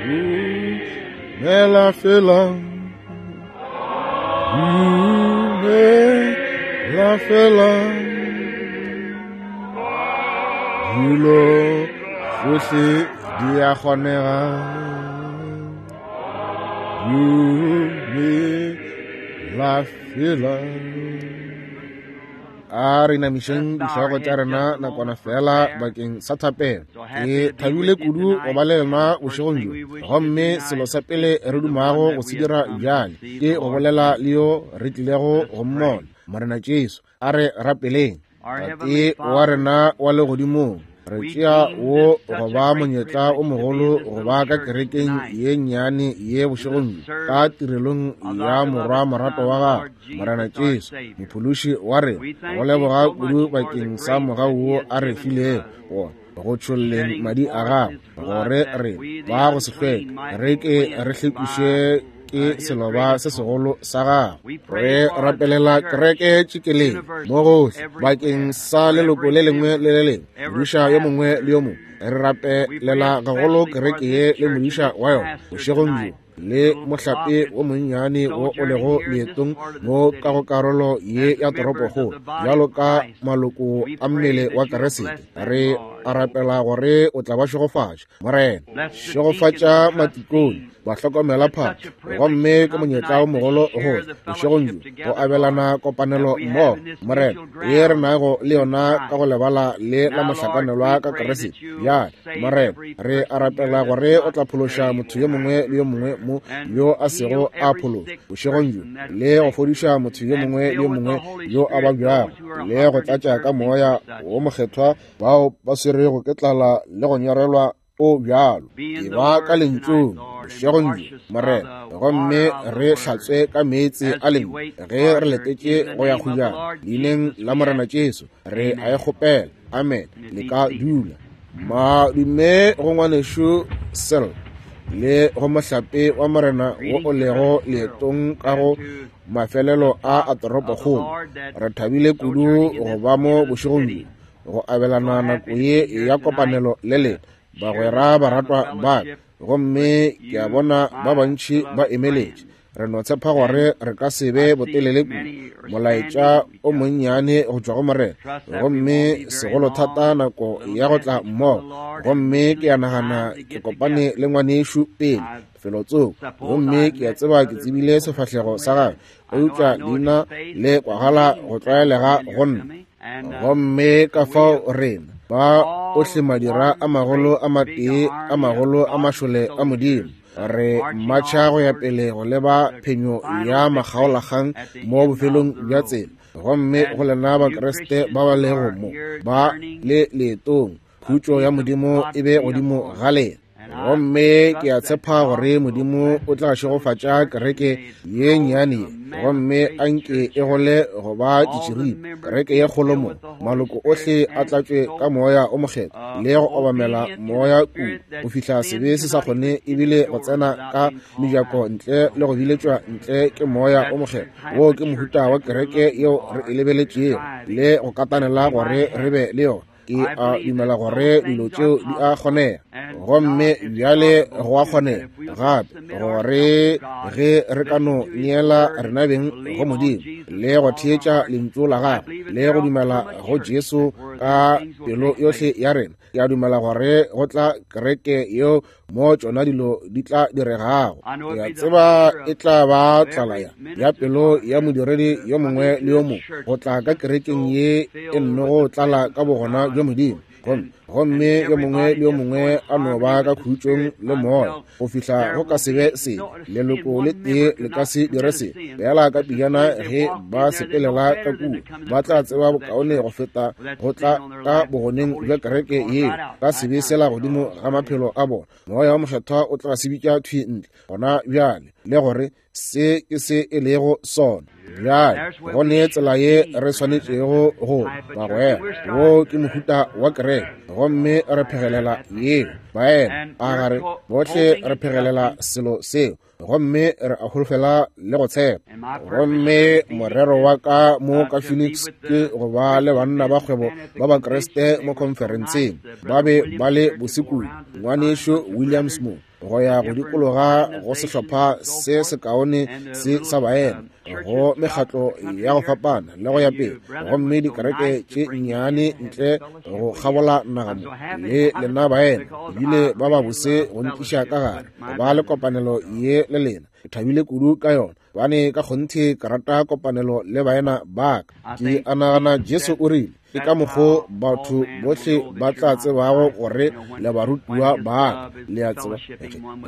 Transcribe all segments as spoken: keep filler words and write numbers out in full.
Dumela fela, dumela fela, dilo tsohle di a kgonega. Dumela fela. A re inamišeng dihlogo tša rena nakwana fela bakeng sa thapelo. Ke thabile kudu go ba le lena bošegong bjo, gomme selo sa pele re dumago go se dira bjale ke go bolela le yo re tlilego go mmona, Morena Jesu. A re rapeleng. Tate wa rena wa legodimong, re tšea wo go ba monyetla o mogolo go ba ka kerekeng ye nnyane ye bošegong bjo, ka tirelong ya morwa morato wa gago, Morena Jesu, mophološi wa rena. Go leboga kudu bakeng sa mogau wo a re filego wona go tšholleng madi a gagwe, gore re ba go se hlweke, re ke re hlwekiše ke seloba se segolo sa gagwe. Re rapelela kereke tšikeleng mo gohle bakeng sa leloko le lengwe le le lengwe, modiša yo mongwe le yo mongwe. Re rapelela gagolo kereke ye le modiša wa yona bošegong bjo, le mohlape wo monnyane wo o lego leetong mo ka go karolo ye ya toropokgolo, bjalo ka maloko a mmele wa Keresete. Re a rapela gore o tla ba šegofatša, Morena. Šegofatša matikone, bahlokomela phahlo, gomme ke monyetla o mogolo go bošegong bjo go abelana kopanelo mmogo, Morena, ye re nago le yona ka go lebala le la mohlakanelwa ka Keresete. Bjale, Morena, re a rapela gore o tla phološa motho yo mongwe le yo mongwe mo yo a sego a phološwa bošegong bjo, le go fodiša motho yo mongwe le yo mongwe yo a babjago, le go tlatša ka moya wo mokgethwa bao ba swerego ke tlala le go nyorelwa o bjalo. E ba ka lentšung bošegong bjo, Morena, gomme re hlatswe ka meetse a lentšu ge re letetše go ya kgojana. Leineng la Morena Jesu re a e kgopela, amen. Le ka dula. Madume go ngwanešu Sel le go mohlape wa Morena wo o lego leetong ka go mafelelo a a toropokgolo. Re thabile kudu go ba mo bošegong bjo go abelana nako ye ya kopanelo le lena, bagwera baratwa ba ka. Gomme ke a bona ba bantši ba emeletše. Re no tshepa gore re ka se be botelele kudu, molaetša o monnyane go tšwa go Morena, gomme segolothata nako ya go tla mmogo. Gomme ke a nagana ke kopane le ngwanešu pele felotsoko, gomme ke a tseba ke tsebile sefahlego sa gagwe, eupša leina le kwagala go tlwaelega go nna. Gomme ka fao rena ba ohle madira a magolo a matee a magolo a mašole a Modimo, re matšha go ya pele go leba phenyo ya makgaolakgang mo bofelong bja tsela. Gomme go lena Bakriste ba ba lego mo ba le leetong, khutšo ya Modimo e be godimo ga lena. Gomme ke a tshepa gore Modimo o tla šegofatša kereke ye nnyane ye, gomme a nke e gole go ba ditširipa, kereke ye kgolo mo maloko ohle a tlatšwe ka moya o mokgethwa le go obamela moya kudu go fihla sebe se sa kgone ebile go tsena ka mejako ntle le go biletšwa ntle ke moya o mokgethwa. Wo ke mohuta wa kereke yeo re e lebeletšego le go katanela gore re be le yona. Ke a dumela gore dilo tšeo di a kgonega, gomme bjale go a kgonega gape gore ge re ka no neela rena beng go Modimo le go theetša lentšu la gagwe le go dumela go Jesu ka pelo yohle ya rena, ke a dumela gore go tla kereke yeo mo tšona dilo di tla diregago. Ke a tseba e tla ba tlala ya ya pelo ya modiredi yo mongwe le yo mongwe go tla ka kerekeng ye e nnogo tlala ka bogona bja Modimo, gomme gomme yo mongwe le yo mongwe a no ba ka khutšong le moya go fihla go ka se be se leloko le tee le ka se dire se fela ka pejana ge ba sepelela ka kua, ba tla tseba bokaone go feta go tla ka bogoneng bja kereke yeo ka sebe sela godimo ga maphelo a bona. Moya wa mokgethwa o tla se bitša thwi ntle gona bjale, le gore se ke se e lego sona. Bjale go ne tsela ye re swanetšego go bagwera. Wo ke mohuta wa kereke, gomme re phegelela yeo. Baena a gare bohle re phegelela selo seo, gomme re a holofela le go tshepa. Gomme morero wa ka mo ka Phoenix ke go ba le banna ba kgwebo ba Bakriste mo conferenceng. Ba be ba le bosekudu, ngwanešu Williams mo. go ya go dikologa go sehlopha se sekaone se sa baena, go mekgatlo ya go fapana le go ya pele, gomme dikereke tše nnyane ntle go kgabola naga mo, le lena baena ebile ba ba bose go ntliša ka gare go ba le kopanelo ye le lena. Ke thabile kudu ka yona, bane ka kgonthe ke rata kopanelo le baena ba ka. Ke a nagana Jesu o rile, ke ka mokgo batho bohle ba tla tsebago gore le barutiwa ba ka, le a tseba,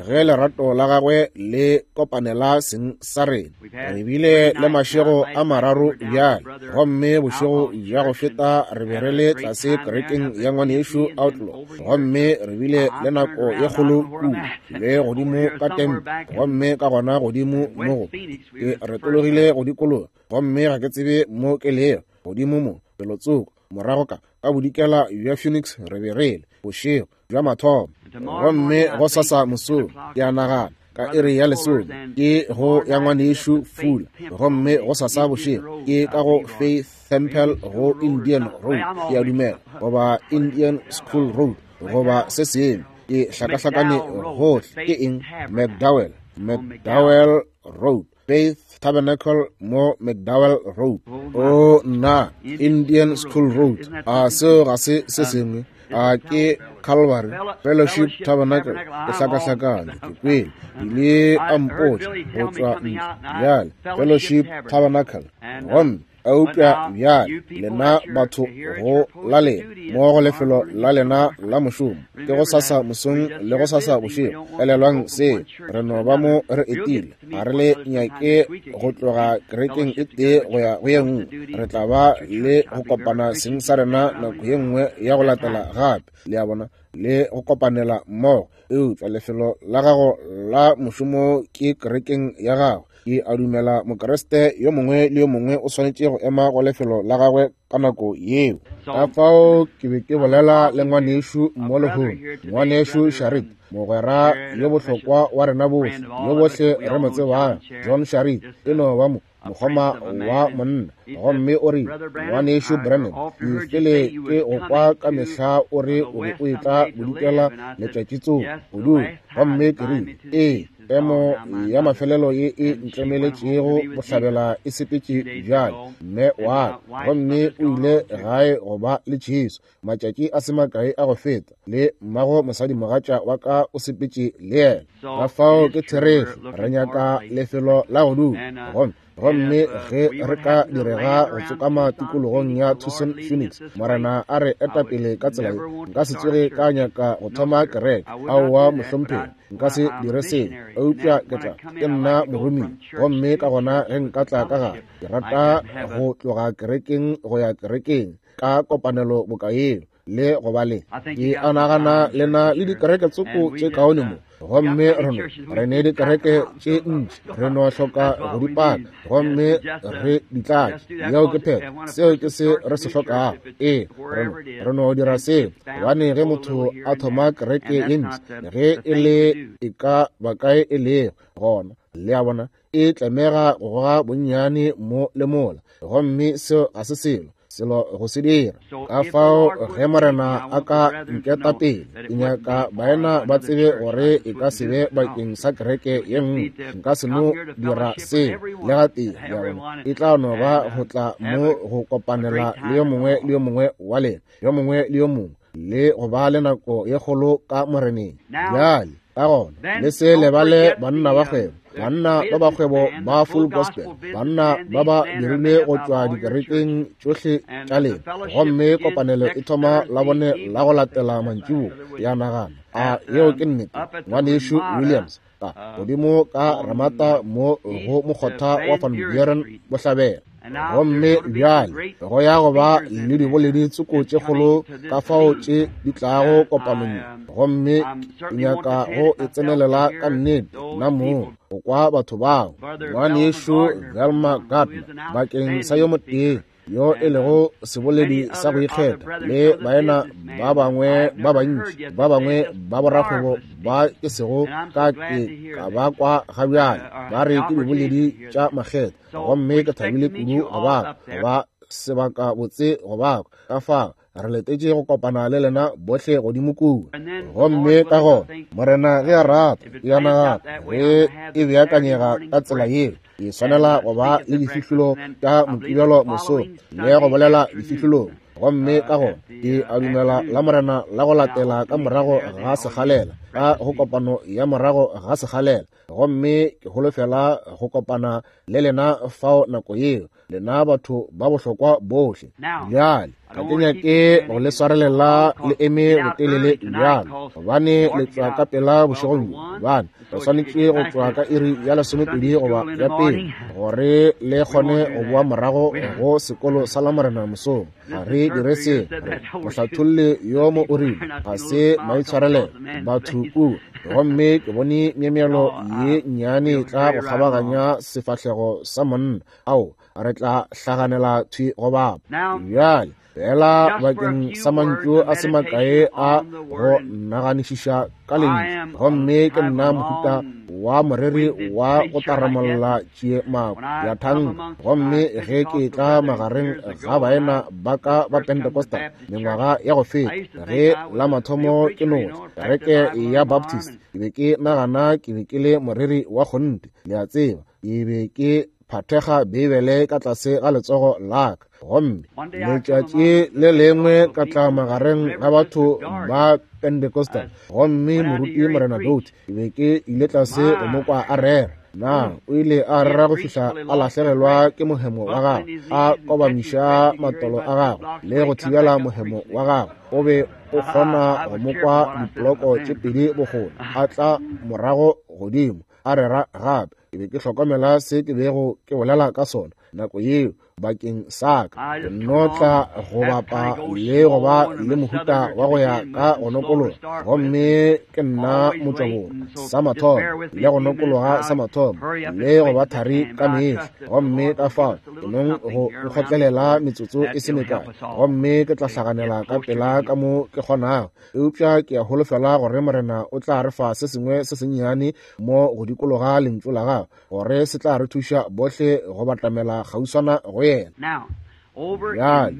ge lerato la gagwe le kopanela seng sa rena. Re bile le mašego a mararo bjale, gomme bošego bja go feta re be re le tlase kerekeng ya ngwanešu Outlaw, gomme re bile le nako ye kgolo kudu le godimo ka Tempe, gomme ka gona godimo mo go ke retologile go dikologa, gomme ga ke tsebe mo ke lego godimo mo felotsoko morago ka ka bodikela bja Phoenix re be re le bošego bja mathomo, gomme go sasa mosong ke a nagana ka iri ya lesome ke go ya ngwanešu Fula, gomme go sasa bošego ke ka go Faith Temple go Indian Road, ke a dumela, goba Indian School Road, goba se sengwe, ke hlakahlakane gohle. Ke eng? McDowell, McDowell Road, Faith Tabernacle mo McDowell Road. O nna, Indian School Road, a seo ga se se sengwe? A ke Calvary Fellowship Tabernacle? Ke hlakahlakane, ke kwele ile a mpotša go tšwa ntle bjale, Fellowship Tabernacle. Gomme eupša bjale lena batho go la lena mo go lefelo la lena la mošomo, ke go sasa mosong le go sasa bošego. Elelwang se, re no ba mo re etile, ga re le nyake go tloga kerekeng e tee go ya go ye nngwe. Re tla ba le go kopana seng sa rena nako ye nngwe ya go latela gape, le a bona, le go kopanela mmogo. Eupša lefelo la gago la mošomo ke kerekeng ya gago. Ke a dumela Mokriste yo mongwe le yo mongwe o swanetše go ema go lefelo la gagwe ka nako yeo. Ka fao ke be ke bolela le ngwanešu mo lehono, ngwanešu Sharit, mogwera yo bohlokwa wa rena bohle, yo bohle re mo tsebang, John Sharit, e no ba mo mokgoma wa monna. Gomme o rile, ngwanešu Branham, ke fele ke go kwa ka mehla o re o be o etla bodikela letšatši tsoko go dula. Gomme ke rile, ee, emo ya mafelelo ye e ntlemeletšego bohlabela e sepetše bjale, mme wa ka, gomme o ile gae go ba le Jesu matšatši a se makae a go feta, le mmago mosadimogatša wa ka o sepetše le yena. Ka fao ke therešo, re nyaka lefelo la go dula. Gomme gomme ge re ka direga go tsokama tikologong ya Tucson Phoenix, Morena a re etapele ka tsela ye, nka se tsoge ka nyaka go thoma kereke. Aowa mohlomphegi, nka se dire seo, eupša ke tla, ke nna moromiwa, gomme ka gona ge nka tla ka gare, ke rata go tloga kerekeng go ya kerekeng ka kopanelo boka yeo le go ba le. Ke a nagana le na le dikereke tsoko tše kaone mo, gomme re no re ne dikereke tše ntši, re no hloka go di paka gomme re di tlatše. Yeo ke phetho, seo ke se re se hlokago. Ee, re no re no dira seo, gobane ge motho a thoma kereke ye ntši, ge e le e ka ba kae e lego gona, le a bona, e tlamega go goga bonnyane mo le mola, gomme seo ga se selo selo go se dira. Ka fao ge Morena a ka nketa pele, ke nyaka baena ba tsebe gore e ka se be bakeng sa kereke ye nngwe. Nka se no dira seo le gatee, le a bona. E tla no ba go tla mo go kopanela le yo mongwe le yo mongwe wa lena, yo mongwe le yo mongwe, le go ba le nako ye kgolo ka Moreneng. Bjale ka gona le se lebale banna ba kgwebo, banna ba ba kgwebo ba Full Gospel, banna ba ba dirile go tšwa dikerekeng tšohle tša lena, gomme kopanelo e thoma la bone la go latela mantšiboa. Ya nagana, a yeo ke nnete, ngwanešu Williams, ka godimo ka Ramata mo go mokgotha wa Van Buren bohlabela. Gomme bjale go ya go ba le diboledi tsoko tše kgolo ka fao tše di tlago kopanong, gomme ke nyaka go e tsenelela ka nnete nna moo go kwa batho bao. Ngwanešu Velma Gardner bakeng sa yo motee yo e lego seboledi sa go ikgetha, le baena ba bangwe ba bantši, ba bangwe ba borakgwebo ba ke sego ka ke ka ba kwa ga bjale, ba re ke diboledi tša makgetha, gomme ke thabile kudu go ba go ba sebaka botse go ba ka fa Re letetše go kopana le lena bohle godimo kua. Gomme ka gona Morena ge a rata, ke a nagana ge e beakanyega ka tsela yeo, ke swanela go ba le difihlolo tša Mokibelo mosong le go bolela difihlolong. Gomme ka gona ke a dumela la Morena la go latela ka morago ga sekgalela, ka go kopano ya morago ga sekgalela. Gomme ke holofela go kopana le lena fao nako yeo, lena batho ba bohlokwa bohle. Bjale ga ke nyake go le swarelela le eme botelele bjalo, gobane le tšwa ka pela bošegong bjo, gobane re swanetše go tšwa ka iri ya lesomepedi goba ya pele gore le kgone go boa morago go sekolo sa Lamorena mosong. Ga re dire se. Mohlatholli yo mo o rile ga se maitshwarelelo batho kua, gomme ke bone myemyelo ye nnyane tla go kgabaganya sefahlego sa monna. Ao, re tla hlaganela thwi go bapa. Bjale fela bakeng sa mantšu a se makae a go naganišiša ka lentšu. Gomme ke nna mohuta wa moreri wa go taramolla tšie mako ya thanka. Gomme ge ke tla magareng ga baena ba ka ba Pentecostal mengwaga ya go feta, ge la mathomo ke no kereke ya Baptist, ke be ke nagana ke be ke le moreri wa kgonthe, le a tseba, ke be ke phathega Beibele ka tlase ga letsogo la ka. Gomme letšatši le lengwe ka tla magareng ga batho ba Pentecostal, gomme moruti Morena Doty, ke be ke ile tlase go mo kwa a rera. Na o ile a rera go fihla a lahlegelwa ke mohemo wa gagwe, a kobamiša matolo a gagwe le go thibela mohemo wa gagwe. O be o kgona go mo kwa diploko tše pedi bokgole, a tla morago godimo a rera gape. Ke be ke hlokomela se ke bego ke bolela ka sona nako yeo bakeng sa ka. Ke no tla go bapa le go ba le mohuta wa go ya ka go nokologa, gomme ke nna motšwaborwa sa mathomo le go nokologa sa mathomo le go ba thari ka mehla. Gomme ka fao ke nong go nkgotlelela metsotso e se mekae, gomme ke tla hlaganela ka pela ka mo ke kgonago. Eupša ke a holofela gore Morena o tla re fa se sengwe se sennyane mo go dikologa lentšu la gagwe, gore se tla re thuša bohle go batamela kgauswana go yena. Bjale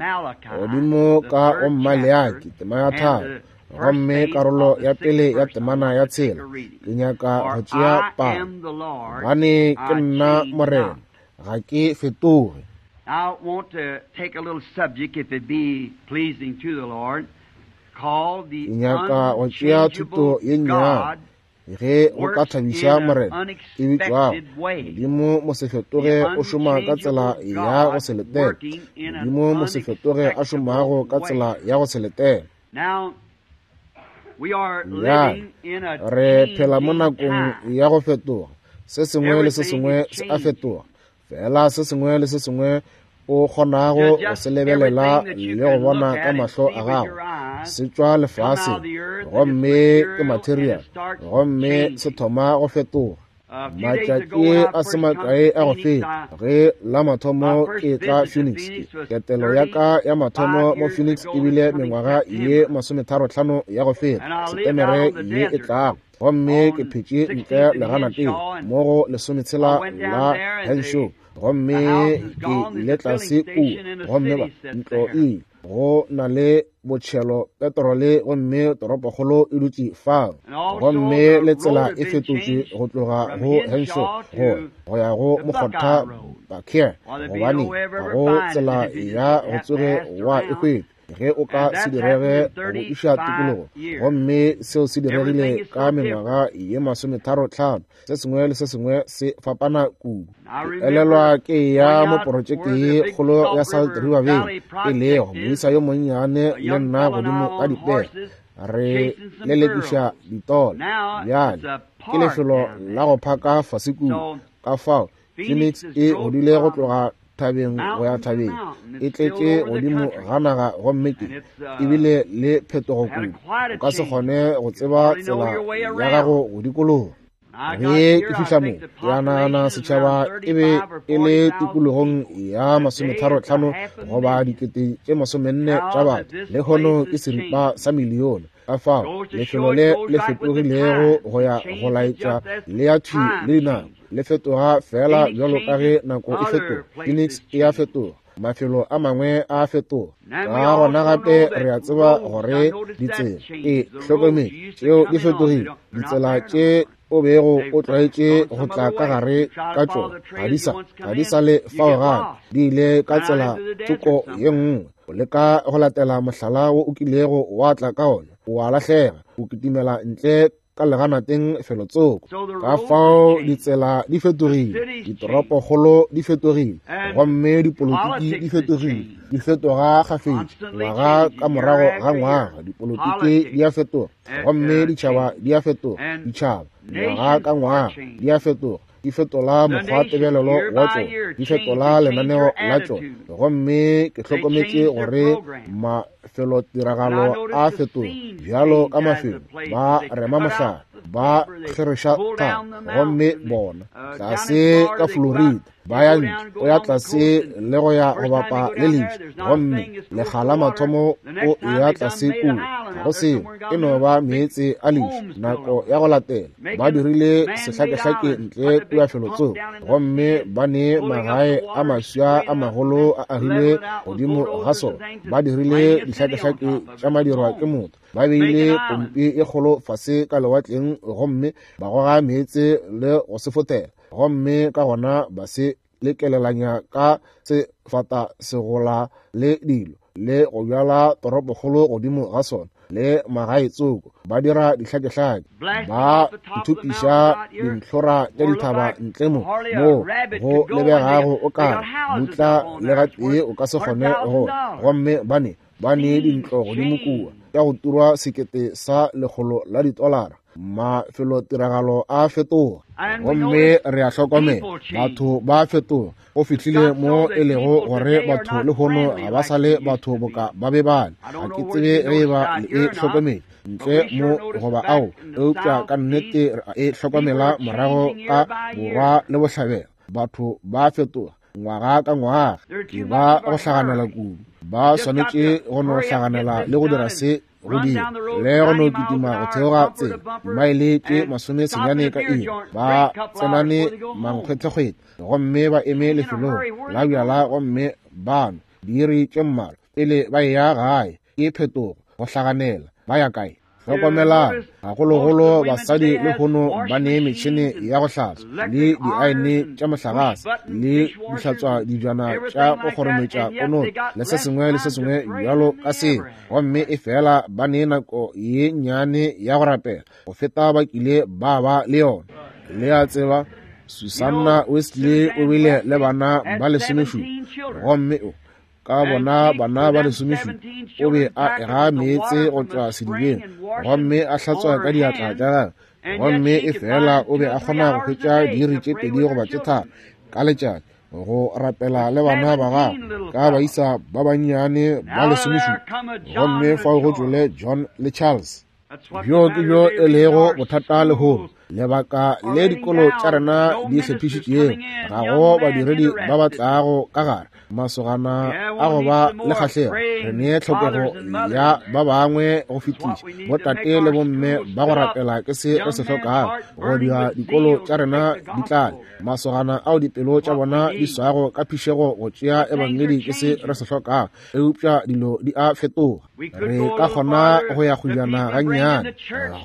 godimo ka go Maleaki tema ya tharo, gomme karolo ya pele ya temana ya tshela, ke nyaka go tšea palo. Gobane ke nna Morena, ga ke fetoge. I want to take a little subject, if it be pleasing to the Lord, called the Ke nyaka go tšea thuto ye nnyane, ge go ka thabiša Morena, e bitšwago Modimo Mosefetoge o šoma ka tsela ya go se letele. Modimo Mosefetoge a šomago ka tsela ya go se letele. Bjale re phela mo nakong ya go fetoga. Se sengwe le se sengwe se a fetoga. Fela se sengwe le se sengwe o kgonago go se lebelela le go bona ka mahlo a gago se tšwa lefaseng, gomme ke material, gomme se thoma go fetoga. Matšatši a se makae a go feta, ge la mathomo ke tla Phoenix, ketelo ya ka ya mathomo mo Phoenix e bile mengwaga ye masometharo-hlano ya go feta, Setemere ye e tlago. Gomme ke phetše ntle leganateng mo go lesometshela la Henshaw, gomme ke ile tlase kua, gomme ba ntlo e go na le botšhelo petrole, gomme toropokgolo e dutše fao. Gomme le tsela e fetotšwe go tloga go Henshaw go go ya go mokgotha Bakir, gobane ga go tsela ya go tsoge wa e hwetša ge o ka se direge go iša tikologo. Gomme seo se diregile ka mengwaga ye masometharo-hlano. Se sengwe le se sengwe se fapana kudu. Ke elelwa ke ya mo porojeke ye kgolo ya Salt River Valley, e lego moisa yo monnyane le nna godimo ka dipere re lelekiša ditola. Bjale ke lefelo la go phaka fase kudu. Ka fao Phoenix e godile go tloga thabeng go ya thabeng, e tletše godimo ga naga, gomme ke ebile le phetogo kudu. O ka se kgone go tseba tsela ya gago go dikologa. Ge ke fihla mo, ke a nagana setšhaba e be e le tikologong ya masometharo-hlano goba dikete tše masomenne tša batho. Lehono ke seripa sa milione. Ka fao lefelo le le fetogilego go ya go laetša le ya thwi le dinako, le fetoga fela bjalo ka ge nako e fetoga. Phoenix e a fetoga. Mafelo a mangwe a fetoga. Ka gona gape re a tseba gore ditsela e hlokomele tšeo di fetogile. Ditsela tše o bego o tlwaetše go tla ka gare ka tšona ga di sa ga di sa le fao gape, di ile ka tsela tsoko ye nngwe. O leka go latela mohlala wo o kilego wa tla ka ona, o a lahlega, o kitimela ntle ka leganateng felotsoko. Ka fao ditsela di fetogile, ditoropokgolo di fetogile, gomme dipolotiki di fetogile, di fetoga kgafetša ngwaga ka morago ga ngwaga. Dipolotiki di a fetoga, gomme ditšhaba di a fetoga, ditšhaba ngwaga ka ngwaga di a fetoga, di fetola mokgwa tebelelo wa tšona, di fetola lenaneo la tšona. Gomme ke hlokometše gore mafelotiragalo a fetoga bjalo ka mafelo. Ba rema mohlare, ba kgereša thaba, gomme bona tlase ka Florida ba ya ntle, o ya tlase le go ya go bapa le leši, gomme lekga la mathomo o ya tlase kua, ga go selo, e no ba meetse a leši. Nako ya go latela ba dirile sehlakehlake ntle kua felotsoko, gomme ba ne magae a maswa a magolo a agilwe godimo ga sona. Ba dirile dihlakehlake tša madirwa ke motho, ba beile pompi e kgolo fase ka lewatleng, gomme ba goga meetse le go se fotela, gomme ka gona ba se lekelelanya ka sefata segola le dilo, le go bjala toropokgolo godimo ga sona le magae tsoko. Ba dira dihlakehlake, ba ithupiša dintlhora tša dithaba ntle mo moo go lebegago o kare mutla le gatee o ka se kgone go. Gomme ba ne ba ne dintlo godimo kua tša go turwa sekete sa lekgolo la ditolara. Mafelotiragalo a fetoga, gomme re a hlokomela batho ba fetoga. Go fihlile mo e lego gore batho lehono ga ba sa le batho boka ba be bale. Ga ke tsebe ge e ba le e hlokomele ntle mo goba ao, eupša ka nnete re a e hlokomela morago ka borwa le bohlabela. Batho ba fetoga ngwaga ka ngwaga, ke ba go hlaganela kudu. Ba swanetše go no hlaganela le go dira se go dira le go no kitima go theoga tsela dimaele tše masome senyane ka iri, ba tsenane mankgwetlekgwete, gomme ba eme lefelong la bjala, gomme ba nwa diiri tše mmalwa pele ba eya gae. Ke phetogo, go hlaganela. Ba ya kae? Hlokomelang, gagologolo basadi lehono ba ne metšhene ya go hlatswa le diaene tša mohlagase le dihlatswa dijana tša go kgorometša konoto le se sengwe le se sengwe bjalo ka seo, gomme e fela ba ne nako ye nnyane ya go rapela go feta ba kile ba ba le yona. Le a tseba, Susanna Wesley o bile le bana ba lesomešupa, gomme o ka bona bana ba lesomešupa o be a ega meetse go tšwa sedibeng gomme a hlatswa ka diatla tša gagwe, gomme e fela o be a kgona go hwetša diiri tše pedi goba tše tharo ka letšatši go rapela le bana ba gagwe ka baisa ba bannyane ba lesomešupa. Gomme fao go tšwele John le Charles. Bjo ke bjo e lego bothata lehono. Lebaka le dikolo tša rena di tshepišitšego, ga go badiredi ba ba tlago ka gare, masogana a go ba le kgahlego. Re ne tlhokego ya ba bangwe go fetiša botate le bomme ba go rapela ke se re se hlokago go dira dikolo tša rena di tlale. Masogana ao dipelo tša bona di swago ka phišego go tšea ebangedi ke se re se hlokago, eupša dilo di a fetoga. Re ka kgona go ya kgojana gannyane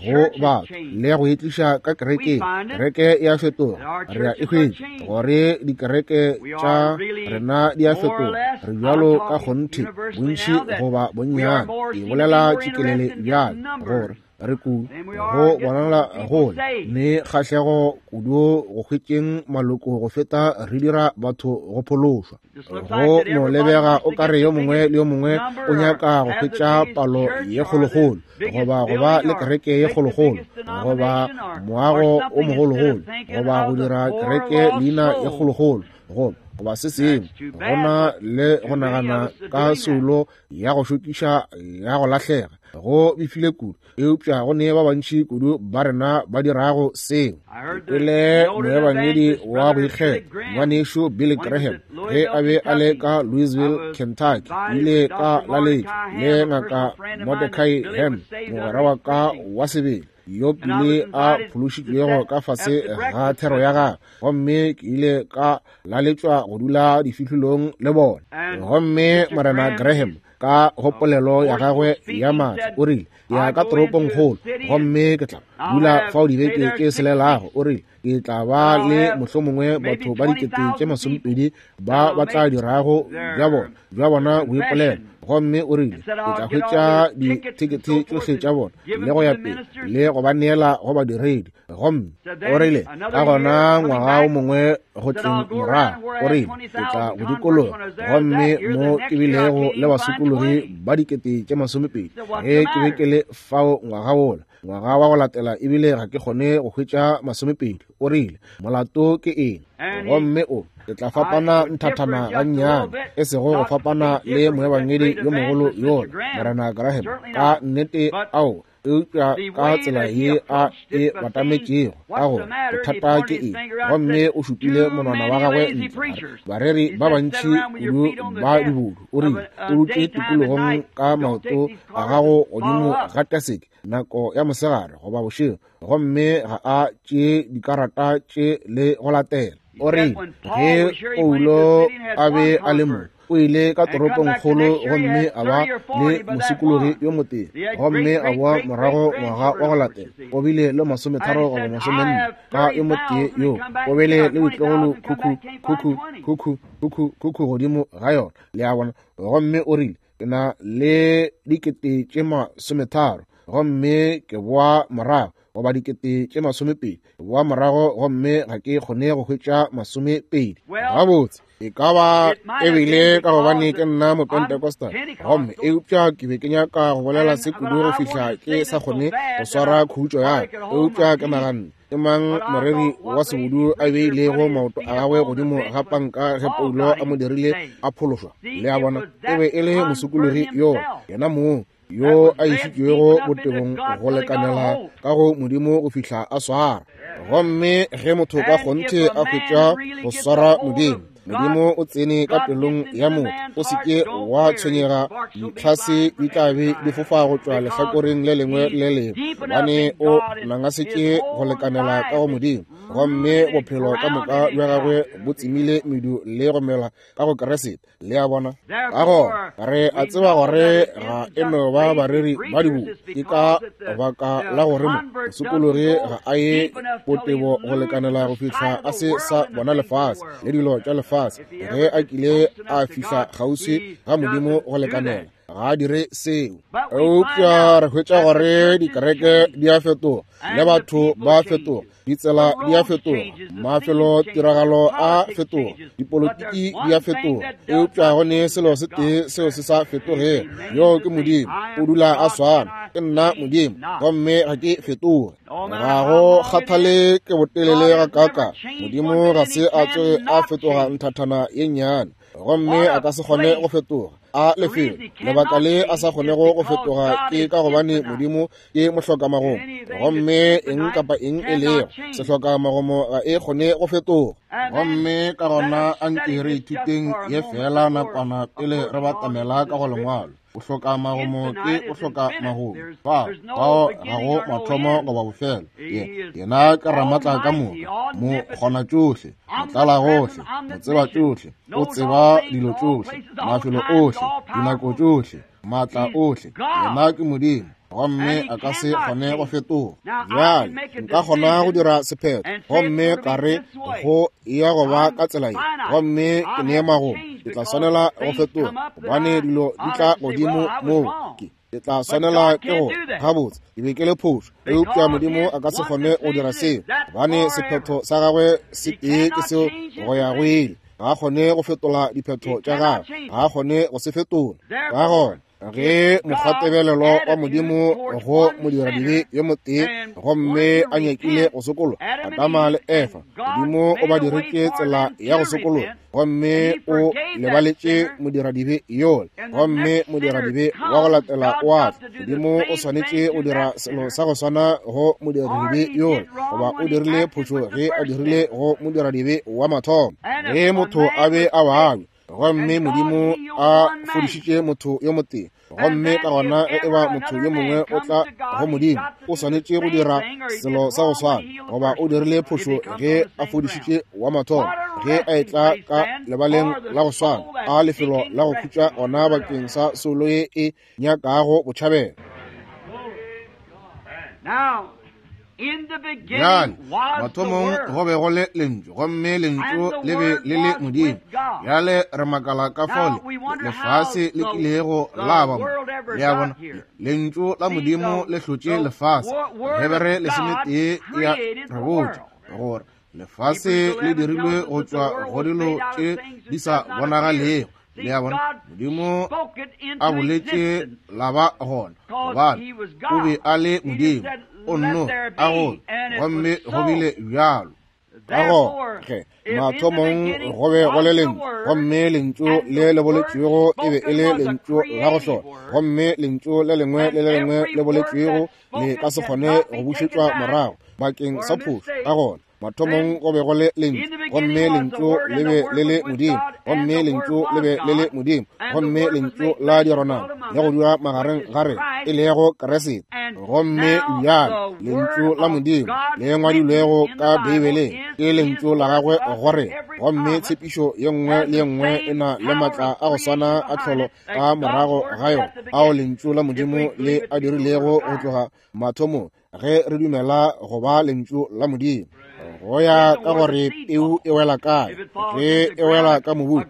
go batho le go itliša ka kerekeng. Kereke e a fetoga, re a e hwetša gore dikereke tša rena di a fetoga. Re bjalo ka kgonthe bontši goba bonnyane, ke bolela tšikelele bjalo gore re kudu go bonala go ne kgahlego kudu go hwetšeng maloko go feta re dira batho go phološwa. Go no lebega o kare yo mongwe le yo mongwe o nyaka go hwetša palo ye kgolokgolo, goba go ba le kereke ye kgolokgolo, goba moago o mogologolo, goba go dira kereke leina ye kgolokgolo, goba goba se sengwe. Go na le go nagana ka soulo ya go šokiša ya go lahlega go befile kudu, eupša go ne ba bantši kudu ba rena ba dirago seo. Ke kwele moebangedi wa go ikgetha ngwanešu Billy Graham ge a be a le ka Louisville, Kentucky. Ile ka laletšwa le ngaka Mordecai Ham, mogwera wa ka wa sebele. yo pele a phološitšwego ka fase ga thero ya gagwe, gomme ke ile ka laletšwa go dula difihlolong le bona. Gomme Morena Graham ka go polelo ya gagwe ya maatla o rile, ke ya ka toropongkgolo gomme ke tla dula fao dibeke tše selelago. O rile, ke tla ba le mohlomongwe batho ba dikete tše masomepedi ba ba tla dirago bja bona bja bona boipolelo. Gomme o rile, ke tla hwetša dithekethe tšohle tša bona le go ya pele le go ba neela go badiredi. Gomme o rile, ka gona ngwaga o mongwe go tleng morago, o rile, ke tla go dikologa gomme mo ke bilego le basokologi ba dikete tše masomepedi ge ke be ke le fao ngwaga wola. Ngwaga wa go latela ebile ga ke kgone go hwetša masomepedi. O rile, molato ke eng? Gomme o, ke tla fapana nthathana gannyane, e sego go fapana le moebangedi yo mogolo yola, Morena Graham, ka nnete ao, eupša ka tsela ye a e batametšego, ka gore bothata ke eng? Gomme o šupile monwana wa gagwe ntle, bareri ba bantši kudu ba dibodu. O rile, o dutše tikologong ka maoto a gago godimo ga taseke nako ya mosegare goba bošego, gomme ga a tšee dikarata tše le go latela. O rile, ge Paulo a be a le mo, o ile ka toropongkgolo gomme a ba le mosokologi yo motee, gomme a boa morago ngwaga wa go latela o bile le masometharo goba masomenne ka yo motee yo o bile le boitlogolo khukhu khukhu khukhu khukhu khukhu godimo ga yona, le a bona. Gomme o rile, ke na le dikete tše masometharo gomme ke boa morago, goba dikete tše masomepedi, ke boa morago gomme ga ke kgone go hwetša masomepedi. Gabotse, e ka ba ebile ka gobane ke nna Mopentecostal, gomme eupša ke be ke nyaka go bolela se kudu go fihla ke sa kgone go swara khutšo ya ka. Eupša ke naganne, ke mang moreri wa sebodu a beilego maoto a gagwe godimo ga panka ge Paulo a mo dirile a phološwa? Le a bona, e be e le mosokologi yo yena mong yo a išitšwego botebong go lekanela ka go Modimo go fihla a swara. Gomme ge motho ka kgonthe a hwetša go swara Modimo, Modimo o tsene ka pelong ya motho. O se ke wa tshwenyega, ditlhase di tla be di fofa go tšwa lehlakoreng le lengwe le lengwe, gobane o nangasetše go lekanela ka go Modimo. Gomme bophelo ka moka bja gagwe bo tsemile medu le go mela ka go Keresete. Le a bona? Ka gona re a tseba gore ga e no ba bareri ba dibodu, ke ka baka la gore mo mosokologi ga a ye botebo go lekanela go fihla a se sa bona lefase le dilo tša lefase. Ge a kile a fihla kgauswi ga Modimo go lekanela, ga a dire seo. Eupša re hwetša gore dikereke di a fetoga le batho ba fetoga, ditsela di a fetoga, mafelo tiragalo a fetoga, dipolotiki di a fetoga, eupša go ne selo se tee seo se sa fetogego, yo ke Modimo. O dula a swana. Ke nna Modimo gomme ga ke fetoge. Ga go kgathale ke botelele ga kaka, Modimo ga se a tsoge a fetoga nthathana ye nnyane, gomme a ka se kgone go fetoga. A lefelo lebaka le a sa kgonego go fetoga ke ka gobane Modimo ke mohlokamagomo, gomme eng kapa eng e lego sehlokamagomo ga e kgone go fetoga. Gomme ka gona a nke re ithuteng ye fela nakwana pele re batamela ka go lengwalo. O hloka magomo ke o hloka magomo, fa fao ga go mathomo goba bofelo. Yena ke ramatla ka moka, mo kgona tšohle, motlala gohle, mo tseba tšohle, o tseba dilo tšohle, mafelo ohle, dinako tšohle, maatla ohle. Yena ke Modimo, gomme a ka se kgone go fetoga. Bjale nka kgona go dira sephetho gomme ka re go ya go ba ka tsela ye, gomme ke nee magomo, ke tla swanela go fetoga gobane dilo di tla godimo moo. Ke ke tla swanela ke go gabotse, ke be ke le phošo. Eupša Modimo a ka se kgone go dira seo, gobane sephetho sa gagwe se tee ke seo go ya go ile. Ga a kgone go fetola diphetho tša gagwe, ga a kgone go se fetola. Ka gona ge mokgwatebelelo wa Modimo go modiradibe yo motee gomme a nyakile go sokologa, Adama le Efa, Modimo o ba diretše tsela ya go sokologa, gomme o lebaletše modiradibe yola, gomme modiradibe wa go latela o a tla. Modimo o swanetše go dira selo sa go swana go modiradibe yola, goba o dirile phošo ge a dirile go modiradibe wa mathomo. Ge motho a be a babja, gomme Modimo a fodišitše motho yo motee, Gomme ka gona ge e ba motho yo mongwe o tla go Modimo, o swanetše go dira selo sa go swana, goba o dirile phošo ge a fodišitše wa mathomo, ge a etla ka lebaleng la go swana, a lefelo la go khutša gona bakeng sa soulo ye e nyakago botšhabelo. Bjale, mathomong go be go le lentšu, gomme lentšu le be le le Modimo. Bjale re makala ka fao lefase le kilego la ba mo. Le a bona, lentšu la Modimo le hlotše lefase. Hebere lesometee ya re botša gore lefase le dirilwe go tšwa go dilo tše di sa bonagalego. Le a bona, Modimo a boletše la ba gona, gobane o be a le Modimo. O nno a go, gomme go bile bjalo. Ka gona ge mathomong go be go le lentšu, gomme lentšu le le boletšwego e be e le lentšu la go hlola, gomme lentšu le lengwe le le lengwe le boletšwego le ka se kgone go bušetšwa morago bakeng sa phošo. Ka gona mathomong go be go le lentšu, gomme lentšu le be le le Modimo, gomme lentšu le be le le Modimo, gomme lentšu la dirwa le go dula magareng ga rena, e lego Kriste. Gomme bjale lentšu la Modimo le ngwadilwego ka Beibeleng ke lentšu la gagwe go rena, gomme tshepišo ye nngwe le ye nngwe e na le maatla a go swana a tlholo ka morago ga yona ao lentšu la Modimo le a dirilego go tloga mathomong, ge re dumela go ba lentšu la Modimo. Go ya ka gore peu e wela kae, ge e wela ka mobung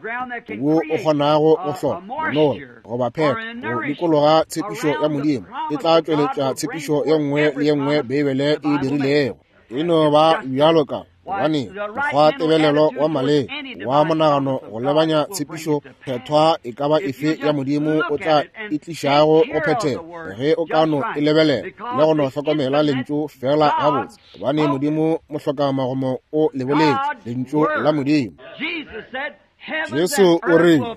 wo o kgonago go hlola monola goba phepo go dikologa tshepišo ya Modimo, e tla tšweletša tshepišo ye nngwe le ye nngwe Beibele e dirilego. E no ba bjalo ka gobane mokgwa tebelelo wa maleba wa monagano go lebanya tshepišo phethwa e ka ba efe ya Modimo o tla e tlišago go phethega ge o ka no e lebelela le go no hlokomela lentšu fela gabotse, gobane Modimo mohlokamagomo o le boletše, lentšu la Modimo. Jesu o rile,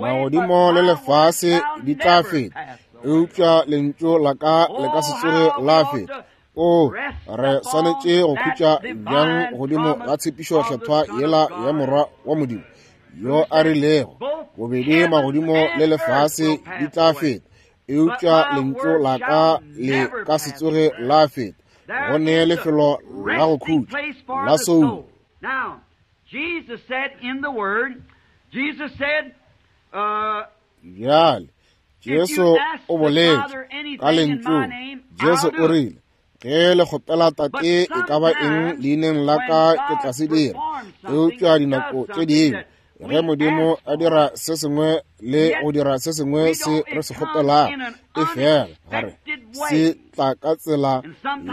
magodimo le lefase di tla feta, eupša lentšu la ka le ka se tsoge la feta. O re swanetše go khutša bjang godimo ga tshepišo kgethwa yela ya Morwa wa Modimo yo a rilego, bobedi magodimo le lefase di tla feta, eupša lentšu la ka le ka se tsoge la feta. Go ne lefelo la go khutša la soulo. Bjale Jesu o boletše ka lentšung. Jesu o rile, ge le kgopela Tate e ka ba eng leineng la ka, ke tla se dira. Eupša dinako tše dingwe ge Modimo a dira se sengwe le go dira se sengwe se re se kgopelago, e fela gare se tla ka tsela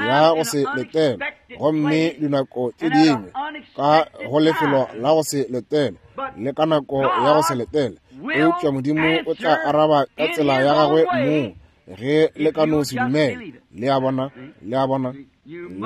ya go se letele, gomme dinako tše dingwe ka go lefelo la go se letele le ka nako ya go se letele. Eupša Modimo o tla araba ka tsela ya gagwe mong ge le ka no se dumela. Le a bona, le a bona,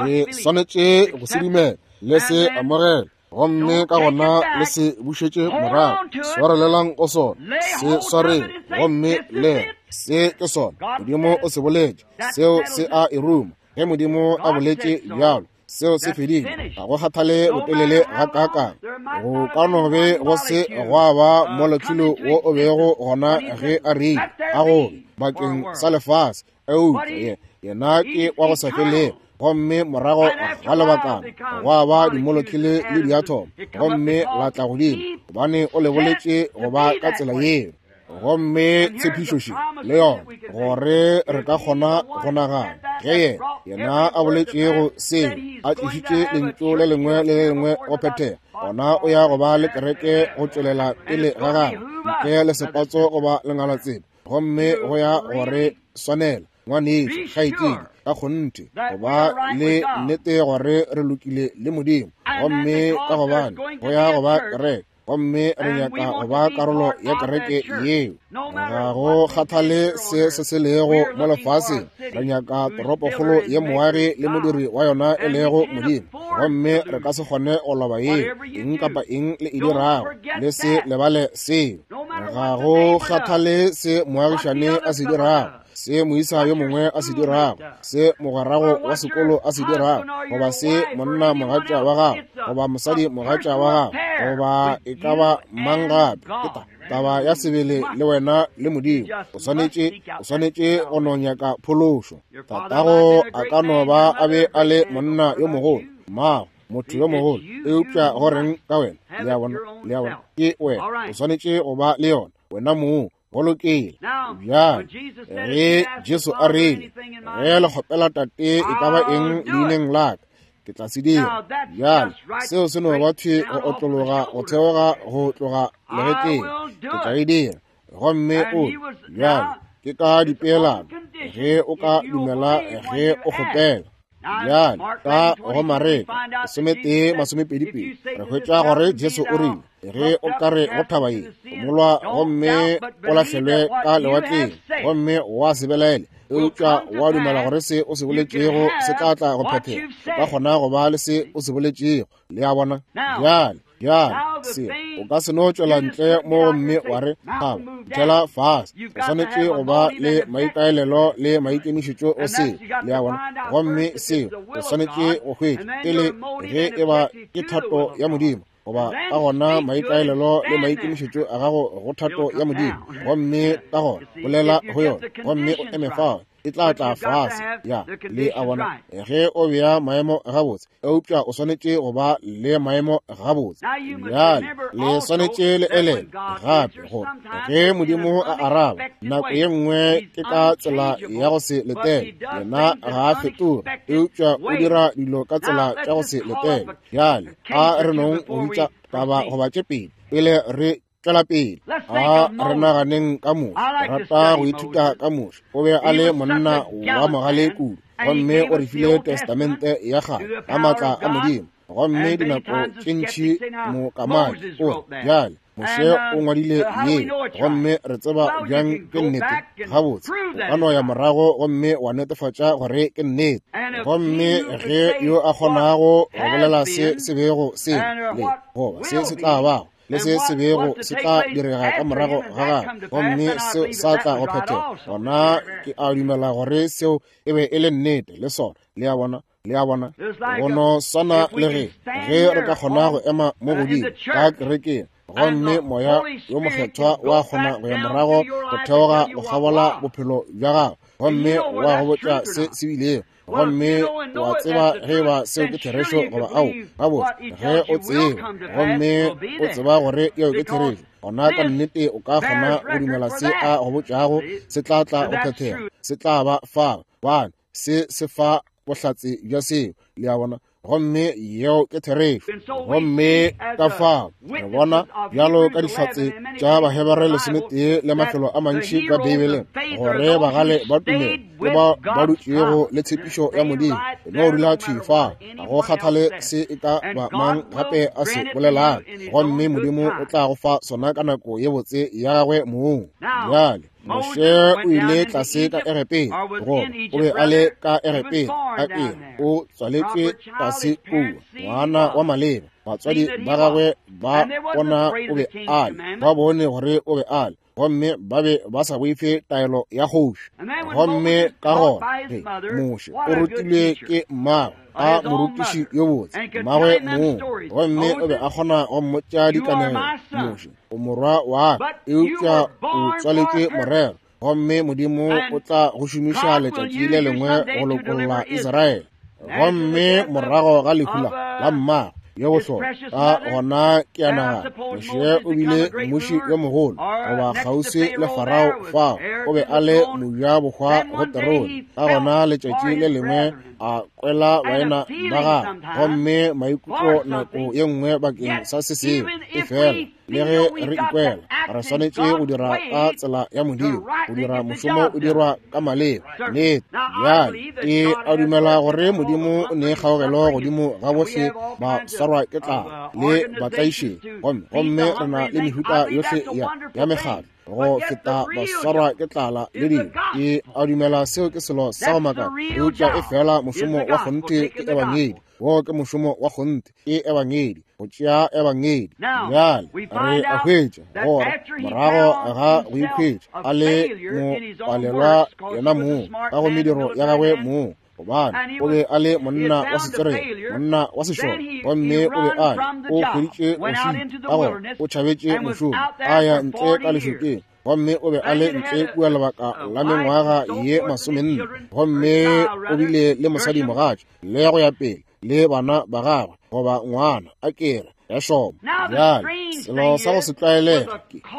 le swanetše go se dumela, le se amogele, gomme ka gona le se bušetše morago. Swarelelang go sona, se swareng, gomme le se ke sona. Modimo o se boletše, seo se a e ruma. Ge Modimo a boletše bjalo, seo se fedile. Ga go kgathale botelele ga kaakang, go ka no be go se gwa ba molekhulo wo o bego gona ge a rile a gobe bakeng sa lefase, eupša yena ke wa go sa felego. Gomme morago ga lebakana gwa ba dimolekule le diathomo, gomme la tla godimo, gobane o le boletše go ba ka tsela yeo. Gomme tshepišo le yona gore re ka kgona go nagana ge yena yena a boletšego seo, a tlišitše lentšu le lengwe le le lengwe go phethega, gona o ya go ba le kereke go tšwelela pele ga gagwe ntle le sepatso goba lengalatsebe, gomme go ya gore swanela ngwanetšo kgaetšedi ka kgonthe go ba le nnete gore re lokile le Modimo, gomme ka gobane go ya go ba kereke, gomme re nyaka go ba karolo ya kereke yeo. Ga go kgathale se se se lego mo lefaseng, re nyaka toropokgolo ye moagi le modiri wa yona e lego Modimo, gomme re ka se kgone go loba yeo. Eng kapa eng le e dirago, le se lebale seo. Ga go kgathale se moagišane a se dirago, se moisa yo mongwe a se dirago, se mogwerago wa sekolo a se dirago, goba se monna mogatša wa gago goba mosadi mogatša wa gago, goba e ka ba mang gape, Taba ya sebele le wena le Modimo. O swanetše, o swanetše go no nyaka phološo. Tatago a ka no ba a be a le monna yo mogolo, mmago motho yo mogolo, eupša go reng ka wena? Le a bona, le a bona, ke wena. O swanetše go ba le yona wena mong. Go lokile. Bjale ge Jesu a rile, ge le kgopela Tate e ka ba eng leineng la ka, ke tla se dira. Bjale seo se no ba thwe go otlologa go theoga go tloga legetleng. Ke tla e dira. Gomme o bjale ke ka dipeelano, ge o ka dumela ge o kgopela. Bjale ka go Mareka lesometee masomepedi pedi re hwetša gore Jesu o rile, ge o ka re go thaba ye, molwa gomme o lahlelwe ka lewatleng, gomme wa se belaele, eupša wa dumela gore se o se boletšego se tla tla go phethega, o ka kgona go ba le se o se boletšego. Le a bona? Bjale, bjale se o ka se no tšwela ntle mo gomme wa re thaba ntšhela fase. O swanetše go ba le maikaelelo le maikemišetšo o seo. Le a bona? Gomme seo o swanetše go hwetša pele ge e ba ke thato ya Modimo, goba ka gona maikaelelo le maikemišetšo a gago go thato ya Modimo, gomme ka gona bolela go yona gomme o eme fao, e tla tla fase. Ya, le a bona? Ge o bea maemo gabotse, eupša o swanetše go ba le maemo gabotse. Bjale le swanetše le elele gape gore ge Modimo a araba nako ye nngwe ke ka tsela ya go se letele. Yena ga a fetoge, eupša o dira dilo ka tsela tša go se letele. Bjale a re nong go bitša taba goba tše pedi pele re tšwela pele. A re naganeng ka Moshe. Rata go ithuta ka Moshe. O be a le monna wa mogale kudu, gomme o re file testamente ya kgale ka maatla a Modimo. Gomme dinako tše ntši mokamaki o re, bjale Moshe o ngwadile ye, gomme re tseba bjang ke nnete? Gabotse, o ka no ya morago gomme wa netefatša gore ke nnete. Gomme ge yo a kgonago go bolela se se bego se le goba se se tla bago le se se bego se tla direga ka morago ga gagwe, gomme seo sa tla go phethega, gona ke a dumela gore seo e be e le nnete le sona. Le a bona? Le a bona? Go no swana le ge ge re ka kgona go ema mo godimo ka kerekeng, gomme Moya yo Mokgethwa wa kgona go ya morago go theoga go kgabola bophelo bja gago, gomme wa go botša se se bilego, gomme wa tseba ge ba seo ke therešo goba ao. Gabotse, ge o tseba gomme o tseba gore yeo ke therešo, gona ka nnete o ka kgona go dumela se a go botšago se tla tla go phethega, se tla ba fa bane se se fa bohlatse bja seo. Le a bona? Gomme yeo ke therešo. Gomme ka fao re bona bjalo ka dihlatse tša Bahebere lesometee le mafelo a mantši ka Beibeleng gore bagale ba tumelo ke bao ba dutšego le tshepišo ya Modimo. No dula thwi fao, ga go kgathale se e ka ba mang gape a se bolelang, gomme Modimo o tla go fa sona ka nako ye botse ya gagwe mong. Bjale Moshe o ile tlase ka Egepeta, goba o be a le ka Egepeta, a eng o tswaletšwe tlase kua, ngwana wa maleba. Batswadi ba gagwe ba bona o be a le, ba bone gore o be a le, gomme ba be ba sa boife taelo ya kgoši. Gomme ka gona ge Moshe o rutilwe ke mmagwe, a morutiši yo botse, mmagwe mong, gomme o be a kgona go mmotša dikanegelo. Moshe, o morwa wa ka, eupša o tswaletšwe morero, gomme Modimo o tla go šomiša letšatši le lengwe go lokolla Israele. Gomme morago ga lehu la mmagwe yo bohlokwa, ka gona ke a nagana Moshe o bile mmuši yo mogolo, goba kgauswi le Farao fao, o be a le mojabohwa go terone. Ka gona letšatši le lengwe a kwela baena ba gagwe, gomme maikutlo nako ye nngwe bakeng sa se sengwe, e fela le ge re ikwela re swanetše go dira ka tsela ya Modimo, go dira mošomo o dirwa ka maleba. Nnete. Bjale ke a dumela gore Modimo o ne kgaogelo godimo ga bohle ba swarwa ke tlala le batlaišegi, gomme gomme re na le mehuta yohle ya ya mekgatlo go feta ba swarwa ke tlala le dilo. Ke a dumela seo ke selo sa go makatša, eupša e fela mošomo wa kgonthe ke ebangedi. Wo ke mošomo wa kgonthe, ke ebangedi, go tšea ebangedi. Bjale re a hwetša gore morago ga go ikhwetša a le mopalelwa yena mong ka go mediro ya gagwe mong, Gobane o be a le monna wa setswerere, monna wa sešole, gomme o be a o hweditše go šita, ka gore o tšhabetše mošomo, a ya ntle ka lešokeng. Gomme o be a le ntle kua lebaka la mengwaga ye masomenne, gomme o bile le mosadi mogatša le go ya pele le bana ba gagwe goba ngwana a kere ya šoma. Bjale selo sa go se tlwaelege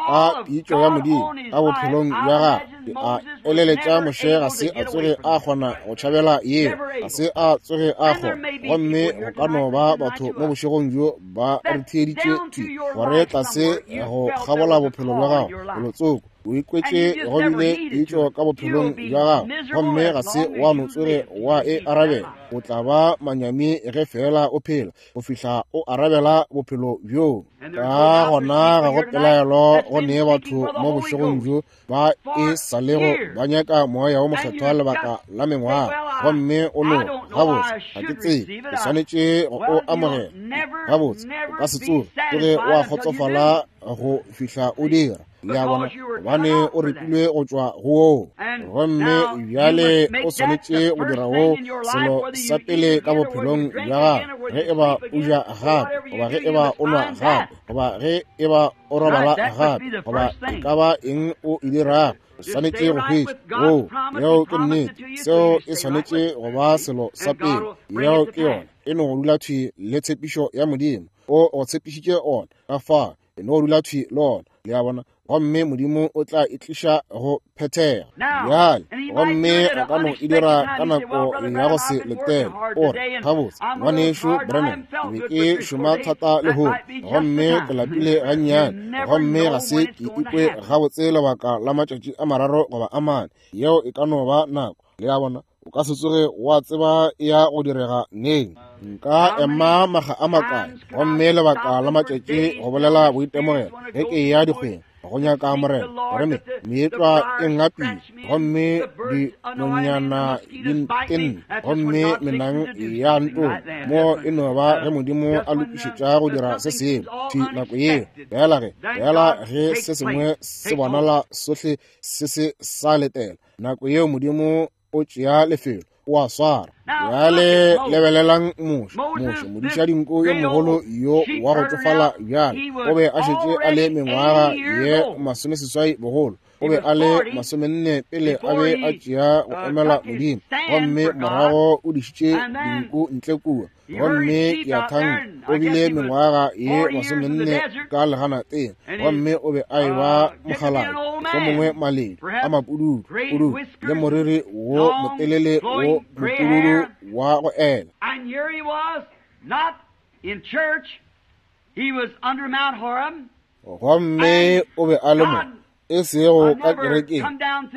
ka pitšo ya Modimo ka bophelong bja gagwe, ke a eleletša Moshe ga se a tsoge a kgona go tšhabela yeo, ga se a tsoge a kgona. Gomme go ka no ba batho mo bošegong bjo ba re theeditše thwi gore tlase go kgabola bophelo bja gago felotsoko o ikwetše go bile pitšo ka bophelong bja gago, gomme ga se wa no tsoge wa e arabela. O tla ba manyami ge fela o phela go fihla o arabela bophelo bjo. Ka gona ga go pelaelo go nee batho mo bošegong bjo ba e sa lego ba nyaka moya wo mokgethwa lebaka la mengwaga, gomme o no gabotse ga ke tsebe ke swanetše go o amogela. Gabotse o ka se tsoge tsoge wa kgotsofala go fihla o dira. Le a bona, gobane o repilwe go tšwa go woo, gomme bjale o swanetše go dira woo selo sa pele ka bophelong bja gago. Ge e ba o ja gape, goba ge e ba o nwa gape, goba ge e ba o robala gape, goba e ka ba eng o e dirago, o swanetše go hwetša woo. Yeo ke nnete, seo e swanetše go ba selo sa pele. Yeo ke yona, e no go dula thwi le tshepišo ya Modimo. O go tshepišitše ona, ka fao e no go dula thwi le ona. Le a bona, gomme Modimo o tla e tliša go phethega. Bjale gomme a ka no e dira ka nako ya go se letele. O re, gabotse ngwanešu Branham, ke be ke šoma thata lehono, gomme ke lapile gannyane, gomme ga se ke ikwe gabotse lebaka la matšatši a mararo goba a mane. Yeo e ka no ba nako. Le a bona, o ka se tsoge wa tseba ya go direga neng. Nka ema maga a makae, gomme lebaka la matšatši go bolela boitemogelo ge ke ya dikgweng go nyaka Morena, gore me meetlwa e ngapile, gomme dinonyana di ntenne, gomme menang ya ntona. Mo e no ba ge Modimo a lokišetša go dira se sengwe thwi nako yeo. Fela ge fela ge se sengwe se bonala sohle se se sa letela, nako yeo Modimo o tšea lefelo, o a swara. Bjale lebelelang Moshe. Moshe modiša dinko yo mogolo yo wa go tsofala bjale, o be a šetše a le mengwaga ye masomeseswai bogolo. O be a le masomenne pele a be a tšea go emela Modimo, gomme morago o dišitše dinku ntle kua. Gomme ke a thanka o bile mengwaga ye masomenne ka leganateng, gomme o be a eba mokgalabje, mohlomongwe maledi a mapududu pududu le moriri wo motelele wo mopududu wa go ela. And here he was, not in church, he was under Mount Horeb. Gomme o be a le mo e sego ka kerekeng,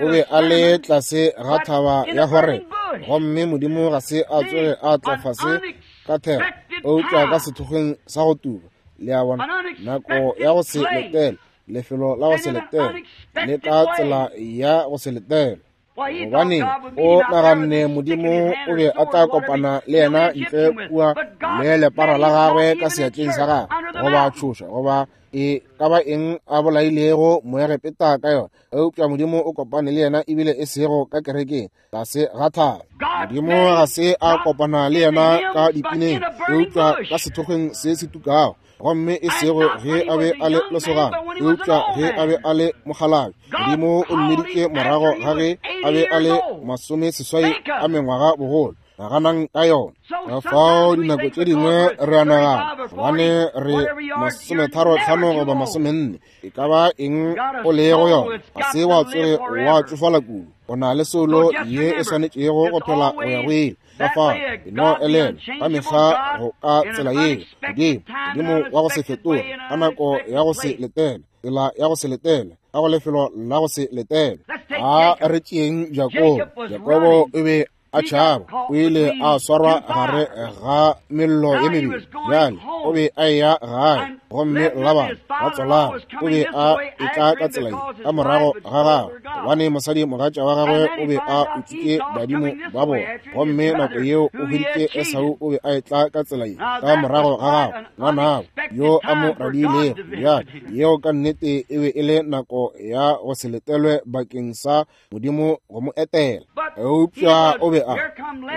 o be a le tlase ga thaba ya Horeb, gomme Modimo ga se a tsoge a tla fase ka thero, eupša ka sethokgweng sa go tuba. Le a bona, nako ya go se letele, lefelo la go se letele, le ka tsela ya go se letele. Gobane o naganne Modimo o be a tla kopana le yena ntle kua le lepara la gagwe ka seatleng sa gagwe, goba tšhoša, goba e ka ba eng a bolailego Moegepeta ka yona. Eupša Modimo o kopane le yena ebile e sego ka kerekeng, tlase ga thaba. Modimo ga se a kopana le yena ka dipineng, eupša ka sethokgweng se se tukago, gomme e sego ge a be a le lesogana, eupša ge a be a le mokgalabje. Modimo o mmiditše morago ga ge a be a le masomeseswai a mengwaga bogolo. Naganang ka yona. Ka fao dinako tše dingwe re a nagana gobane re masometharo tlhano goba masomenne, e ka ba eng o lego yona, ga se wa tsoge wa tšofala kudu. O na le soulo ye e swanetšego go phela go ya go ile. Ka fao e no elelwa ka mehla go ka tsela yeo. Modimo, Modimo wa go se fetoge, ka nako ya go se letele, tsela ya go se letele, ka go lefelo la go se letele. A re tšeeng Jakobo. Jakobo o be a tšhaba, o ile a swarwa gare ga mello ye mebedi. Bjale o be a eya gae, gomme Labane ratswalagwe o be a etla ka tsela ye ka morago ga gagwe, gobane mosadi mogatša wa gagwe o be a utswitše badimo ba bona. Gomme nako yeo o hweditše Esau o be a etla ka tsela ye ka morago ga gagwe, ngwanabo yo a mo radiilego. Bjale yeo ka nnete e be e le nako ya go se letelwe bakeng sa Modimo go mo etela. Eupša o be a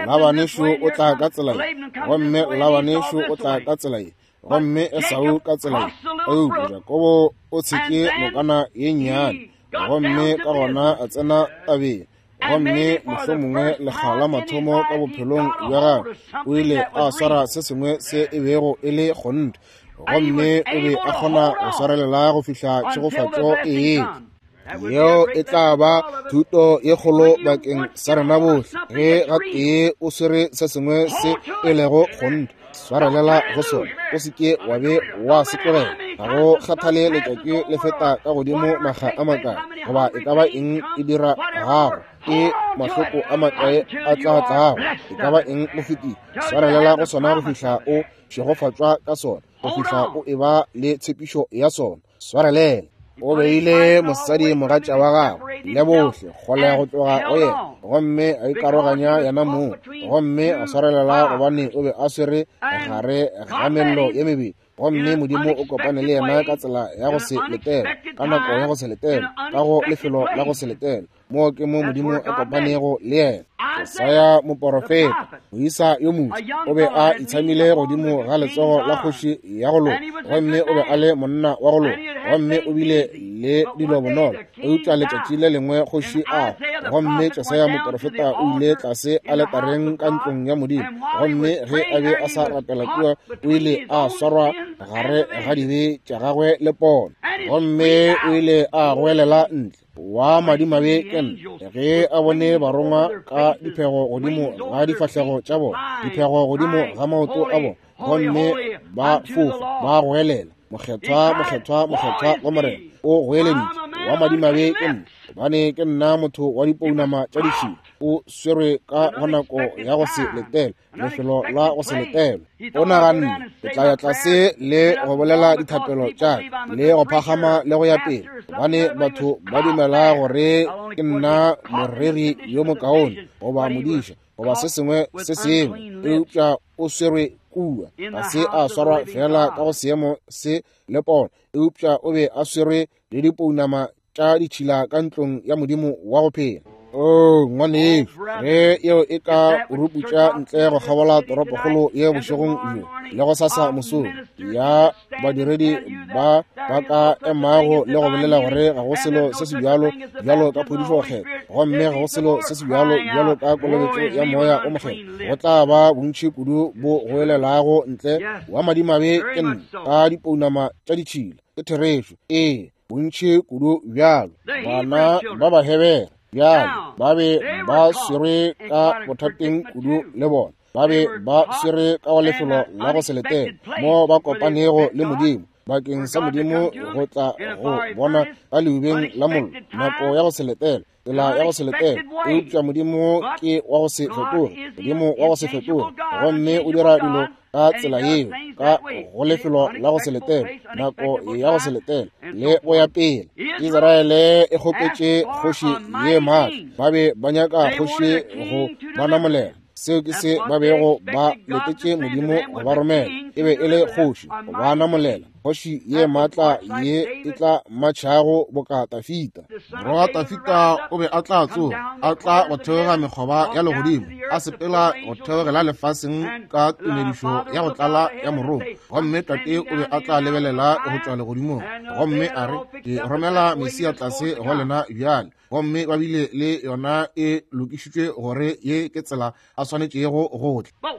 Labane šo o tla ka tsela ye, gomme Labane šo o tla ka tsela ye, gomme Esau ka tsela ye. Eupša Jakobo o tshetše nokana ye nnyane, gomme ka gona a tsena tabeng. Gomme mohlomongwe lekga la mathomo ka bophelong bja gagwe o ile a swara se sengwe se e bego e le kgonthe, gomme o be a kgona go swarelela go fihla tšhegofatšo e etla. Yeo e tla ba thuto ye kgolo bakeng sa rena bohle. Ge gatee o swere se sengwe se e lego kgonthe, swarelela go sona, o se ke wa be wa se tlogela. Ga go kgathale letšatši le feta ka godimo makga a makae, goba e ka ba eng e dira gago, ke mahloko a makae a tla tlago, e ka ba eng mo fetile, swarelela go sona go fihla o šegofatšwa ka sona, go fihla o eba le tshepišo ya sona. Swarelela. O beile mosadi mogatša wa gagwe le bohle kgole go tloga go yena, gomme a ikaroganya yena mong, gomme a swarelela gobane o be a swere gare ga mello ye mebedi. Gomme Modimo o kopane le yena ka tsela ya go se letela, ka nako ya go se letela, ka go lefelo la go se letela. Moo ke mo Modimo a kopanego le yena. Jesaya moporofeta, moisa yo moswa, o be a itshamile godimo ga letsogo la kgoši ya go loka, gomme o be a le monna wa go loka, gomme o bile le dilo bonolo. Eupša letšatši le lengwe kgoši a hwa, gomme Jesaya moporofeta o ile tlase aletareng ka ntlong ya Modimo, gomme ge a be a sa rapela kua, o ile a swarwa gare ga dibe tša gagwe le pono, gomme o ile a goelela ntle, wa madimabe ke nna, ge a bone barongwa ka diphego godimo ga difahlego tša bona, diphego godimo ga maoto a bona, gomme ba fofa ba goelela, mokgethwa, mokgethwa, mokgethwa wa Morena. O goeleditše, wa madimabe ke nna, gobane ke nna motho wa dipounama tša ditšhila. O swerwe ka go nako ya go se letele, lefelo la go se letele. O naganne, ke tla ya tlase le go bolela dithapelo tša ka le go phagama le go ya pele, gobane batho ba dumela gore ke nna moreri yo mokaone goba modiša goba se sengwe se sengwe. Eupša o swerwe kua, ga se a swarwa fela ka go seemo se le pono, eupša o be a swerwe le dipounama tša ditšhila ka ntlong ya Modimo wa go phela. Oh, ngwanešu, ge yeo e ka ruputša ntle go kgabola toropokgolo ye bošegong bjo le go sasa mosong, ya badiredi ba ba ka emago le go bolela gore ga go selo se se bjalo bjalo ka phodišo kgetho, gomme ga go selo se se bjalo bjalo ka kolobetšo ya moya o mokgethwa, go tla ba bontši kudu bo goelelago ntle, wa madimabe ke nna, ka dipounama tša ditšhila. Ke therešo, ee, bontši kudu bjalo. Bana ba Bahebere bjale ba be ba swerwe ka bothateng kudu le bona, ba be ba swerwe ka go lefelo la go se letele mo ba kopanego le Modimo, bakeng sa Modimo go tla go bona ka leubeng la mollo, nako ya go se letele, tsela ya go se letele. Eupša Modimo ke wa go se fetoge, Modimo wa go se fetoge, gomme o dira dilo ka tsela yeo, ka go lefelo la go se letele, nako ya go se letele le go ya pele. Israele e kgopetše kgoši ye maatla, ba be ba nyaka kgoši go ba namolela. Seo ke se ba bego ba letetše Modimo go ba romela, e be e le kgoši go ba namolela, kgoši ye maatla ye e tla matšhago boka Tafita. Morwa wa Tafita o be a tla tsoga, a tla go theoga mekgoba ya legodimo, a sepela go theogela lefaseng ka tumedišo ya go tlala ya morongwa, gomme tate o be a tla lebelela go tšwa legodimong, gomme a re, ke romela Mesia tlase go lena bjale. Gomme ba bile le yona e lokišitšwe gore ye ke tsela a swanetšego go tla.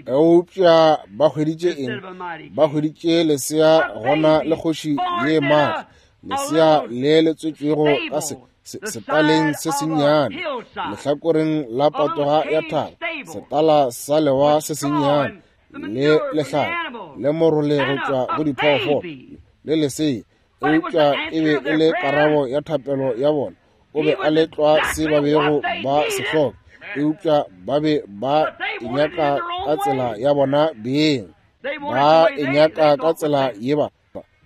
Eupša ba hweditše eng? Ba hweditše lesea gona le kgoši ye maatla, lesea le le tswetšwego ka se setaleng se sennyane, lehlakoreng la patoga ya thaba, setala sa lewa se sennyane, le lehlare le morole go tšwa go diphoofolo le lesea. Eupša e be e le karabo ya thapelo ya bona. O be a le tlwa se ba bego ba se hloka. Eupša ba be ba e nyaka ka tsela ya bona beng. Ba e nyaka ka tsela ye ba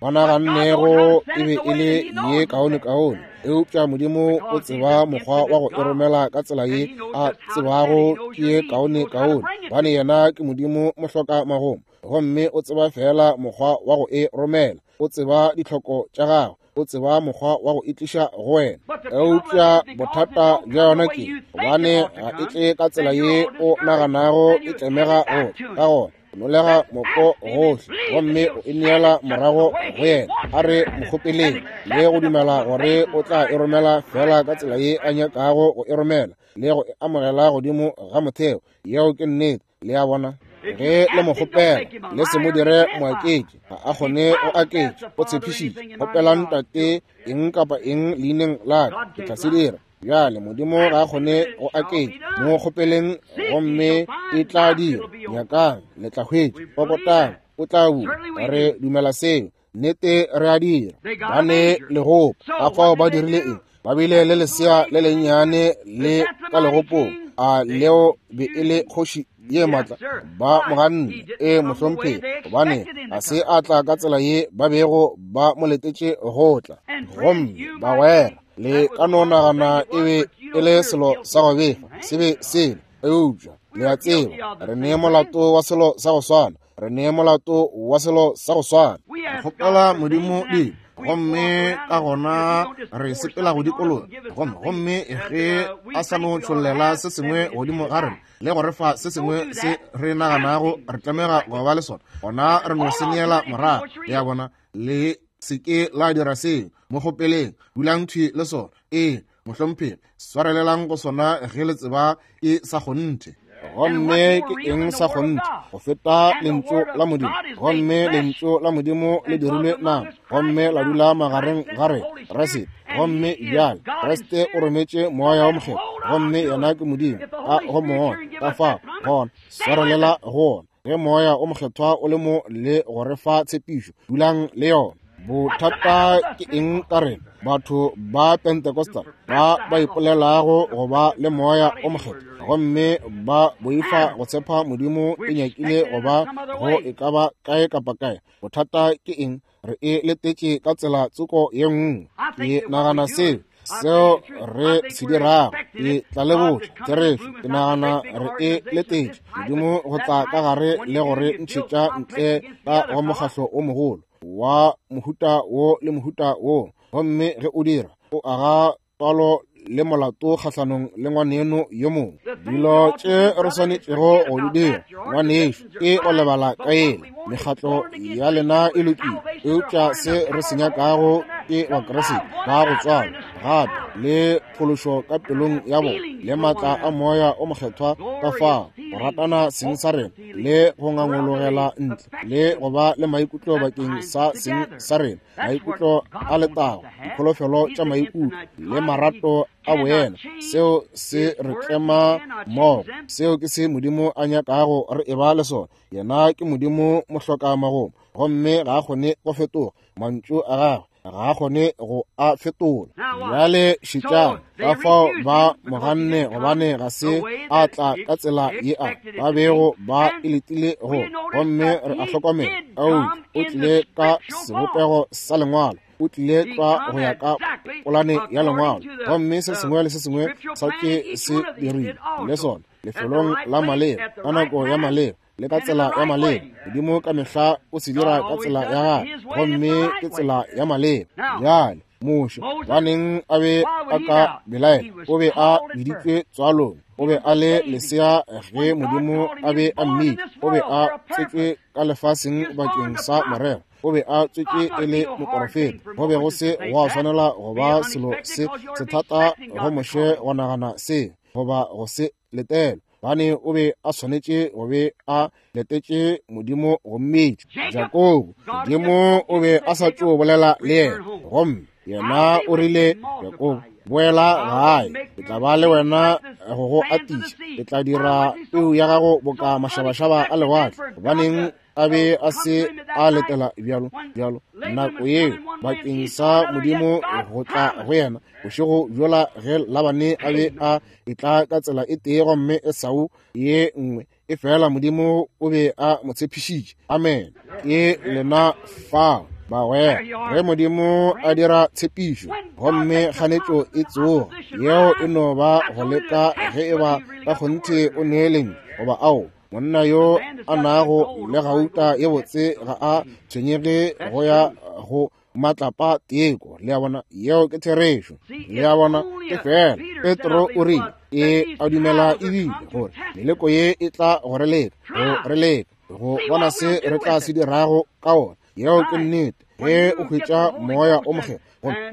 ba nagannego e be e le ye kaone-kaone. Eupša Modimo o tseba mokgwa wa go e romela ka tsela ye a tsebago ke ye kaone-kaone, gobane yena ke Modimo mohloka magomo, gomme o tseba fela mokgwa wa go e romela. O tseba ditlhoko tša gagwe, o tseba mokgwa wa go e tliša go wena. Eupša bothata bja yona ke gobane ga e tle ka tsela ye o naganago e tlemega go ka gona. Nolega moko gohle gomme o e neela morago go yena. A re mo kgopeleng le go dumela gore o tla e romela fela ka tsela ye a nyakago go e romela le go e amogela godimo ga motheo. Yeo ke nnete. Le a bona? Ge le mo kgopela, le se mo dire moaketši. Ga a kgone go aketša. O tshepišitše, kgopelang Tate eng kapa eng leineng la ka, ke tla se dira. Bjale Modimo ga a kgone go aketša. Mo kgopeleng gomme e tla dira. Nyakang, le tla hwetša. Kokotang, o tla bula. Re dumela seo. Nnete re a dira. Ba ne legopo. Ka fao ba dirile eng? Ba bile le lesea le lennyane le ka legopong. A leo be e le kgoši ye matla? Ba mo ganne. E mohlomphegi, gobane ga se a tla ka tsela ye ba bego ba mo letetše go tla. Gomme bagwera, le ka no nagana e be e le selo sa go befa, se be selo. Eupša le a tseba, re ne molato wa selo sa go swana. Re ne molato wa selo sa go swana. Re kgopela Modimo dilo, gomme ka gona re sepela go dikologa, gomme gomme ge a sa no tšhollela se sengwe godimo ga rena le go re fa se sengwe se re naganago re tlamega go ba le sona, gona re no se neela morago. Le a bona? Le se ke la dira seo. Mo kgopeleng, dulang thwi le sona. Ee, mohlomphegi, swarelelang go sona ge le tseba ke sa kgonthe. Gomme ke eng sa kgonthe go feta lentšu la Modimo? Gomme lentšu la Modimo le dirilwe nama gomme la dula magareng ga rena, Kriste. Gomme bjale Kriste o rometše Moya wo Mokgethwa, gomme yena ke Modimo ka go Moya. Ka fao gona swarelela go ona. Ge Moya o Mokgethwa o le mo le go re fa tshepišo, dulang le yona. Bothata ke eng ka rena batho ba Pentecostal ba ba ipolelago go ba le Moya o Mokgethwa, gomme ba boifa go tshepa Modimo e nyakile go ba go e ka ba kae kapa kae? Bothata ke eng? Re e letetše ka tsela tsoko ye nngwe. Ke nagana seo seo re se dirago. Ke tla le botša therešo. Ke nagana re e letetše Modimo go tla ka gare le go re ntšhetša ntle ka go mokgahlo o mogolo wa mohuta wo le mohuta wo. Gomme ge o dira, o aga twalo le molato kgahlanong le ngwaneno yo mongwe. Dilo tše re swanetšego go di dira, ngwanešo, ke go lebala ka ela. Mekgatlo ya lena e lokile, eupša se re se nyakago ke Bakriste ba go tswalwa gape le phološo ka pelong ya bona le maatla a Moya o Mokgethwa. Ka fao go ratana seng sa rena le go ngangologela ntle le go ba le maikutlo bakeng sa seng sa rena, maikutlo a letago, dikholofelo tša maikutlo le marato a boena, seo se re tlema mmogo. Seo ke se Modimo a nyakago re eba le sona. Yena ke Modimo mohloka magomo, gomme ga a kgone go fetoga. Mantšu a gagwe ga a kgone go a fetola. Bjale šetšang ka fao ba mo ganne, gobane ga se a tla ka tsela ye a ba bego ba e letile go. Gomme re a hlokomela, eupša o tlile ka sebopego sa lengwalo. O tlile tlwa go ya ka polane ya lengwalo, gomme se sengwe le se sengwe sa ke se dirile le sona lefelong la maleba, ka nako ya maleba le ka tsela ya maleba. Modimo ka mehla o se dira ka tsela ya gagwe, gomme ke tsela ya maleba. Bjale Moshe, baneng a be a ka belaela? O be a biditšwe tswalong. O be a le lesea ge Modimo a be a mmitša. O be a tswetšwe ka lefaseng bakeng sa morero. O be a tswetšwe e le moporofeta. Go be go se gwa swanela go ba selo se sethata go Moshe go nagana se goba go se letela, gobane o be a swanetše go be a letetše Modimo go mmitša. Jakobo, Modimo o be a sa tšo bolela le yena, gomme yena o rile, Jakobo, boela gae, ke tla ba le wena go go atiša, ke tla dira peu ya gago boka mašabašaba a lewatle. Gobaneng a be a se a letela bjalo bjalo nako yeo bakeng sa Modimo go tla go yena bošego bjola ge Labane a be a etla ka tsela e tee gomme Esau ye nngwe, e fela Modimo o be a mo tshepišitše. Amen. Ke lena fao, bagwera. Ge Modimo a dira tshepišo gomme kganetšo e tsoga, yeo e no ba go leka ge e ba ka kgonthe o neeleng goba ao. Monna yo a nago le gauta ye botse ga a tshwenyege go ya go matlapa teko. Le a bona, yeo ke therešo. Le a bona, ke fela Petro o rile e a dumela ebile gore meleko ye e tla go re leka, go re leka go bona se re tla se dirago ka ona. Yeo ke nnete. Ge o hwetša moya o mokgethwa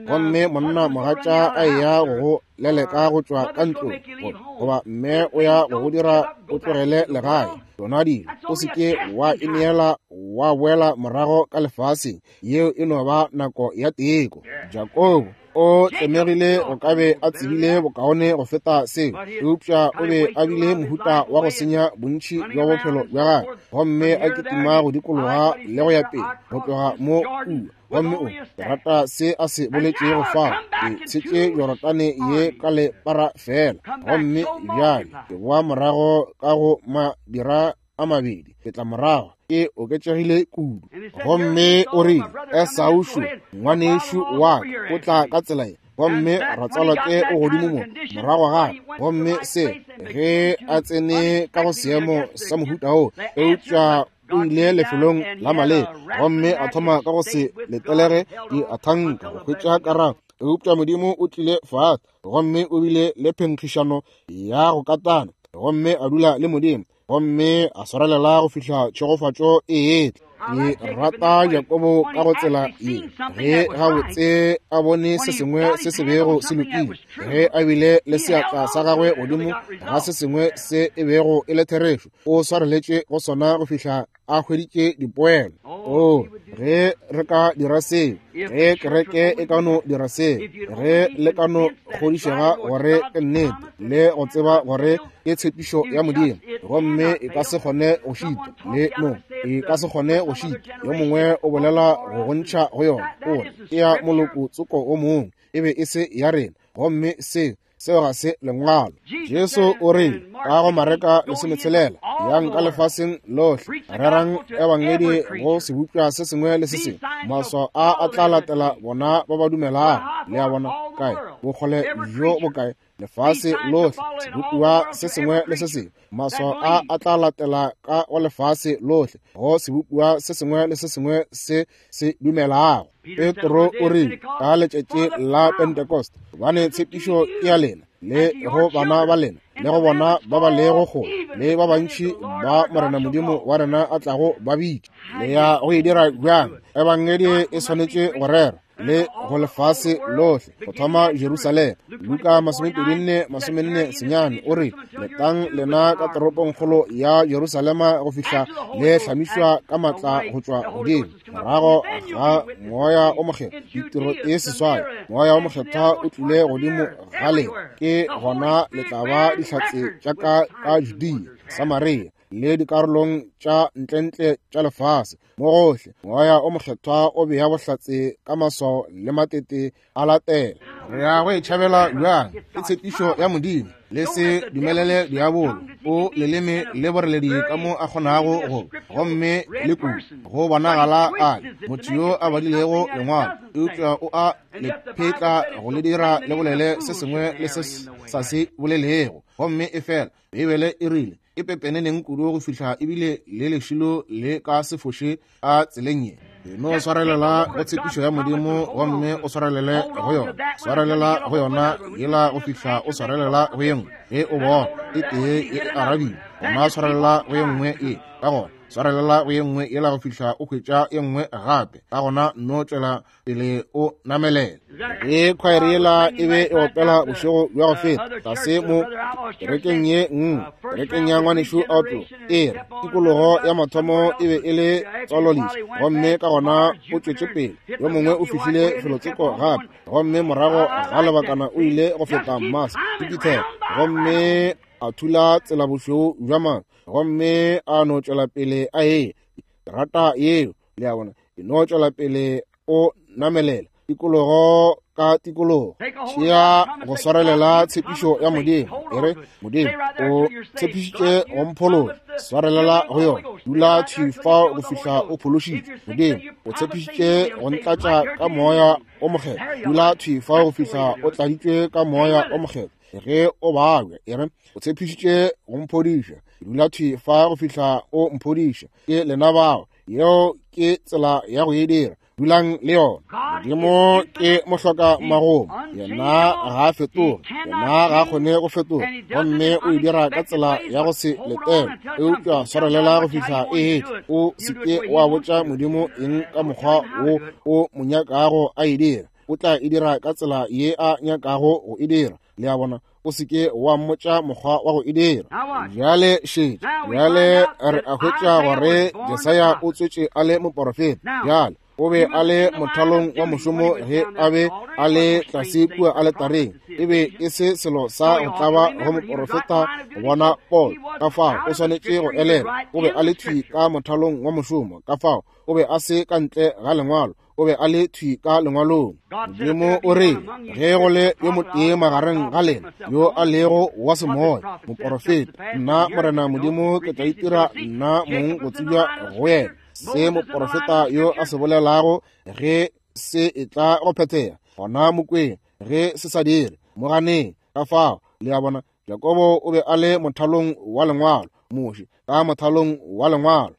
gomme monna mogatša a eya go go leleka go tšwa ka ntlong, goba mme o ya go go dira o tlogele legae, tšona dilo o se ke wa ineela wa boela morago ka lefaseng. Yeo e no ba nako ya teko. Jakobo o tlemegile go ka be a tsebile bokaone go feta seo, eupša o be a bile mohuta wa go senya bontši bja bophelo bja gagwe, gomme a kitima go dikologa le go ya pele go tloga mo kua. Gomme o rata se a se boletšego fao, ke tshetše Jorodane ye ka lepara fela, gomme bjale ke boa morago ka go madira a mabedi, ke tla morago ke oketšegile kudu. Gomme o rile, Esau šo ngwanešu wa ka o tla ka tsela ye, gomme ratswalake o godimo mo morago gape. Gomme se ge a tsene ka go seemo sa mohuta wo, eupša o ile lefelong la maleba gomme a thoma ka go se letelege di a thanka go hwetša karabo. Eupša Modimo o tlile fase gomme o bile le phenkgišano ya go katana, gomme a dula le Modimo, gomme a swarelela go fihla tšhegofatšo e etla. Ke rata Jakobo ka go tsela ye, ge gabotse a bone se sengwe se se bego se lokile, ge a bile le seatla sa gagwe godimo ga se sengwe se e bego e le therešo, o swareletše go sona go fihla a hweditše dipoelo. O, ge re ka dira seo, ge kereke e ka no dira seo, ge le ka no kgodišega gore ke nnete le go tseba gore ke tshepišo ya Modimo, gomme e ka se kgone go šita le no e ka se kgone go šita. Yo mongwe o bolela go gontšha go yona, o re ke ya moloko tsoko o mongwe, e be e se ya rena, gomme seo seo ga se lengwalo. Jesu o rile ka go Mareka lesometshelela, yang ka lefaseng lohle, rerang ebangedi go sebopša se sengwe le se sengwe, maswao a a tla latela bona ba ba dumelago. Le a bona kae bokgole bjo bokae? Lefase lohle, sebopiwa se sengwe le se sengwe. Maswao a a tla latela ka go lefase lohle, go sebopiwa se sengwe le se sengwe se se dumelago. Petro o rile ka letšatši la Pentecost, gobane tshepišo ke ya lena le go bana ba lena le go bona ba ba lego kgole le ba bantši ba Morena Modimo wa rena a tlago ba bitša. Le ya go e dira bjang? Ebangedi e swanetše go rera le go lefase lohle, go thoma Jerusalema. Luka masomepedi nne masomenne senyane o re, letang lena ka toropongkgolo ya Jerusalema go fihla le hlamišwa ka matla go tšwa godimo, morago ga moya o mokgethwa. Ditiro e seswai, moya o mokgethwa o tlile godimo ga lena, ke gona le tla ba dihlatse tša ka ka Judea, Samaria le dikarolong tša ntlentle tša lefase. Mo gohle moya o mokgethwa o bea bohlatse ka maswao le matete a latela. Re ya go e tšhabela bjang? Ke tshepišo ya Modimo. Le se dumelele diabolo o leleme le boreledi ka mo a kgonago go, gomme le kudu go bonagala a motho yo a badilego lengwalo, eupša o a le phetla go le dira le bolele se sengwe le se sa se bolelego. Gomme e fela Beibele e rile e pepeneneng kudu go fihla ebile le lešilo le ka se foše a tseleng ye. No swarelela go tshepišo ya Modimo gomme o swarelele go yona, swarelela go yona yela go fihla o swarelela go ye nngwe. Ge o bona e tee e arabiwe, gona swarelela go ye nngwe e, ka gona swarelela go ye nngwe yela go fihla o hwetša ye nngwe gape, ka gona no tšwela pele o namelela. Ge khwaere yela e be e opela bošego bja go feta tlase mo kerekeng ye nngwe, kerekeng ya ngwanešu Outlaw, e re tikologo ya mathomo e be e le tswalolisa, gomme ka gona o tšwetše pele. Yo mongwe o fihlile felotsoko gape, gomme morago ga lebakana o ile go feta Mars, Jupiter, gomme a thula tsela bošweu bja mang, gomme a no tšwela pele a eya. Ke rata yeo. Le a bona, e no tšwela pele o namelela tikologo ka tikologo. Tšea go swarelela tshepišo ya Modimo. E re, Modimo o tshepišitše go mphološa, swarelela go yona. Dula thwi fao go fihla o phološitšwe. Modimo o tshepišitše go ntlatša ka moya o mokgethwa. Dula thwi fao go fihla o tladitšwe ka moya o mokgethwa. Ge o babja, e re, o tshepišitše go mphodiša. Dula thwi fa go fihla o mphodiša. Ke lena bao. Yeo ke tsela ya go e dira. Dulang le yona. Modimo ke mohloka magomo. Yena ga a fetoge. Yena ga a kgone go fetoga. Gomme o e dira ka tsela ya go se letele. Eupša swarelela go fihla e etla. O se ke wa botša Modimo eng ka mokgwa wo o mo nyakago a e dira. O tla e dira ka tsela ye a nyakago go e dira. Le a bona, o se ke wa mmotša mokgwa wa go e dira. Bjale šetša. Bjale re a hwetša gore Jesaya o tswetše a le moporofeta. Bjale o be a le mothalong wa mošomo ge a be a le tlase kua aletareng. E be e se selo sa go tlaba go moporofeta go bona pono. Ka fao o swanetše go elela. O be a le thwi ka mothalong wa mošomo. Ka fao o be a se ka ntle ga lengwalo. O be a le thwi ka lengwalong. Modimo o re, ge go le yo motee magareng ga lena yo a lego wa semoya, moporofeta, nna Morena Modimo ke tla itira nna mong go tsebja go yena. Se moporofeta yo a se bolelago ge se etla go phethega, gona mokweng. Ge se sa dire, mo ganeng. Ka fao, le a bona, Jakobo o be a le mothalong wa lengwalo, Moshe ka mothalong wa lengwalo.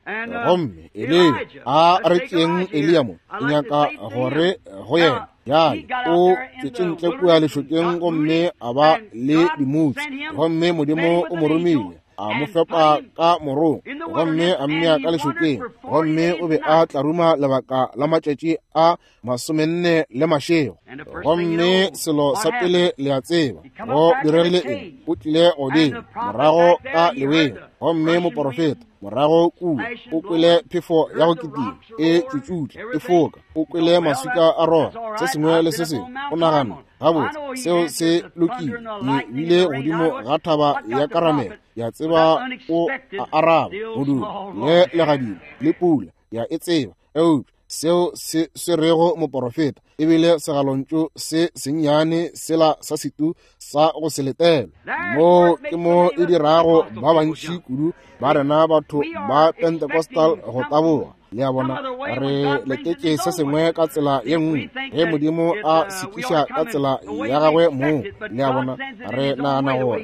Gomme Eliya, a re tšeeng Eliya mo, ke nyaka gore go yena. Bjale o tšwetše ntle kua lešokeng gomme a ba le dimutsi. Gomme Modimo o mo romile, a mo fepa ka morong, gomme a mmea ka lešokeng. Gomme o be a tlaruma lebaka la matšatši a masomenne le mašego. Gomme selo sa pele le a tseba go diregile eng? O tlile godimo morago ka leweng. Gomme moporofeta morago kua o kwele phefo ya go kitima e tšutšutla e foka. O kwele maswika a roga, se sengwe le se sengwe. O nagana, gabotse, seo se lokile. Ke bile godimo ga thaba ya Karamele. Ya tseba o a araba modumo le legadima le pula. Ya e tseba. Eupša seo se swerego moporofeta ebile segalontšu se sennyane sela sa setu sa go se letela. Mo ke mo e dirago ba bantši kudu ba rena batho ba Pentecostal go taboga. Le a bona, re letetše se sengwe ka tsela ye nngwe ge Modimo a sekiša ka tsela ya gagwe mong. Le a bona, re nagana gore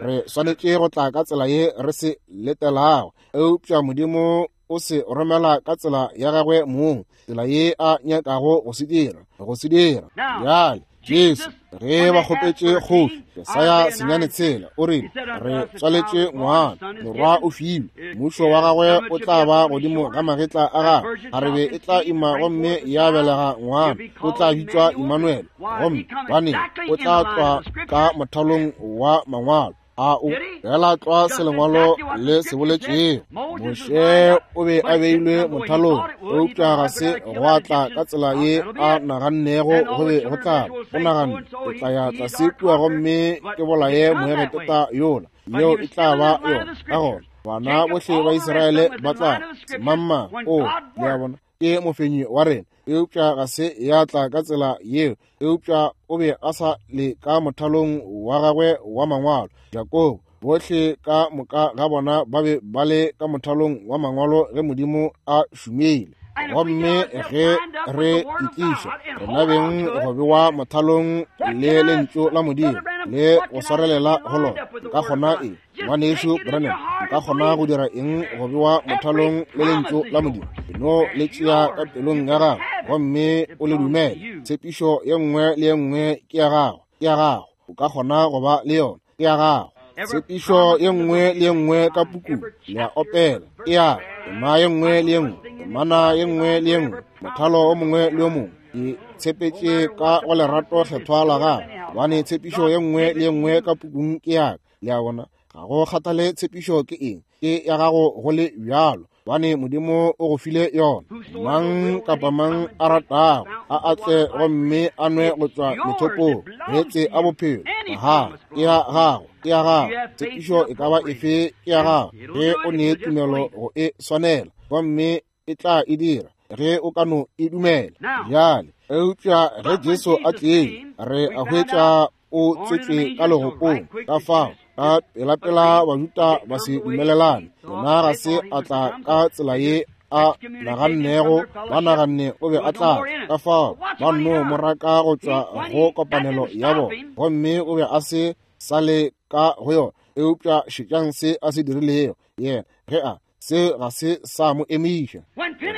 re swanetše go tla ka tsela ye re se letelago, eupša Modimo o se romela ka tsela ya gagwe mong, tsela ye a nyakago go se dira, go se dira. Bjale Jesu ge ba kgopetše kgoši, Jesaya senyane tshela, o rile, re tswaletše ngwana, morwa o filwe, mmušo wa gagwe o tla ba godimo ga magetla a gagwe. Kgarebe e tla ima gomme ya belega ngwana, o tla bitšwa Emmanuel. Gomme baneng o tla tlwa ka mothalong wa mangwalo. A o fela tlwa se lengwalo le se boletšego. Moshe o be a beilwe mothalong, eupša ga se gwa tla ka tsela ye a nagannego go be go tla. O naganne, ke tla ya tlase kua gomme ke bolaye Moegepeta yola, yeo e tla ba yona. Ka gona bana bohle ba Israele ba tla semangmang. O, le a bona, ke mofenyi wa rena. Eupša ga se ya tla ka tsela yeo. Eupša o be a sa le ka mothalong wa gagwe wa mangwalo. Jakobo, bohle ka moka ga bona ba be ba le ka mothalong wa mangwalo ge Modimo a šomile. Gomme ge re itliša rena beng go bewa mothalong le lentšu la Modimo le go swarelela go lona, nka kgona eng, ngwanešu Branham? Nka kgona go dira eng go bewa mothalong le lentšu la Modimo? No le tšea ka pelong ya gago gomme o le dumele. Tshepišo ye nngwe le ye nngwe ke ya gago, ke ya gago. O ka kgona go ba le yona, ke ya gago. Tshepišo ye nngwe le ye nngwe ka pukung le a opela, ke ya tema ye nngwe le ye nngwe, temana ye nngwe le ye nngwe, mothalo o mongwe le o mongwe. Ke tshepetše ka go lerato kgethwa la gago, gobane tshepišo ye nngwe le ye nngwe ka pukung ke ya ka. Le a bona, ga go kgathale tshepišo ke eng, ke ya gago go le bjalo, gobane Modimo o go file yona. Mang kapa mang a ratago a atle gomme a nwe go tšwa methopong meetse a bophelo. Aha, ke ya gago, ke ya gago. Tshepišo e ka ba efe ke ya gago ge o ne tumelo go e swanela, gomme E tla e dira ge o ka no e dumela. Bjale, eupša ge Jesu a tlile, re a hwetša o tswetšwe ka legopong. Ka fao ka pelapela Bajuda ba se dumelelane. Yena ga se a tla ka tsela ye a nagannego, ba naganne o be a tla. Ka fao ba nno mo raka go tšwa go kopanelo ya bona, gomme o be a se sa le ka go yona. Eupša šetšang se a se dirilego yena ge a se ga se sa mo emiša.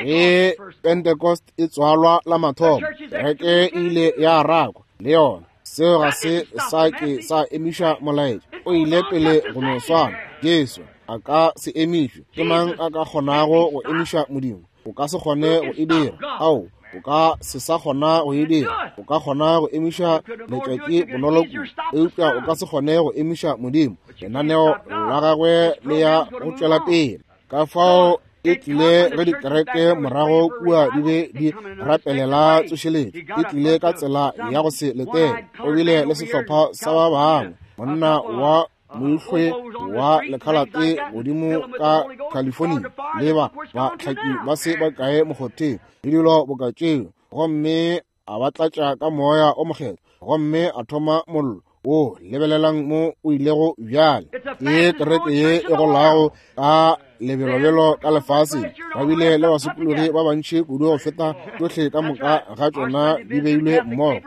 Ge Pentecost e tswalwa la mathomo, kereke e ile ya rakwa le yona. Seo ga se sa ke sa emiša molaetša. O ile pele go no swana. Jesu a ka se emišwe. Ke mang a ka kgonago go emiša Modimo? O ka se kgone go e dira. Ao, o ka se sa kgona go e dira. O ka kgona go emiša letšatši bonolo kudu, eupša o ka se kgone go emiša Modimo. Lenaneo la gagwe le ya go tšwela pele. Ka fao e tlile ge dikereke morago kua di be di rapelela tsošeletšo. E tlile ka tsela ya go se letele. O bile le sehlopha sa ba bangwe, monna wa moihlwe wa lekhalate godimo ka California, le ba bahlaki ba se bakae mokgotheng le dilo boka tšeo, gomme a ba tlatša ka moya o mokgethwa, gomme a thoma mollo wo. Lebelelang mo o ilego bjale. Ke kereke ye e golago ka lebelobelo ka lefaseng. Ba bile le basokologi ba bantši kudu go feta tšohle ka moka ga tšona di beilwe mmogo.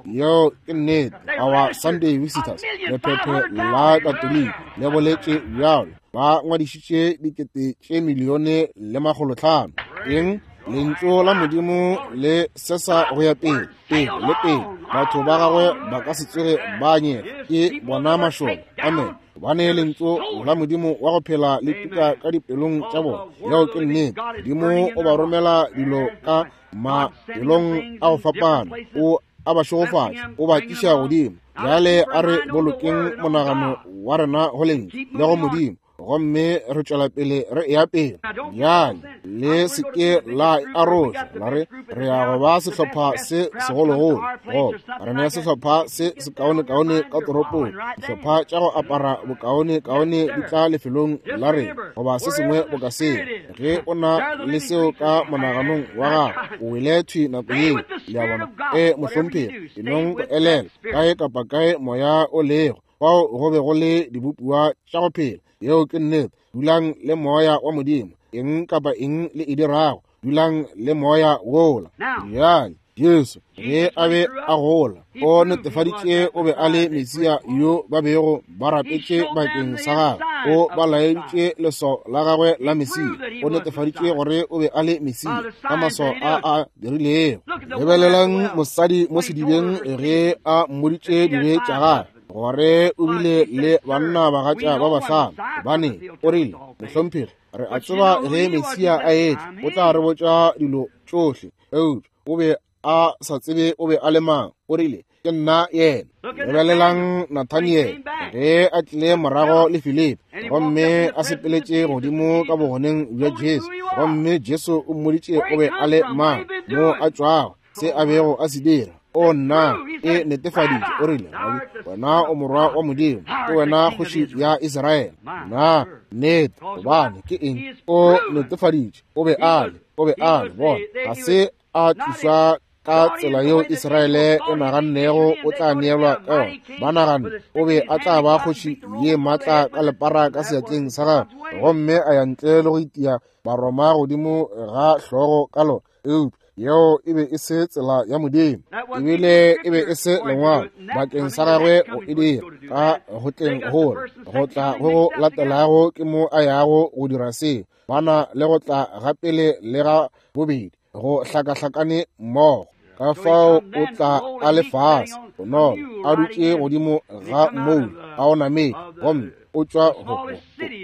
Yeo ke nnete. Our Sunday Visitors, lephephe la Katoliki le boletše bjalo. Ba ngwadišitše dikete tše milione le makgolotlhano. Eng? Lentšu la Modimo le sesa go ya pele, pele le pele. Batho ba gagwe ba ka se tsoge ba nyega. Ke bona mašole. Amen. Gobane lentšu la Modimo wa go phela le tuka ka dipelong tša bona. Yeo ke nnete. Modimo o ba romela dilo ka mafelong a go fapana. O a ba šegofatša, o ba tliša godimo. Bjale a re bolokeng monagano wa rena go lentšu le go Modimo, gomme re tšwela pele re eya pele. Bjale le se ke la aroša la re re ya go ba sehlopha se segologolo, goba re ne sehlopha se sekaonekaone ka toropong, dihlopha tša go apara bokaonekaone di tla lefelong la rena, goba se sengwe boka seo. Ge o na le seo ka monaganong wa gago, o wele thwi nako yeo. Le a bona? E mohlomphegi, e nong go elela kae kapa kae moya o lego, fao go be go le dibopiwa tša go phela. Yeo ke nnete. Dulang le moya wa Modimo. Eng kapa eng le e dirago, dulang le moya wola. Bjale Jesu ge a be a gola, o netefaditše o be a le Mesia yo ba bego ba rapetše bakeng sa gagwe. O ba laeditše leswao la gagwe la Mesia. O netefaditše gore o be a le Mesia ka maswao a a dirilego. Lebelelang mosadi mo sedibeng ge a mmoditše dibe tša gagwe, gore o bile le banna bagatša ba bahlano. Gobane o rile, mohlomphegi, re a tseba ge Mesia a etla, o tla re botša dilo tšohle. Eupša o be a sa tsebe o be a le mang. O rile, ke nna yena. Lebelelang Nathaniel ge a tlile morago le Filipi, gomme a sepeletše godimo ka bogoneng bja Jesu, gomme Jesu o mmoditše o be a le mang, mo a tšwago, se a bego a se dira. O nna, e netefaditše. O rile, wena o morwa wa Modimo, ke wena kgoši ya Israele. Na nnete, gobane ke eng? O netefaditše o be a le, o be a le. Bona, ga se a tlišwa ka tsela yeo Israele e nagannego o tla neelwa ka yona. Ba naganne o be a tla ba kgoši ye maatla ka lepara ka seatleng sa gagwe, gomme a ya ntle le go itia Baroma godimo ga hlogo ka lona. Eupša yeo e be e se tsela ya Modimo, ebile e be e se lengwalo bakeng sa gagwe go e dira. Ka go tleng gola, go tla go go latelago ke mo a yago go dira seo. Ba na le go tla ga pele le ga bobedi go hlakahlakane mmogo. Ka fao o tla a le fase bonolo, a dutše godimo ga moula a o namele, gomme o tšwa go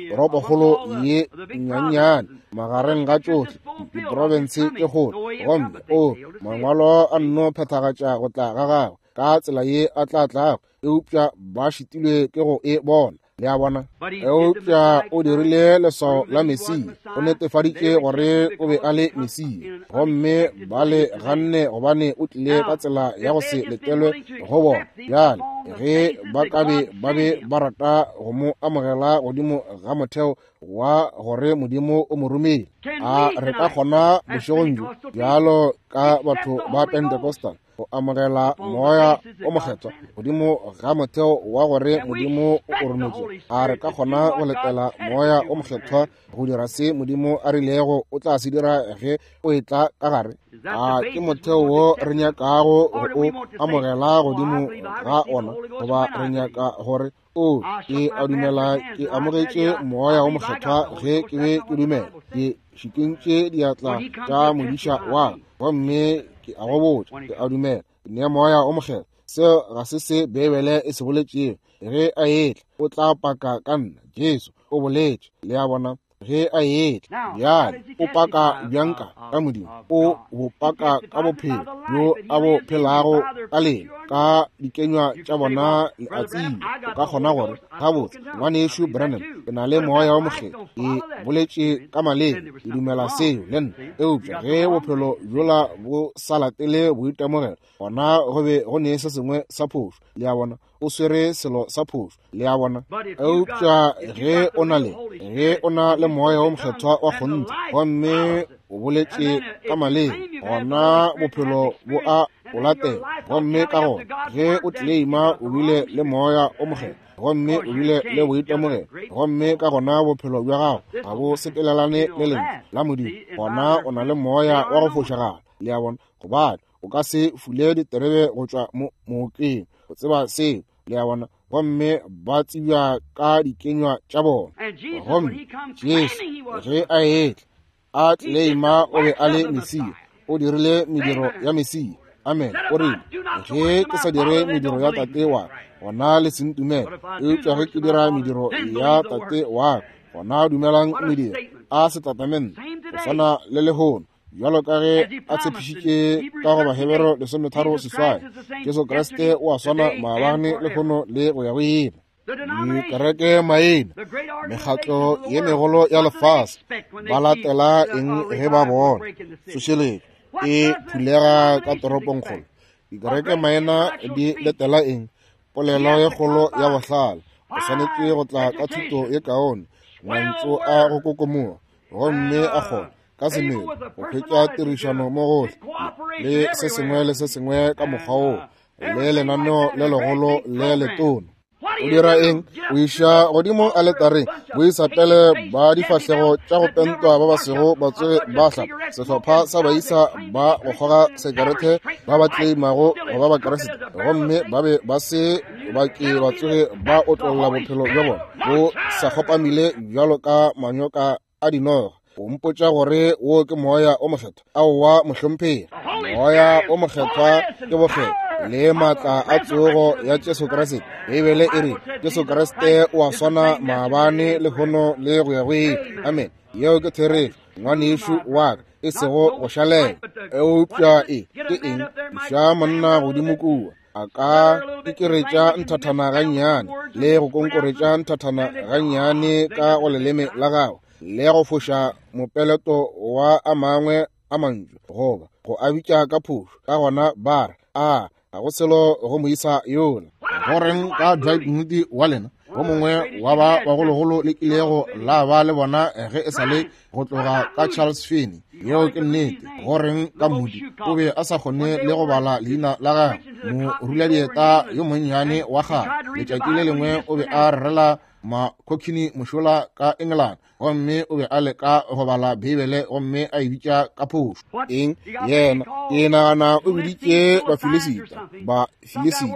toropokgolo ye nnyanyane magareng ga tšohle diprofense tše kgolo, gomme o mangwalo a nno phethagatša go tla ga gagwe ka tsela ye a tla tlago. Eupša ba šitilwe ke go e bona. Le a bona? Eupša o dirile leswao la Mesia, o netefaditše gore o be a le Mesia, gomme ba le ganne gobane o tlile ka tsela ya go se letelwe go bona. Bjale ge ba ka be ba be ba rata go mo amogela godimo ga motheo wa gore Modimo o mo romile, a re ka kgona bošegong bjo bjalo ka batho ba Pentecostal go amogela Moya o Mokgethwa godimo ga motheo wa gore Modimo o rometše? A re ka kgona go letela Moya o Mokgethwa go dira se Modimo a rilego o tla se dira ge o etla ka gare? A ke motheo wo re nyakago go o amogela godimo ga ona, goba re nyaka gore o ke a dumela ke amogetše Moya o Mokgethwa ge ke be ke dumela, ke šikintše diatla tša modiša wa ka, gomme ke a go botša, ke a dumela ke nea Moya o Mokgethwa? Seo ga se se Beibele e se boletšego. Ge a etla o tla paka ka nna, Jesu o boletše. Le a bona? Ge a etla bjale o paka bjang ka ka Modimo, o bo paka ka bophelo bjo a bo phelago ka lena, ka dikenywa tša bona le a tseba. O ka kgona gore, gabotse ngwanešu Branham, ke na le Moya o Mokgethwa, ke boletše ka maleme, ke dumela seo le nna. Eupša ge bophelo bjola bo sa latele boitemogelo, gona go be go ne se sengwe sa phošo. Le a bona? O swere selo sa phošo. Le a bona? Eupša ge o na le ge o na le Moya o Mokgethwa wa kgonthe, gomme o boletše ka maleme, gona bophelo bo a o latela. Gomme ka gona ge o tleleima o bile le Moya o Mokgethwa, gomme o bile le boitemogelo, gomme ka gona bophelo bja gago ga bo sepelelane le lentšu la Modimo, gona o na le moya wa go fošagala. Le a bona? Gobane o ka se fule diterebe go tšwa mookeng, o tseba seo. Le a bona? Gomme ba tsebja ka dikenywa tša bona. Gomme Jesu ge a etla a tleleima o be a le Mesia, o dirile mediro ya Mesia. Amen. O rile, ge ke sa dire mediro ya Tate wa ka, gona le se ntumele. Eupša ge ke dira mediro ya Tate wa ka, gona dumelang mediro. A setatamente go swana le lehono, bjalo ka ge a tshepišitše ka go Bahebere lesometharo seswai, Jesu Kriste o a swana maabane, lehono le go ya go ile. Dikereke maina, mekgatlo ye megolo ya lefase, ba latela eng ge ba bona tsošeletšo e phulega ka toropongkgolo? Dikereke maina di letela eng? Polelo ye kgolo ya bohlale, o swanetše go tla ka thuto ye kaone, mantšu a go kokomoga, gomme a kgona ka semelo go hwetša tirišano mo gohle le se sengwe le se sengwe ka mokgwa woo, le lenaneo le legolo le letona. O dira eng? O iša godimo aletareng boisapele ba difahlego tša go pentwa ba ba sego ba tsoge ba hlapa, sehlopha sa baisa ba go kgoga sekerete ba ba tleimago go ba Bakriste, gomme ba be ba se ba ke ba tsoge ba otlolla bophelo bja bona bo sa kgopamile bjalo ka manyoka a dinoga. O mpotša gore wo ke Moya o Mokgethwa? Aowa mohlomphegi, Moya o Mokgethwa ke bokgethwa le maatla a tsogo ya Jesu Kriste. Beibele e re Jesu Kriste o a swana maabane, lehono le go ya go ile. Amen. Yeo ke therešo, ngwanešu wa ka, e sego go šalela. Eupša e ke eng? Iša monna godimo kua, a ka ikeretša nthathana gannyane le go konkoretša nthathana gannyane ka go leleme la gagwe, le go foša mopeleto wa a mangwe a mantšu, goba go a bitša ka phošo. Ka gona ba re, a ga go selo go moisa yola. Go reng ka Dwight Moody wa lena, go mongwe wa ba bagologolo le kilego la ba le bona ge e sa le go tloga ka Charles Finney? Yeo ke nnete. Go reng ka Moody? O be a sa kgone le go bala leina la gagwe, moruladieta yo monnyane wa kgale. Letšatši le lengwe o be a rerela makhokhini mošola ka England, gomme o be a leka go bala Beibele gomme a e bitša ka phošo. Eng? Yena ke nagana o biditše Bafilisita, Bafilisita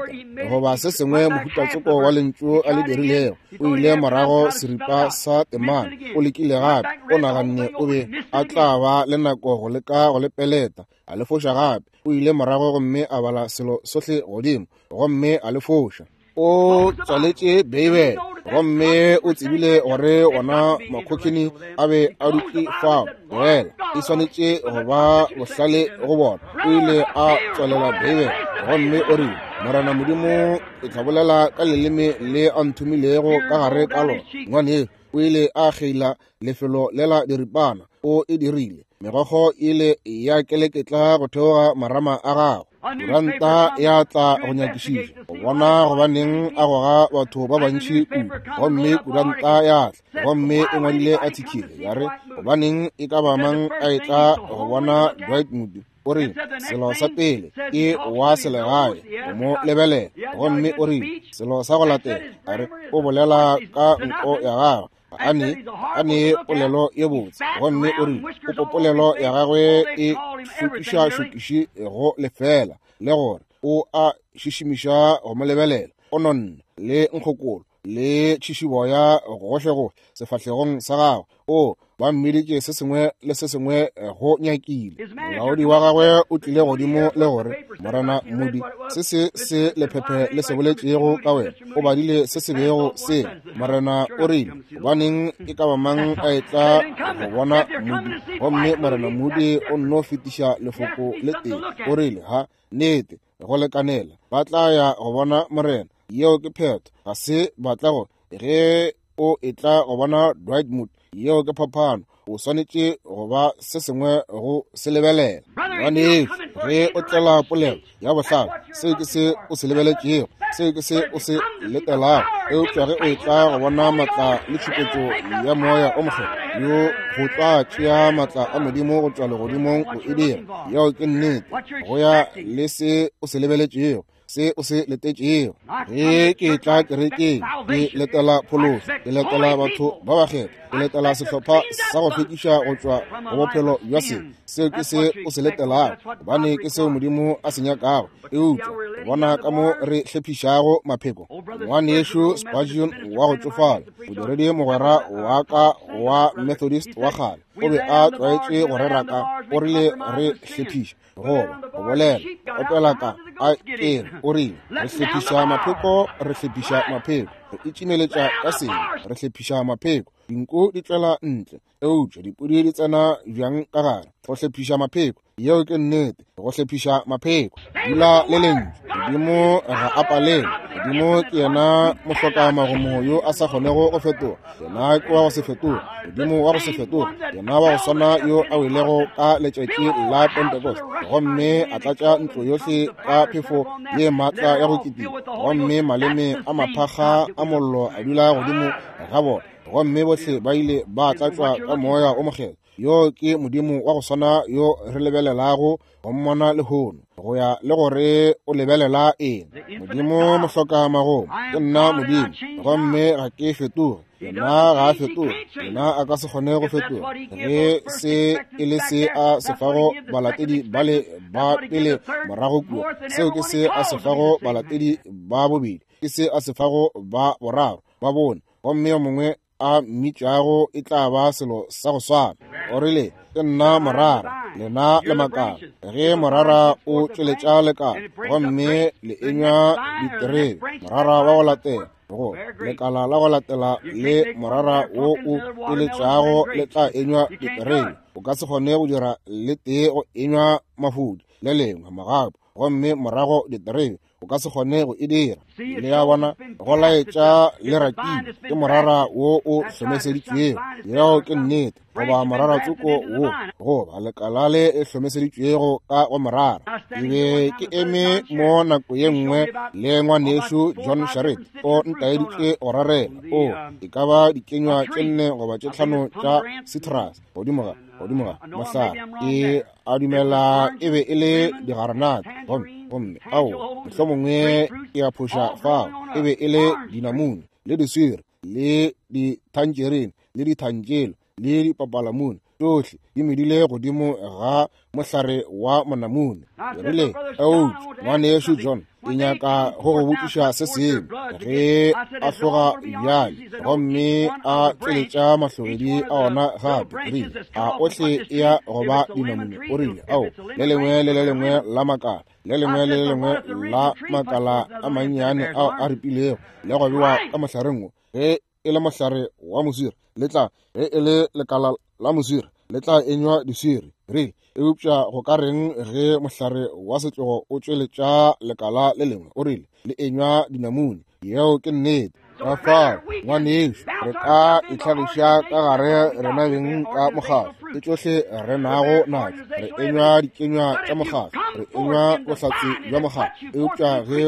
goba se sengwe mohutatsoko wa lentšu a le dirilego. O ile morago seripa sa temana, o lekile gape, o naganne o be a tla ba le nako go leka go le peleta, a le foša gape. O ile morago gomme a bala selo sohle godimo, gomme a le foša. O tswaletše Beibele, gomme o tsebile gore ona makhokhini a be a dutše fao. Fela e swanetše go ba bohlale go bona. O ile a tswalela Beibele gomme o rile, Morena Modimo e tla bolela ka leleme le a nthomilego ka gare ka lona. Ngwane o ile a kgeila lefelo lela diripana, o e dirile. Megokgo ile ya keleketla go theoga marama a gagwe. Kuranta ya tla go nyakišiša go bona gobaneng a goga batho ba bantši kudu. Gomme kuranta ya tla gomme e ngwadile athikile ya re gobaneng e ka ba mang a etla go bona Dwight Moody. O rile selo sa pele ke wa selegae go mo lebelela, gomme o rile selo sa go latela a re o bolela ka nko ya gagwe a ne a ne polelo ye botse, gomme o rile o polelo ya gagwe e šokiša-šokiši go lefela, le gore o a šišimiša go mo lebelela, o nonne le nkgokolo le tšhišiboya gohle-gohle sefahlegong sa gagwe. O ba mmiditše se sengwe le se sengwe go nyakile. Molaodi wa gagwe o tlile godimo le gore, Morena Moody, se se se lephephe le se boletšego ka wena, o badile se se bego se. Morena o rile, gobaneng e ka ba mang a etla go bona Moody? Gomme Morena Moody o nno fetiša lefoko le tee. O rile, ha, nnete, go lekanela, ba tla ya go bona Morena. Yeo ke phetho. Ga se ba tla go ge o etla go bona Dwight Moody. Yeo ke phapano. O swanetše go ba se sengwe go se lebelela. Ngwanešu, ge o tlela polelo ya bohlale, seo ke se o se lebeletšego, seo ke se o se letelago. Eupša ge o etla go bona matla le tšhupetšo ya moya o mokgethwa, yo go tla tšea matla a Modimo go tšwa legodimong go e dira. Yeo ke nnete. Go ya le se o se lebeletšego, se o se letetšego. Ge ke tla kerekeng, ke letela phološo, ke letela batho ba bakgethwa, ke letela sehlopha sa go hlwekiša go tšwa go bophelo bja sebe. Seo ke se o se letelago, gobane ke seo Modimo a se nyakago. Eupša bona ka mo re hlephišago mapheko. Ngwanešu Spurgeon wa go tšofala, modiredi mogwera wa ka wa Methodist wa kgale, o be a tlwaetše go rera ka, o rile re hlephiša goba go bolela opela ka a kere. O rile re hlephiša mapheko, re hlephiša mapheko, re itšimeletša ka sebe, re hlephiša mapheko. Dinku di tšwela ntle, eupša dipudi di tsena bjang ka gare. Go hlephiša mapheko, yeo ke nnete, go hlephiša mapheko. Dula le lentšu. Modimo ga a palelwe. Modimo ke yena mohlokamagomo yo a sa kgonego go fetoga. Yena ke wa go se fetoge, Modimo wa go se fetoge, yena wa go swana yo a welego ka letšatši la Pentecost gomme a tlatša ntlo yohle ka phefo ye maatla ya go kitima, gomme maleme a maphakga a mollo a dula godimo ga bona, gomme bohle ba ile ba tlatšwa ka moya o mokgethwa. Yo ke Modimo wa go swana yo re lebelelago go mmona lehono, go ya le gore o lebelela eng. Modimo mohlokamagomo, ke nna Modimo gomme ga ke fetoge. Yena ga a fetoge, yena a ka se kgone go fetoga. Ge se e le se a se fago balatedi bale ba pele morago kua, seo ke se a se fago balatedi ba bobedi, ke se a se fago ba boraro, ba bone, gomme yo mongwe a mmitšago e tla ba selo sa go swana. O rile, ke nna morara, lena le makala. Ge morara o tšweletša lekala gomme le enywa diterebe, morara wa go latela go lekala la go latela le morara wo o tšweletšago le tla enywa diterebe. O ka se kgone go dira le tee go enywa mafudi, le lengwe magapu, gomme morago diterebe. O ka se kgone go e dira. Le ya bona, go laetša le rakile ke morara wo o hlomeseditšwego. Yeo ke nnete. Goba morara tsoko wo, goba lekala le e hlomeseditšwego ka go morara. Ke be ke eme mo nako ye nngwe le ngwanešu John Sharrit, o ntaeditše go rarela o e ka ba dikenywa tše nne goba tše tlhano tša citrus godimo ga godimo ga mohlare. Ke a dumela e be e le digaranate, gomme gomme ao mohlomongwe ke a phoša fao, e be e le dinamune le diswiri le dithanjerine le dithantšelo le dipapalamune, tšohle di medile godimo ga mohlare wa monamune. Ke rile, eupša ngwanešu John, ke nyaka go go botšiša se sengwe. Ge a hloga bjale gomme a tšweletša mahlogedi a ona gape, ke rile, a ohle e ya go ba dinamune? O rile, ao, le lengwe le le lengwe la makala, le lengwe le le lengwe la makala a mannyane ao a ripilego le go bewa ka mohlareng wo, ge e le mohlare wa moswiri le tla, ge e le lekala la moswiri le tla enywa diswiri. Rile, eupša go ka reng ge mohlare wa setlogo o tšweletša lekala le lengwe? O rile, le enywa dinamune. Yeo ke nnete. Ka fao, ngwanešu, re ka itlhagiša ka gare rena beng ka mokgatlo. Ke tšohle re nago natšo. Re enywa dikenywa tša mokgatlo, re enywa bohlatse bja mokgatlo. Eupša ge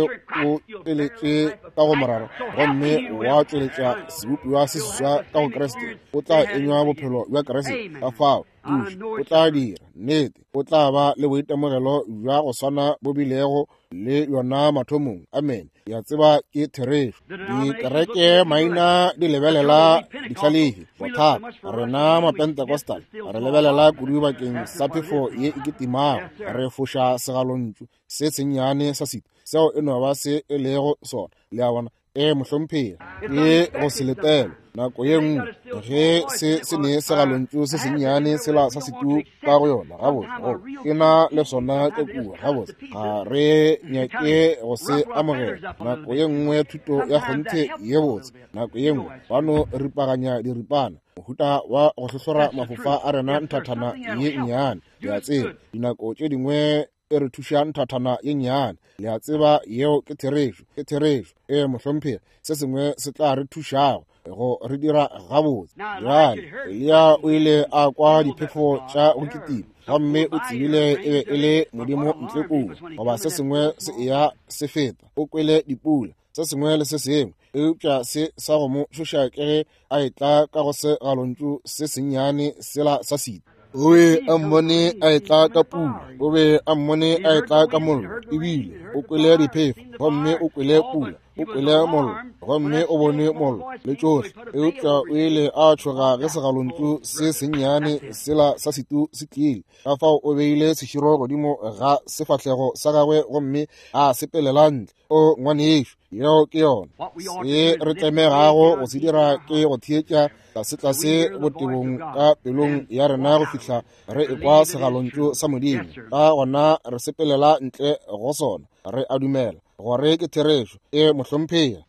o tšweletše ka go morara gomme wa tšweletša sebopiwa se seswa ka go Kriste, o tla enywa bophelo bja Kriste. Ka fao, duša, o tla dira nnete, o tla ba le boitemogelo bja go swana bo bilego le yona mathomong. Amen. Ya tseba ke therešo. Dikereke maina di lebelela ditlhalehi bothata. Rena Mapentecostal re lebelela kudu bakeng sa phefo ye e kitimago, re foša segalontšu se sennyane sa sita, seo e no ba se e lego sona. Le a bona? E mohlomphegi, ke go se letela. Nako ye nngwe ge se se ne segalontšu se sennyane sela sa setu ka go yona, gabotse go ke na le sona ka kua, gabotse ga re nyake go se amogela. Nako ye nngwe thuto ya kgonthe ye botse, nako ye nngwe ba no ripaganya diripana, mohuta wa go hlohlora mafofa a rena nthathana ye nnyane. Le a tseba, dinako tše dingwe e re thuša nthathana ye nnyane. Le a tseba, yeo ke therešo, ke therešo. E mohlomphegi, se sengwe se tla re thušago go re dira gabotse. Bjale Eliya o ile a kwa diphefo tša go kitima, gomme o tsebile e be e le Modimo ntle kua, goba se sengwe se eya se feta. O kwele dipula, se sengwe le se sengwe, eupša se sa go mo tšhoša ke ge a etla ka go segalontšu se sennyane sela sa sita. O be a mmone a etla ka pula, o be a mmone a etla ka mollo, ebile o kwele diphefo, gomme o kwele pula, o kwele mollo, gomme o bone mollo le tšohle. Eupša o ile a tšhoga ge segalontšu se sennyane sela sa setu se tlile. Ka fao o beile seširo godimo ga sefahlego sa gagwe gomme a sepelela ntle. O ngwanešu, yeo ke yona. Se re tlemegago go se dira ke go theetša tlasetlase botebong ka pelong ya rena go fihla re ekwa segalontšu sa Modimo. Ka gona re sepelela ntle go sona, re a dumela gore ke therešo. E mohlomphegi.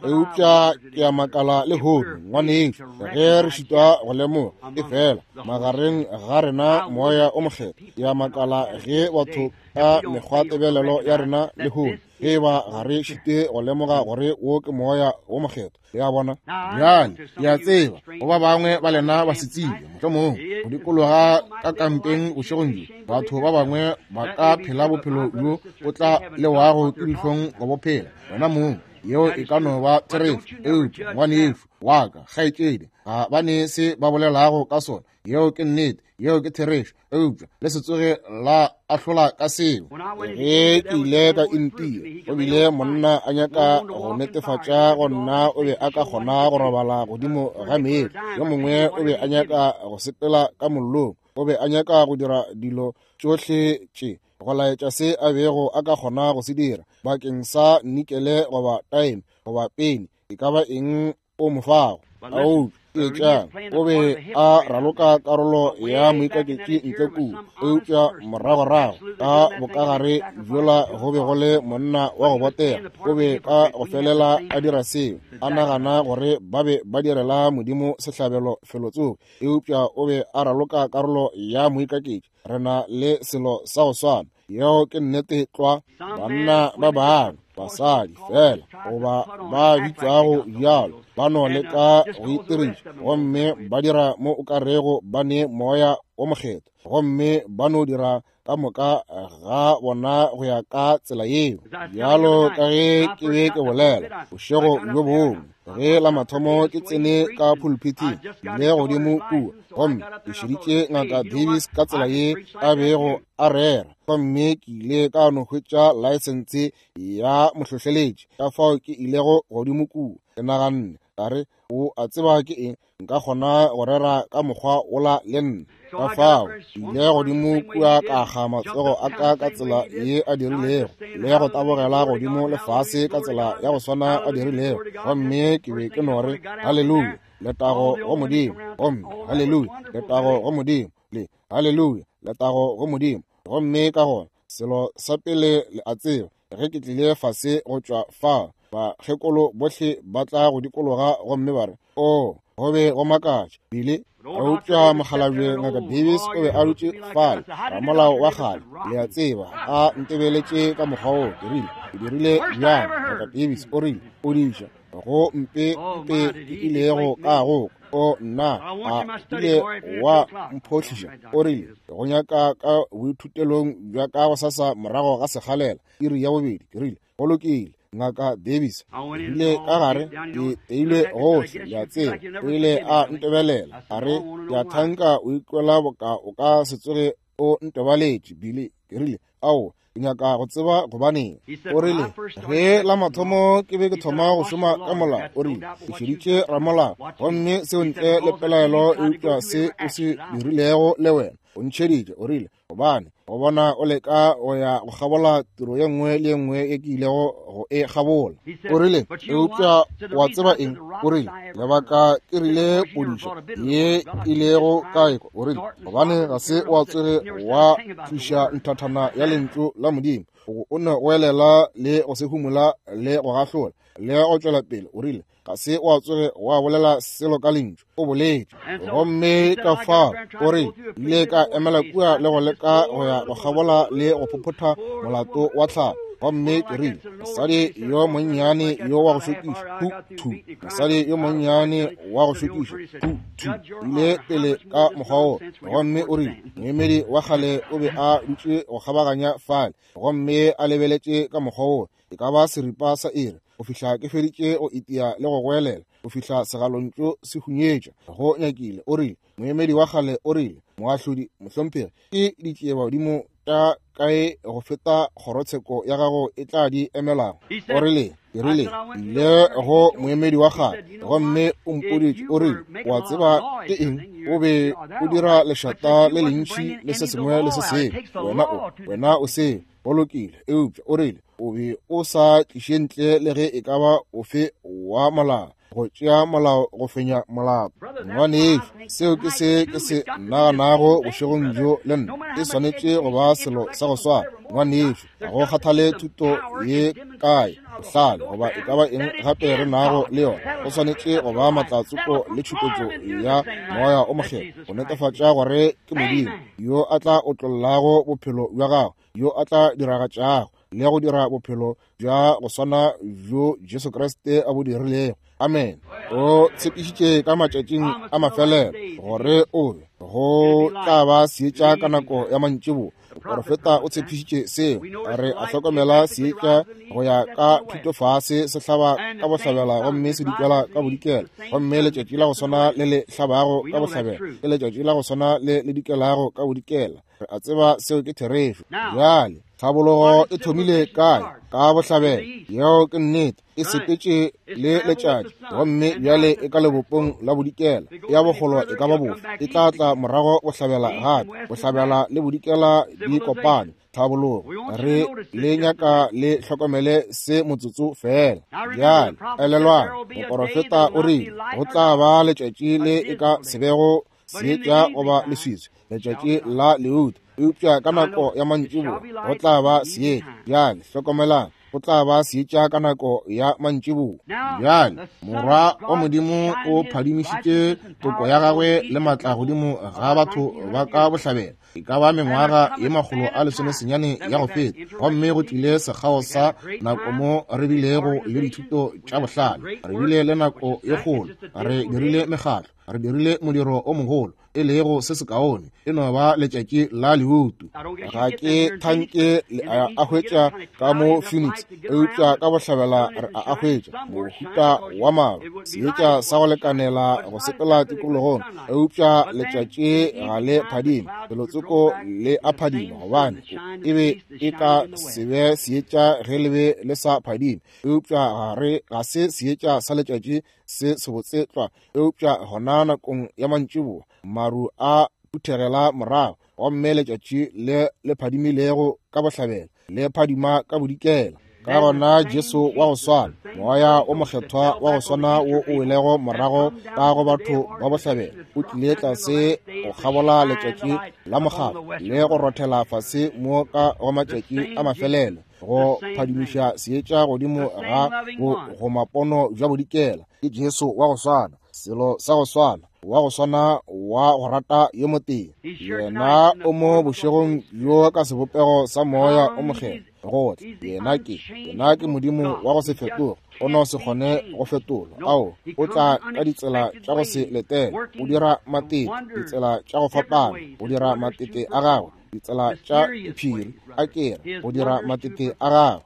Eupša ke a makala lehono, ngwanešu, ge re šitwa go lemoga e fela magareng ga rena moya o mokgethwa. Ke a makala ge batho ka mekgwatebelelo ya rena lehono, ge ba ga re šite go lemoga gore wo ke moya wo mokgethwa. Le a bona? Bjale ke a tseba go ba bangwe ba lena ba se tsebe, mohlomongwe go dikologa ka kampeng bošegong bjo, batho ba bangwe ba ka phela bophelo bjo o tla lewago ke dihlong go bophela wena mong. Yeo e ka no ba therešo, eupša ngwanešu wa ka, kgaetšedi, ga ba ne se ba bolelago ka sona. Yeo ke nnete, yeo ke therešo, eupša le se tsoge la ahlola ka seo. Ge ke ile ka India, o bile monna a nyaka go netefatša go nna o be a ka kgona go robala godimo ga meetse. Yo mongwe o be a nyaka go sepela ka mollong, o be a nyaka go dira dilo tšohle tše go laetša se a bego a ka kgona go se dira bakeng sa nikele goba time goba peni, e ka ba eng o mo fago. Ao, etšang, o be a raloka karolo ya moikaketši ntle kua, eupša moragorago ka bokagare bjola go be go le monna wa go botega. O be ka go felela a dira seo, a nagana gore ba be ba direla Modimo sehlabelo felotsoko, eupša o be a raloka karolo ya moikaketši. Re na le selo sa go swana. Yeo ke nnete tlwa. Banna ba bangwe, basadi fela goba ba bitšwago bjalo, ba no leka go itiriša gomme ba dira mo o ka rego ba ne moya wo mokgethwa, gomme ba no dira ka moka ga bona go ya ka tsela yeo. Bjalo ka ge ke be ke bolela bošego bjo bongwe, ge la mathomo ke tsene ka pulpithing le godimo kua, gomme ke šeditše Ngaka Davis ka tsela ye a bego a rera, gomme ke ile ka no hwetša laesense ya mohlohleletši. Ka fao ke ilego godimo kua, ke naganne ka re, o a tseba ke eng, nka kgona go rera ka mokgwa wola le nna. Ka fao ke ile godimo kua ka akga matsogo a ka ka tsela ye a dirilego, le go tabogela godimo lefase ka tsela ya go swana a dirilego, gomme ke be ke no re haleluya, letago go Modimo, gomme haleluya, letago go Modimo, le haleluya, letago go Modimo. Gomme ka gona selo sa pele le a tseba, ge ke tlile fase go tšwa fa, bakgekolo bohle ba tla go dikologa gomme ba re, o, go be go makatša bile. Eupša mokgalabje Ngaka Davis o be a dutše fale, ramolao wa kgale, le a tseba, a ntebeletše ka mokgwa woo. Ke rile, ke dirile bjang, Ngaka Davis? O rile, o diša go mpe mpe ke ilego ka go o nna a ile wa mphohliša. O rile, go nyaka ka boithutelong bja ka gosasa morago ga sekgalela iri ya bobedi. Ke rile, go lokile, Ngaka Davis. Ke rile ka gare, ke teilwe gohle, le a tseba. O ile a ntebelela, a re, ke a thanka o ikwela boka o ka se tsoge o ntebaletše, Billy. Ke rile, ao, ke nyaka go tseba gobaneng. O rile, ge la mathomo ke be ke thoma go šoma ka molao, o rile, ke šeditše ramolao, gomme seo ntle le pelaelo eupša se o se dirilego le wena o ntšheditše. O rile, gobane go bona o leka go ya go kgabola tiro ye nngwe le ye nngwe ye ke ilego go e kgabola. O rile, eupša wa tseba eng? O rile, lebaka ke rile podišo ye ilego ka ekwa. O rile, gobane ga se wa tsoge wa tliša nthathana ya lentšu la Modimo, o ne go elela le go se humola le go gahlola le go tšwela pele. O rile, ga se wa tsoge wa bolela selo ka lentšu, o boletše. Gomme ka fao o re, ile ka emela kua le go leka go ya go kgabola le go phophotha molato wa tlhalo. Gomme ke rile, mosadi yo monnyane yo wa go šokiša, hu thu, mosadi yo monnyane wa go šokiša, hu thu, ile pele ka mokgwa wo. Gomme o rile, moemedi wa kgale o be a dutše go kgabaganya fale, gomme a lebeletše ka mokgwa wo, e ka ba seripa sa iri, go fihla ke feditše go itia le go goelela, go fihla segalontšu se hunyetša go nyakile. O rile, moemedi wa kgale o rile, moahlodi mohlomphegi, ke ditšiebadimo tša kae go feta kgorotsheko ya gago e tla di emelago? O rile, ke rile, ile go moemedi wa kgale, gomme o mpoditše. O rile, wa tseba ke eng? O be o dira lešata le lentši le se sengwe le se sengwe, wena o wena o se go lokile. Eupša o rile, o be o sa tliše ntle le ge e ka ba ofe wa molao, go tšea molao go fenya molao. Ngwanešu, seo ke se ke se naganago bošegong bjo le nna. E swanetše go ba selo sa go swana. Ngwanešu, ga go kgathale thuto ye kae, bohlale goba e ka ba eng gape re nago le yona, go swanetše go ba matlatsoko le tšhupetšo ya moya o mokgethwa go netefatša gore ke Modimo yo a tla otlollago bophelo bja gago, yo a tla diragatšago le go dira bophelo bja go swana bjo Jesu Kriste a bo dirilego. Amen. O tshepišitše ka matšatšing a mafelelo gore o be go tla ba seetša ka nako ya mantšiboa. Moprofeta o tshepišitše seo. Re a hlokomela seetša go ya ka thutofase se hlaba ka bohlabela gomme se dikela ka bodikela, gomme letšatši la go swana le le hlabago ka bohlabela ke letšatši la go swana le le dikelago ka bodikela. Re a tseba seo ke therešo. Bjale tlhabologo e thomile kae? Ka bohlabela. Yeo ke nnete. E sepetše le letšatši, gomme bjale e ka lebopong la bodikela. Ya bogolo e ka ba bofe? E tla tla morago bohlabela gape. Bohlabela le bodikela di kopane. Tlhabologo. Re le nyaka le hlokomele se motsotso fela. Bjale elelwang, moporofeta o rile go tla ba letšatši le e ka se bego seetša goba leswiswi, letšatši la leutu, eupša ka nako ya mantšiboa go tla ba seetša. Bjale hlokomelang, go tla ba seetša ka nako ya mantšiboa. Bjale Morwa wa Modimo o phadimišitše toko ya gagwe le matla godimo ga batho ba ka bohlabela, e ka ba mengwaga ye makgolo a lesomesenyane ya go feta, gomme go tlile sekgao sa nako mo re bilego le dithuto tša bohlale, re bile le nako ye kgolo, re dirile mekgatlo, re dirile modiro o mogolo, e lego se sekaone, e no ba letšatši la leutu. Ga ke thanke le a hwetša ka mo Phoenix, eupša ka bohlabela re a hwetša mohuta wa maru, seetša sa go lekanela go sepela tikologong, eupša letšatši ga le phadime, felotsoko le a phadima, gobane e be e ka se be seetša ge le be le sa phadime, eupša ga re ga se seetša sa letšatši se sebotse tlwa. Eupša gona nakong ya mantšiboa maru a phuthegela morago, gomme letšatši le le phadimilego ka bohlabela le phadima ka bodikela. Ka gona Jesu wa go swana, moya o mokgethwa wa go swana wo o welego morago ka go batho ba bohlabela, o tlile tlase go kgabola letšatši la mokgatlo le go rothela fase mo ka go matšatši a mafelelo, go phadimiša seetša godimo ga go, go mapono bja bodikela. Ke Jesu wa go swana, selo sa go swana. wa go swana wa go rata yo motee. Yena o mo bošegong bjo ka sebopego sa Moya o Mokgethwa go tla. Yena ke, yena ke Modimo wa go se fetoge, o no se kgone go fetolwa. Ao, o tla ka ditsela tša go se letele, o dira matete, ditsela tša go fapana, o dira matete a gagwe, ditsela tša diphiri, a kere, go dira matete a gagwe.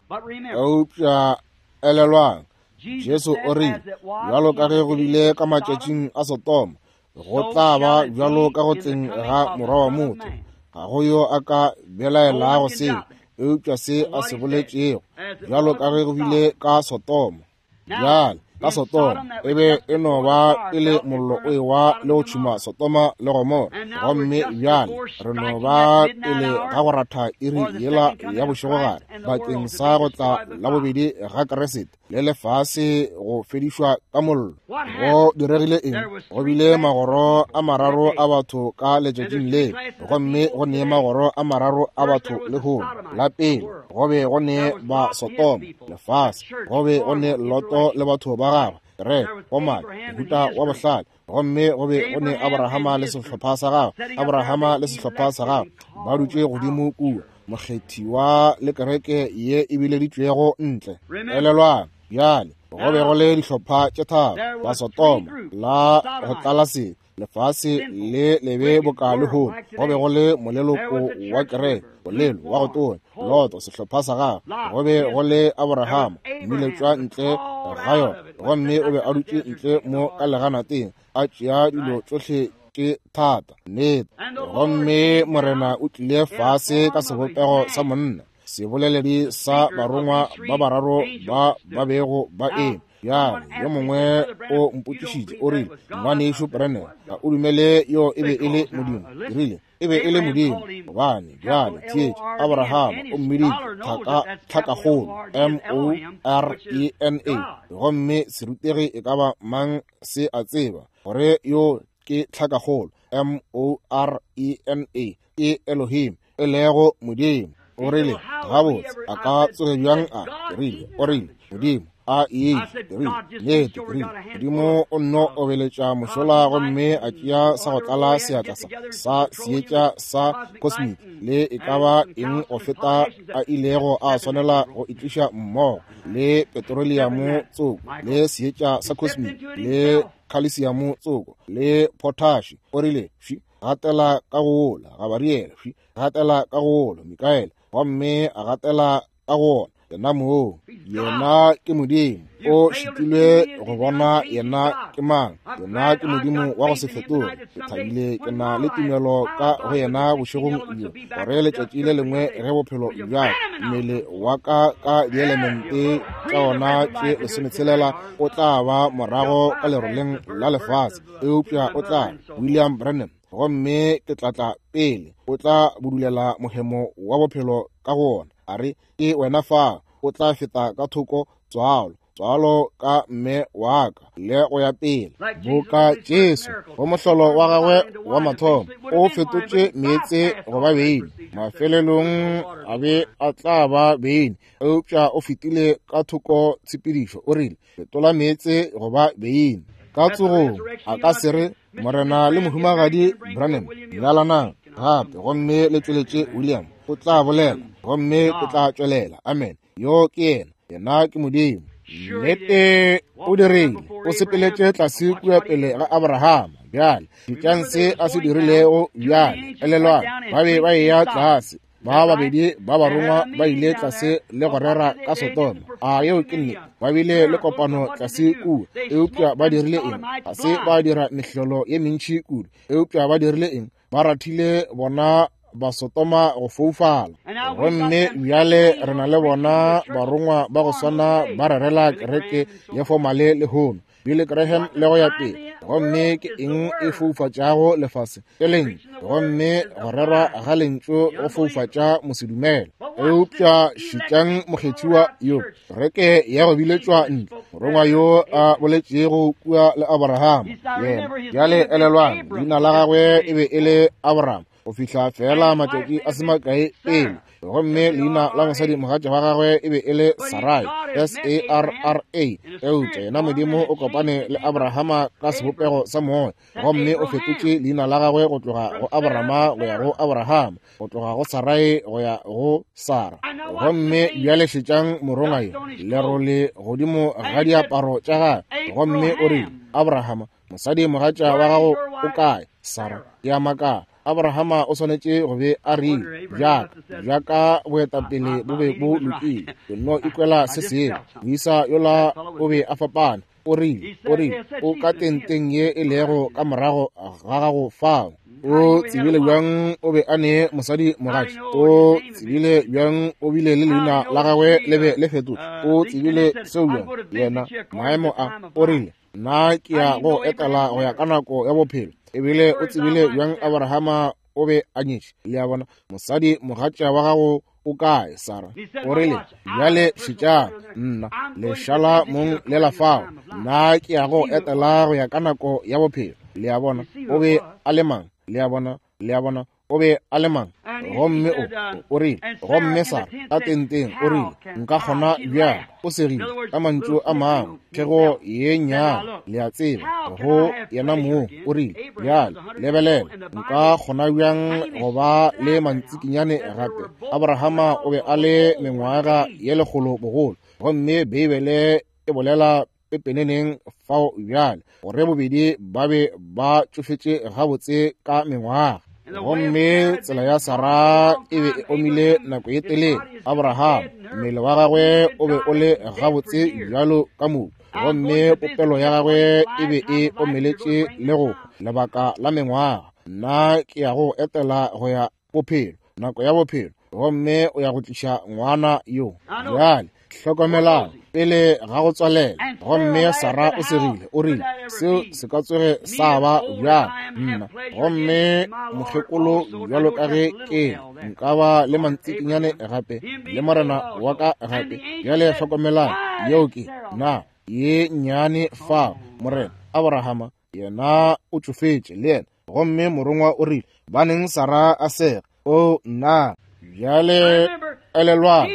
Eupša elelwang, Jesu o rile, bjalo ka ge go bile ka matšatšing a Sodoma, go tla ba bjalo ka go tleng ga Morwa wa motho. Ga go yo a ka belaelago seo, eupša se a se boletšego, bjalo ka ge go bile ka Sodoma. Bjale, ka Sodoma e be e no ba pele mollo o ewa le go tšhuma Sodoma le Gomora. Gomme bjale re no ba pele ga go ratha iri yela ya bošegogare bakeng sa go tla la bobedi ga Kriste le lefase go fedišwa ka mollo. Go diregile eng? Go bile magoro a mararo a batho ka letšatšing le, gomme go ne magoro a mararo a batho lehono. La pele go be go ne ba Sodoma, lefase, go be go ne Loto le batho ba gagwe, re omane, mohuta wa bohlale. Gomme go be go ne Abrahama le sehlopha sa gagwe, Abrahama le sehlopha sa gagwe ba dutše godimo kua, mokgethiwa le kereke ye e bileditšwego ntle. Elelwang, bjale go be go le dihlopha tše tharo, ba Sodoma la go tlala sebe, lefase le lebe boka lehono. Go be go le moleloko wa kereke, molelo wa go tonya, Loto sehlopha sa gagwe. Go be go le Abrahama, mmiletšwa ntle ga yona, gomme o be a dutše ntle mo ka leganateng, a tšea dilo tšohle tše thata. Nnete. Gomme Morena o tlile fase ka sebopego sa monna, seboleledi sa barongwa ba bararo ba ba bego ba eme. Bjale yo mongwe o mpotšišitše, o rile, Ngwanešu Branham, ga o dumele yo e be e le Modimo? Ke rile, e be e le Modimo. Gobane bjale theetša, Abrahama o mmiditše tlhaka tlhakakgolo, M O R E N A, gomme serutegi e ka ba mang se a tseba gore yo ke tlhakakgolo, M O R E N A, ke Elohim, e lego Modimo. O rile, gabotse, a ka tsoge bjang a? Ke rile, o rile, Modimo a e rile, nnete, ke rile, Modimo o nno obeletša mošola gomme a tšea sa go tlala seatla sa sa seetša sa cosmic le e ka ba eng go feta a ilego a swanela go itliša mmogo le petroleamo tsoko le seetša sa cosmic le calcium tsoko le potash. O rile, fi gatela ka go ola Gabariele, fi gatela ka go ola Mikaele, gomme a gatela ka go ona. Yena moo, yena ke Modimo. O šitilwe go bona yena ke mang. Yena ke Modimo wa go se fetoge. Ke thabile ke na le tumelo ka go yena bošegong bjo, gore letšatši le lengwe ge bophelo bja mmele wa ka ka dielemente tša ona tše lesometshelela o tla ba morago ka leroleng la lefase, eupša o tla William Branham, gomme ke tla tla pele, o tla budulela mohemo wa bophelo ka go ona. A re, ke wena fa, o tla feta ka thoko tswalo, tswalo ka mme wa ka le go ya pele. Boka Jesu go mohlolo wa gagwe wa mathomo, o fetotše meetse go ba beine, mafelelong a be a tla ba beine, eupša o fetile ka thoko tshepedišo. O rile, fetola meetse go ba beine. Ka tsogong a ka se re, Morena le mohumagadi Branham nyalanang gape gomme le tšweletše William. O tla bolela gomme o tla tšwelela. Amen. Yo ke yena, yena ke Modimo. Nnete o dirile, o sepeletše tlase kua pele ga Abrahama. Bjale šetšang se a se dirilego. Bjale elelwang, ba be ba eya tlase, ba babedi ba barongwa ba ile tlase le go rera ka Sodoma. A yeo ke nnete? Ba bile le kopano tlase kua, eupša ba dirile eng? Ga se ba dira mehlolo ye mentši kudu, eupša ba dirile eng? Ba rathile bona ba Sodoma go foufala. Gomme bjale re na le bona barongwa ba go swana ba rerela kereke ya fomale lehono, Billy Graham le go ya pele. Gomme ke eng e foufatšago lefase? Ke lentšu. Gomme go rerwa ga lentšu go foufatša mosedumele. Eupša šetšang mokgethiwa yo, kereke ya go biletšwa ntle, morongwa yo a boletšego kua le Abrahama. Yena bjale elelwang, leina la gagwe e be e le Abraham. go fihla fela matšatši a se makae pele. Gomme leina la mosadi mogatša wa gagwe e be e le Sarai, S A R R A. Eupša yena Modimo o kopane le Abrahama ka sebopego sa moya, gomme o fetotše leina la gagwe go tloga go Abrahama go ya go Abrahama, go tloga go Sarai go ya go Sara. Gomme bjale šetšang morongwa yo, lerole godimo ga diaparo tša gagwe, gomme o rile, Abrahama, mosadi mogatša wa gago o kae? Sara. Ke a makala. Abrahama o swanetše go be a rile, bjaka bjaka boetapele bo be bo lokile, ke no ikwela se sengwe. Moisa yola o be a fapana. O rile, o rile, o ka tenteng ye e lego ka morago ga gago fao. O tsebile bjang o be a ne mosadi mogatša? O tsebile bjang o bile le leina la gagwe le be le fetotšwe? O tsebile seo bjang? Yena maemo a, o rile, nna ke ya go etela go ya ka nako ya bophelo. Ebile o tsebile bjang Abrahama o be a nyetše? Le a bona, mosadi mogatša wa gago o kae, Sara? O rile, bjale šetšang nna, lešala mong le la fao, nna ke ya go etela go ya ka nako ya bophelo. Le a bona, o be a le mang? Le a bona, le a bona, o be a le mang? Gomme o, o rile, gomme Sara ka tenteng o rile, nka kgona bjang? O segile ka mantšu a mangwe, thego ye nnyane, le a tseba, go yena mong. O rile, bjale lebelela, nka kgona bjang go ba le mantsikinyane gape? Abrahama o be a le mengwaga ye lekgolo bogolo, gomme Beibele e bolela pepeneneng fao bjale gore bobedi ba be ba tšofetše gabotse ka mengwaga. Gomme tsela ya Sara e be e omile nako ye telele. Abraham, mmele wa gagwe o be o le gabotse bjalo ka mobu, gomme popelo ya gagwe e be e omeletše le go lebaka la mengwaga. Nna ke ya go etela go ya bophelo, nako ya bophelo, gomme o ya go tliša ngwana yo. Bjale hlokomelang pele ga go tswalela. Gomme Sara o segile, o rile, seo se ka tsoge sa ba bjang nna? Gomme mokgekolo bjalo ka ge ke nka ba le mantsikinyane gape le morena wa ka gape. Bjale hlokomelang, yeo ke na ye nnyane fao. Morena Abrahama yena o tšofetše le yena. Gomme morongwa o rile, baneng Sara a sega? O nna. Bjale elelwang,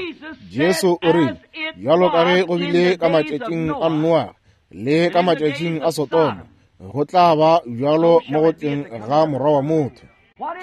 Jesu o rile, bjalo ka ge go bile ka matšatšing a Noa le ka matšatšing a Sodoma, go tla ba bjalo mo go tleng ga Morwa wa motho.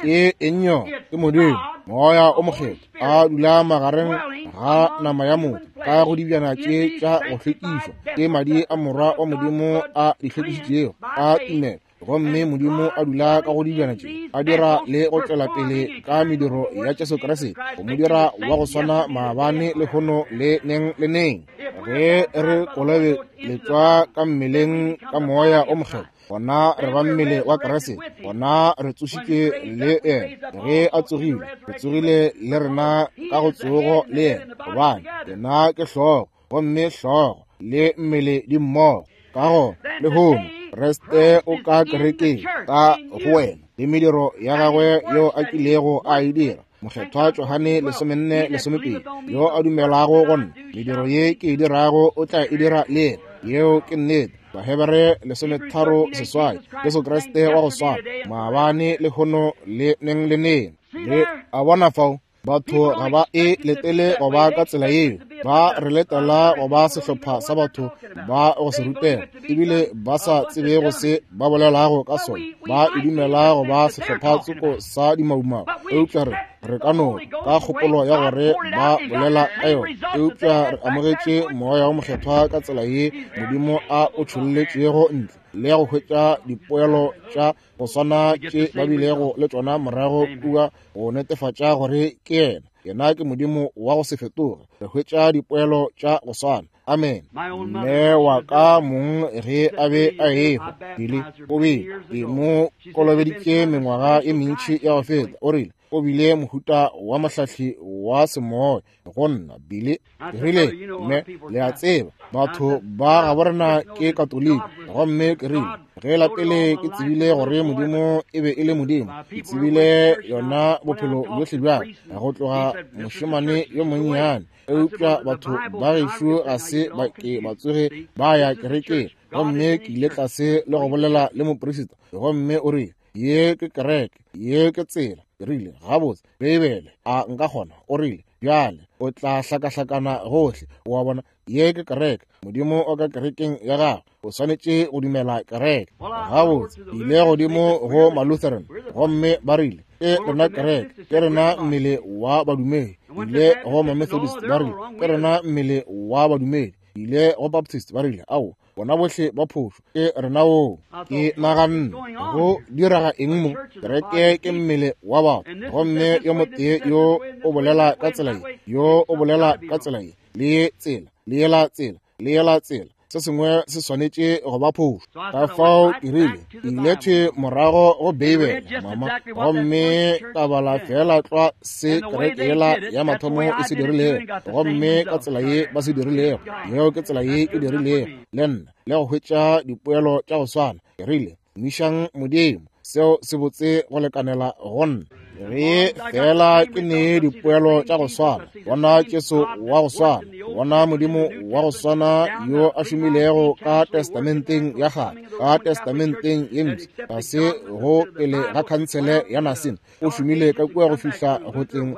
Ke eng yo? Ke Modimo, Moya o Mokgethwa, a dula magareng ga nama ya motho ka go dibjana tše tša go hlwekišwa ke madi a Morwa wa Modimo a di hlwekišitšego a tumelo. Gomme Modimo a dula ka go dibjana tše, a dira le go tšwela pele ka mediro ya Jesu Kriste, go mo dira wa go swana maabane, lehono le neng le neng. Ge re kolobeletšwa ka mmeleng ka Moya o Mokgethwa, gona re ba mmele wa Kriste, gona re tsošitšwe le yena. Ge a tsogile, re tsogile le rena ka go tsogo le yena, gobane yena ke hlogo, gomme hlogo le mmele di mmogo. Ka go lehono Kriste o ka kerekeng ka go wena le mediro ya gagwe yeo a kilego a e dira. Mokgethwa Johane lesomenne lesomepedi, yo a dumelago go nna, mediro ye ke e dirago o tla e dira le yena. Yeo ke nnete. Bahebere lesometharo seswai, Jesu Kriste wa go swana maabane, lehono le neng le neng. Le a bona fao, batho ga ba e letele go ba ka tsela yeo. Ba re letela go ba sehlopha sa batho ba go se rutega, ebile ba sa tsebe go se ba bolelago ka sona. Ba e dumela go ba sehlopha tsoko sa dimaumau, eupša re re ka no ka kgopolo ya gore ba bolela ka yona. Eupša re amogetše Moya o Mokgethwa ka tsela ye Modimo a o tšholletšego ntle, le ya go hwetša dipoelo tša go swana tše ba bilego le tšona morago kua, go netefatša gore ke yena. Yena ke Modimo wa go se fetoge. Re hwetša dipoelo tša go swana. Amen. Mme wa ka mong ge a be a ehwa, Billy o be ke mo kolobeditše mengwaga e mentši ya go feta. O rile o bile mohuta wa mohlahli wa semoya go nna. Billy ke rile, mme le a tseba batho ba gabo rena ke Katoliki. Gomme ke rile, ge la pele ke tsebile gore Modimo e be e le Modimo, ke tsebile yona bophelo bjohle bja go tloga mošemane yo monnyane. Eupša batho ba gešo ga se ba ke ba tsoge ba ya kerekeng. Gomme ke ile tlase le go bolela le moprista, gomme o rile, ye ke kereke, ye ke tsela. Ke rile, gabotse, Beibele, a nka kgona? O rile, bjale o tla hlakahlakana gohle. Wa bona, ye ke kereke. Modimo o ka kerekeng ya gago. O swanetše go dumela kereke. Gabotse, ile godimo go Malutheran, gomme ba rile, ke rena kereke, ke rena mmele wa badumedi. Ile go Mamethodist, ba rile, ke rena mmele wa badumedi. Ile go Baptist, ba rile, ao, bona bohle ba phošo, ke rena wo. Ke naganne, go diraga eng mo? Kereke ke mmele wa batho, gomme yo motee yo o bolela ka tsela ye, yo o bolela ka tsela ye, le ye tsela, le yela tsela, le yela tsela. Se sengwe se swanetše go ba phošo. Ka fao ke rile, ile thwe morago go Beibele, mama, gomme ka bala fela tlwa se kereke yela ya mathomo e se dirilego, gomme ka tsela ye ba se dirilego, yeo ke tsela ye ke dirilego le nna, le go hwetša dipoelo tša go swana. Ke rile, tumišang Modimo, seo se botse go lekanela go nna. Ge fela ke ne dipoelo tša go swana, bona Jesu wa go swana, bona Modimo wa go swana yo a šomilego ka testamenteng ya kgale, ka testamenteng ye mpsha, ga se go pele ga khansele ya Nicene, o šomile ka kua go fihla go tleng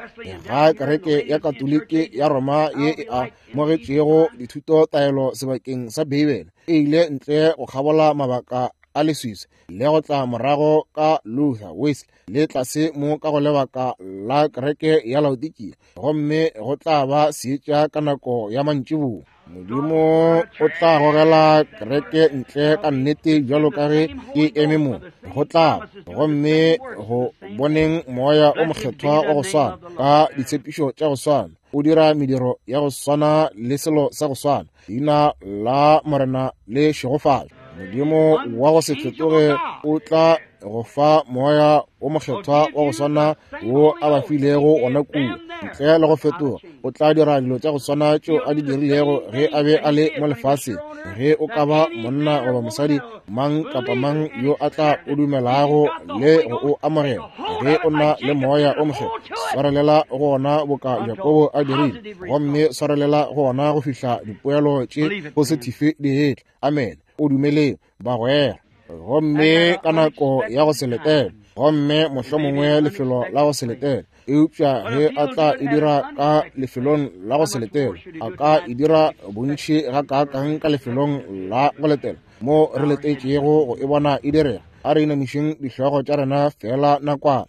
ga kereke ya Katoliki ya Roma ye e amogetšego dithutotaelo sebakeng sa Beibele, e ile ntle go kgabola mabaka a leswiswi le go tla morago ka Luther, Wesley, le tlase mo ka go lebaka la kereke ya Laodikia, gomme go tla ba seetša ka nako ya mantšiboa. Modimo o tla gogela kereke ntle ka nnete bjalo ka ge ke eme mo, go tla gomme go boneng moya o mokgethwa wa go swana ka ditshepišo tša go swana, o dira mediro ya go swana le selo sa go swana. Leina la Morena le šegofatšwe. Modimo wa go se fetoge o tla go fa moya o mokgethwa wa go swana wo a ba filego gona kua, ntle le go fetoga. O tla dira dilo tša go swana tšeo a di dirilego ge a be a le mo lefaseng. Ge o ka ba monna goba mosadi, mang kapa mang yo a tla o dumelago le go o amogela, ge o na le moya o mokgethwa, swarelela go ona boka Jakobo a dirile, gomme swarelela go ona go fihla dipoelo tše positive di etla. Amen. O dumeleng, bagwera. Gomme ka nako ya go se letela, gomme mohlomongwe lefelo la go se letela, eupša ge a tla e dira ka lefelong la go se letela, a ka e dira bontši gakaakang ka lefelong la go letela mo re letetšego go e bona e direga. A re inamišeng dihlogo tša rena fela nakwana.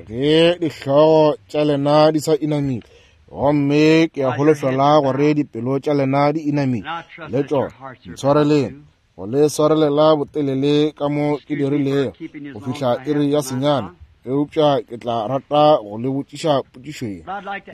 Ge dihlogo tša lena di sa inamile, gomme ke a holofela gore dipelo tša lena di inamile le tšona, ntshwareleng go le swarelela botelele ka mo ke dirilego go fihla iri ya senyane, eupša ke tla rata go le botšiša potšišo ye.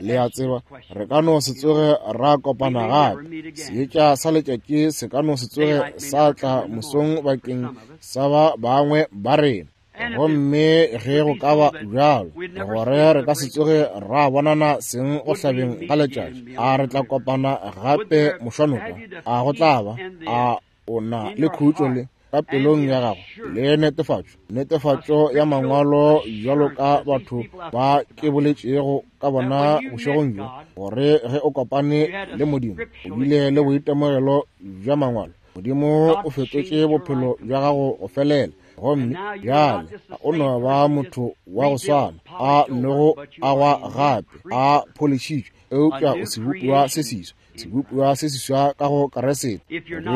Le a tseba, re ka no se tsoge ra kopana gape. Seetša sa letšatši se ka no se tsoge sa tla mosong bakeng sa ba bangwe ba rena. Gomme ge go ka ba bjalo, gore re ka se tsoge ra bonana seng go hlabeng ga letšatši, a re tla kopana gape mošwanoko? A go tla ba? A o na le khutšo le ka pelong ya gago le netefatšo, netefatšo ya mangwalo bjalo ka batho ba ke boletšego ka bona bošegong bjo, gore ge o kopane le Modimo o bile le boitemogelo bja mangwalo, Modimo o fetotše bophelo bja gago go felela, gomme bjale o no ba motho wa go swana a nnogo agwa gape a pholišitšwe, eupša o sebopiwa se seswa, sebopiwa se seswa ka go Keresete.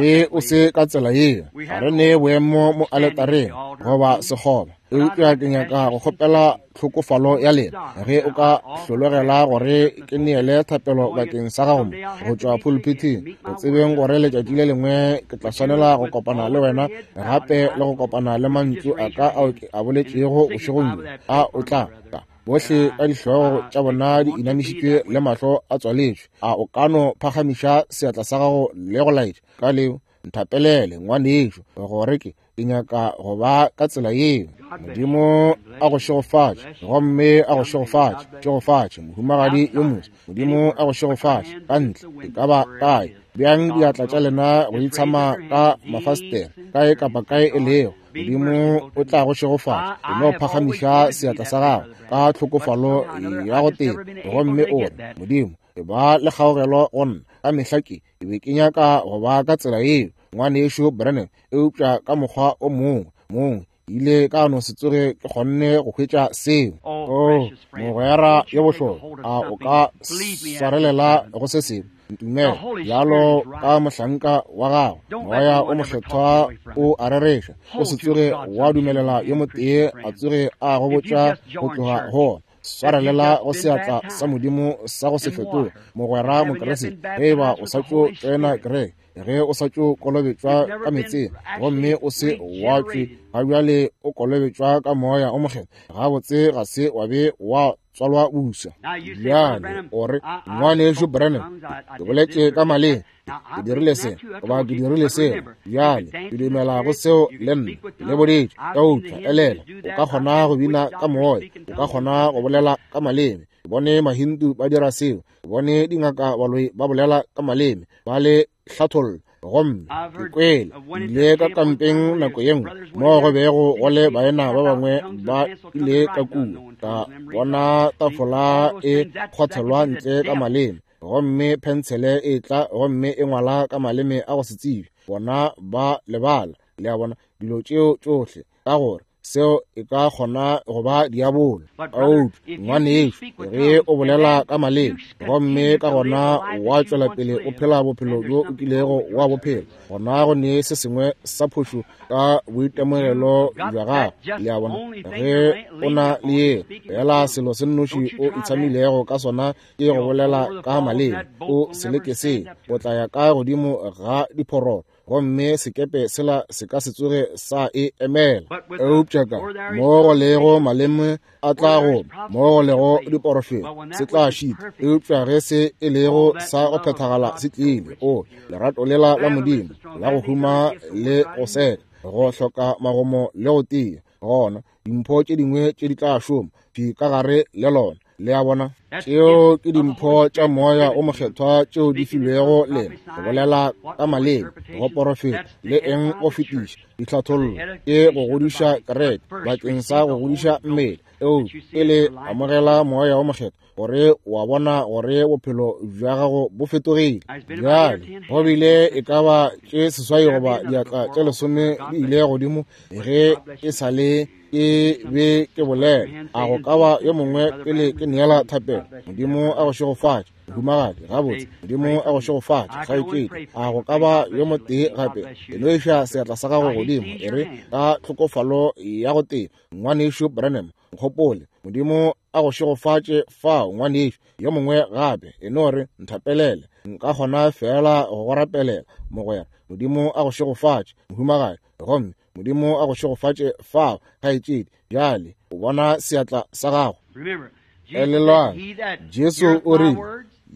Ge o se ka tsela yeo, ga re ne boemo mo aletareng goba sekgoba, eupša ke nyaka go kgopela tlhokofalo ya lena ge o ka hlologela gore ke neele thapelo bakeng sa gago mo go tšwa pulpithing, go tsebeng gore letšatši le lengwe ke tla swanela go kopana le wena gape le go kopana le mantšu a ka ao ke a boletšego bošegong bjo. A o tla tla? Bohle ka dihlogo tša bona di inamišitšwe le mahlo a tswaletšwe, a o ka no phagamiša seatla sa gago le go laetša ka leo, nthapelele ngwanešo, gore ke ke nyaka go ba ka tsela yeo. Modimo a go šegofatše, gomme a go šegofatše, šegofatše mohumagadi yo moswa. Modimo a go šegofatše. Ka ntle e ka ba kae, bjang diatla tša lena go itshama ka mafastere, kae kapa kae e lego, Modimo o tla go šegofatša. O no phagamiša seatla sa gago ka tlhokofalo ya go teba, gomme o re, Modimo, e ba le kgaogelo go nna. Ka mehla ke ke be ke nyaka go ba ka tsela yeo, ngwanešo Branham, eupša ka mokgwa o mongwe mongwe Ile ka no se tsoge ke kgonne go hwetša seo. Oh, mogwera yo bohlokwa, a o ka swarelela go se sengwe? Ntumele bjalo ka mohlanka wa gago. Moya o mokgethwa o a rereša. O se tsoge wa dumelela yo motee a tsoge a go botša go tloga go ona. Swarelela go seatla sa Modimo sa go se fetoge. Mogwera Mokriste, ge eba o sa tšo tsena kereke, ge o sa tšo kolobetšwa ka meetseng gomme o se wa tšwe ga bjale o kolobetšwa ka Moya o Mokgethwa, gabotse ga se wa be wa tswalwa buswa. Bjale o re, ngwanešu Branham, ke boletše ka maleme, ke dirile se goba ke dirile seo. Bjale ke dumela go seo le nna, ke le boditše. Eupša elela, o ka kgona go bina ka moya, o ka kgona go bolela ka maleme. Ke bone Mahindu ba dira seo, ke bone dingaka baloi ba bolela ka maleme, ba le hlatholla. Gomme ke kwele ile ka kampeng nako ye nngwe moo go bego go le baena ba bangwe ba ile ka kua, ka bona tafola e kgwathelwa ntle ka maleme, gomme phentshele e tla gomme e ngwala ka maleme a go se tsebe. Bona ba lebala, le a bona, dilo tšeo tšohle, ka gore seo e ka kgona go ba diabolo. Eupša ngwanešu, ge o bolela ka maleme gomme ka gona wa tšwela pele o phela bophelo bjo o kilego wa bophela, gona go ne se sengwe sa phošo ka boitemogelo bja gago. Le a bona, ge o na le ye fela selo se nnoši o itshamilego ka sona ke go bolela ka maleme, o se leke se, o tla ya ka godimo ga diphororo gomme sekepe sela se ka se tsoge sa e emela. Eupša ka mo go lego maleme a tla go, mo go lego diporofeto se tla šita. Eupša ge se e lego sa go phethagala se tlile, o lerato lela la Modimo la go huma le go seka, go hloka magomo le go tia, gona dimpho tše dingwe tše di tla šoma di ka gare le lona. Le a bona, tšeo ke dimpho tša Moya o Mokgethwa tšeo di filwego lena, go bolela ka maleme, go porofeta, le eng go fetiša ditlhathollo, ke go godiša kereke bakeng sa go godiša mmele. Eupša pele amogela Moya o Mokgethwa, gore wa bona gore bophelo bja gago bo fetogile. Bjale go bile e ka ba tše seswai goba diatla tše lesome di ile godimo ge e sa le ke be ke bolela. A go ka ba yo mongwe pele ke neela thapelo? Modimo a go šegofatše, mohumagadi. Gabotse, Modimo a go šegofatše, kgaetšedi. A go ka ba yo motee gape? E no iša seatla sa gago godimo, e re ka tlhokofalo ya go tee, ngwanešu Branham, nkgopole. Modimo a go šegofatše fao, ngwanešu. Yo mongwe gape, e no re nthapelele, nka kgona fela go go rapelela, mogwera. Modimo a go šegofatše, mohumagadi. Gomme Modimo a go šegofatše fao, kgaetšedi. Bjale o bona seatla sa gago. Elelwang, Jesu o rile,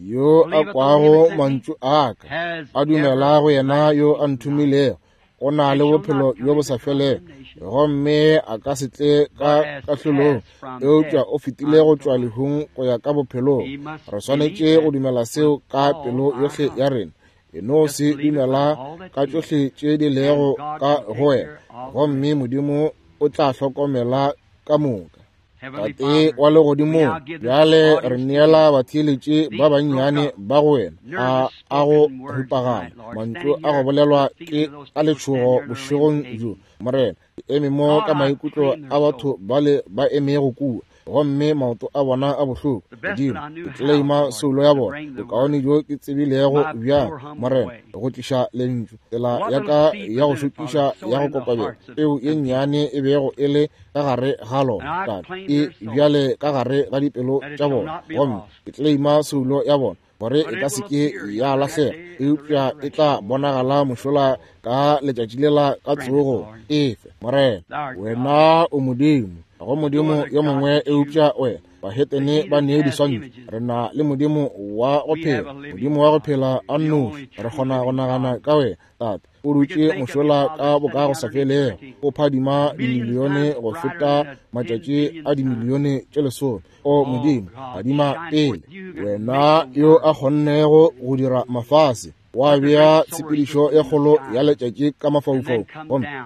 yo a kwago mantšu a ka a dumela go yena yo a nthomilego, o na le bophelo bjo bo sa felego, gomme a ka se tle ka kahlolong, eupša o fetile go tšwa lehung go ya ka bophelong. Re swanetše go dumela seo ka pelo yohle ya rena. E no se dumela ka tšohle tše di lego ka go wena, gomme Modimo o tla hlokomela ka moka. Tate wa legodimong, bjale re neela batheeletši ba bannyane ba go wena a a go ripagana mantšu a go bolelwa ke ka letšhogo bošegong bjo. Morena, ke eme mo ka maikutlo a batho bale ba emego kua, gomme maoto a bona a bohloko. Modimo, ke tleleima soulo ya bona, bokaone bjo ke tsebilego bjang, Morena, go tliša lentšu, tsela ya ka ya go šokiša ya go kokobela, peu ye nnyane e bego e le ka gare ga lona, Tate, e bjale ka gare ga dipelo tša bona, gomme ke tleleima soulo ya bona gore e ka se ke ya lahlega, eupša e tla bonagala mošola ka letšatši lela ka tsogo efe. Morena, wena o Modimo, ga go Modimo yo mongwe eupša wena. Bahetene ba nee diswantšho, re na le Modimo wa go phela, Modimo wa go phela a nnoši. Re kgona go nagana ka wena, Tate, o dutše mošola ka boka go sa felego, o phadima dimilione go feta matšatši a dimilione tše lesome. O Modimo, phadima pele, wena yo a kgonnego go dira mafase, wa bea tshepedišo e kgolo ya letšatši ka mafaufau,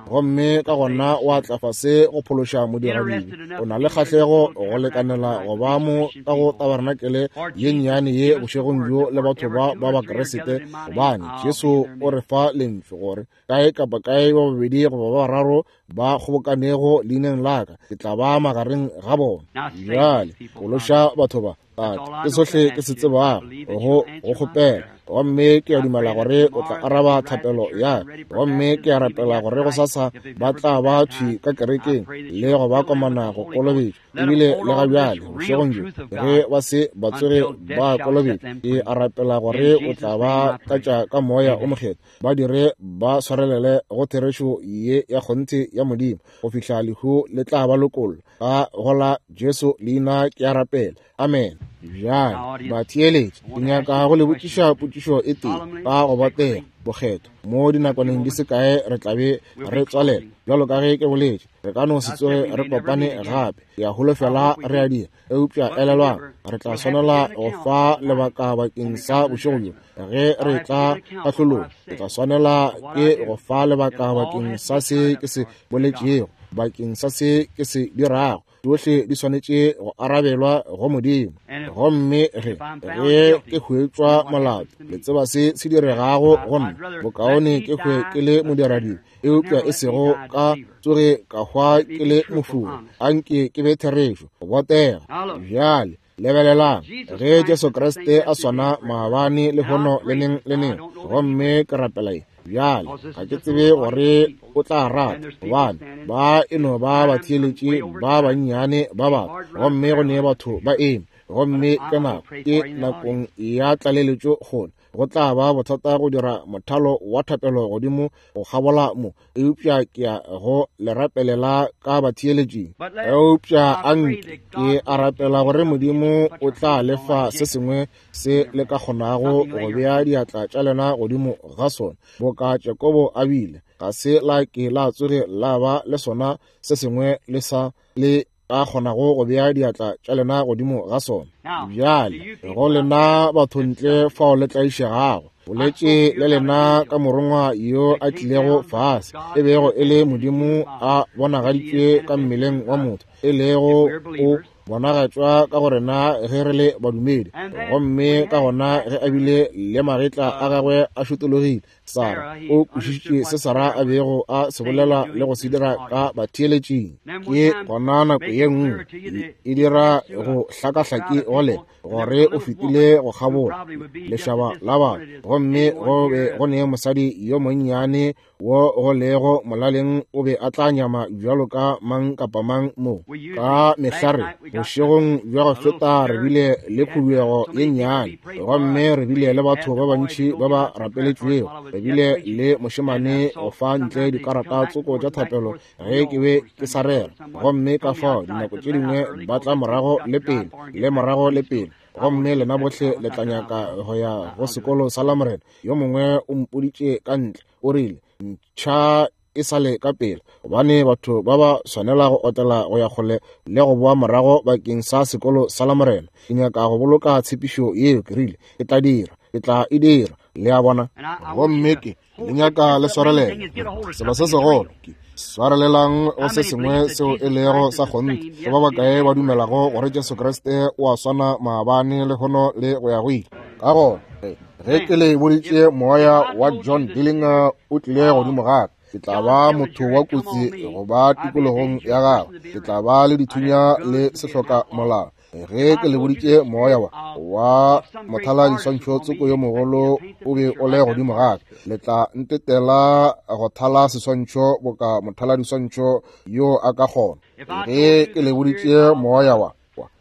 gomme ka gona wa tla fase go phološa modiradibe. O na le kgahlego go lekanela go ba mo ka go tabarenakele ye nnyane ye bošegong bjo le batho ba ba Bakriste, gobane Jesu o re fa lentšu gore kae kapa kae ba babedi goba ba bararo ba kgobokanego leineng la ka, ke tla ba magareng ga bona. Bjale phološa batho ba, Tate, ke sohle ke se tsebago go go kgopela, gomme ke a dumela gore o tla araba thapelo ya ka. Gomme ke a rapela gore gosasa ba tla ba thwi ka kerekeng le go ba komana go kolobetšwa. Ebile le ga bjale bošegong bjo ge ba se ba tsoge ba kolobetšwa, ke a rapela gore o tla ba tlatša ka moya o mokgethwa, ba dire ba swarelele go therešo ye ya kgonthe ya Modimo go fihla lehu le tla ba lokolla. Ka go la Jesu leina ke a rapela, amen. Bjale batheeletši, ke nyaka go le botšiša potšišo e tee ka go botega bokgethwa. Mo dinakwaneng di se kae re tla be re tswalela, bjalo ka ge ke boletše, re ka no se tsoge re kopane gape. Ke a holofela re a dira, eupša elelwang, re tla swanela go fa lebaka bakeng sa bošego bjo. Ge re tla kahlolong, re tla swanela ke go fa lebaka bakeng sa se ke se boletšego, bakeng sa se ke se dirago. Tšohle di swanetše go arabelwa go Modimo. Gomme ge ge ke hwetšwa molato, le tseba se se diregago go nna. Bokaone ke hwe ke le modiradibe, eupša e sego ka tsoge ka hwa ke le mofuri. Anke ke be therešo, go botega. Bjale lebelelang, ge Jesu Kriste a swana maabane lehono le neng le neng. Gomme ke rapela ye bjale, ga ke tsebe gore o tla rata, gobane ba e no ba batheeletši ba bannyane ba batho, gomme go ne batho ba eme, gomme ke nako ke nakong ya tlaleletšo kgone. Go tla ba bothata go dira mothalo wa thapelo godimo go kgabola mo, eupša ke ya go le rapelela ka batheeletšing. Eupša anke ke a rapela gore Modimo o tla lefa se sengwe se le ka kgonago go bea diatla tša lena godimo ga sona, boka Jakobo a bile. Ga se la ke la tsoge la ba le sona se sengwe le sa le ka kgonago go bea diatla tša lena godimo ga sona. Bjale go lena batho ntle fao le tlaišegago, boletše le lena ka morongwa yo a tlilego fase, e bego e le Modimo a bonagaditšwe ka mmeleng wa motho, e lego o bonagatšwa ka go rena ge re le badumedi. Gomme ka gona ge a bile le magetla a gagwe a šotologile, Sara o kwešišitše se Sara a bego a se bolela le go se dira ka batheeletšing. Ke gona nako ye nngwe e dira go hlakahlaki go lena gore o fetile go kgabola lešaba la batho, gomme go be go ne mosadi yo monnyane wo go lego molaleng o be a tla nyama bjalo ka mang kapa mang mo. Ka mehlare bošegong bja go feta re bile le khuduego ye nnyane, gomme re bile le batho ba bantši ba ba rapeletšwego. Re bile le mošemane go fa ntle dikarata tsoko tša thapelo ge ke be ke sa rera, gomme ka fao dinako tše dingwe ba tla morago le pele le morago le pele. Gomme lena bohle le tla nyaka go ya go sekolo sa Lamorena. Yo mongwe o mpoditše ka ntle, o rile ntšha e sale ka pele, gobane batho ba ba swanela go otela go ya kgole le go boa morago bakeng sa sekolo sa Lamorena. Ke nyaka go boloka tshepišo yeo, ke rile ke tla dira, ke tla e dira. Le a bona? Gomme ke le nyaka le swarelele selo se segolo, ke swarelelang go se sengwe seo e lego sa kgonthe. Ke ba bakae ba dumelago gore Jesu Kriste o a swana maabane lehono le go ya go ile? Ka gona ge ke le boditše moya wa John Dillinger o tlile godimo ga ka, ke tla ba motho wa kotsi go ba tikologong ya gagwe, ke tla ba le dithunya le sehloka molao. Ge ke le boditše moya wa wa mothala-diswantšho tsoko yo mogolo o be o le godimo ga ka, le tla ntetela go thala seswantšho boka mothala-diswantšho yo a ka kgona. Ge ke le boditše moya wa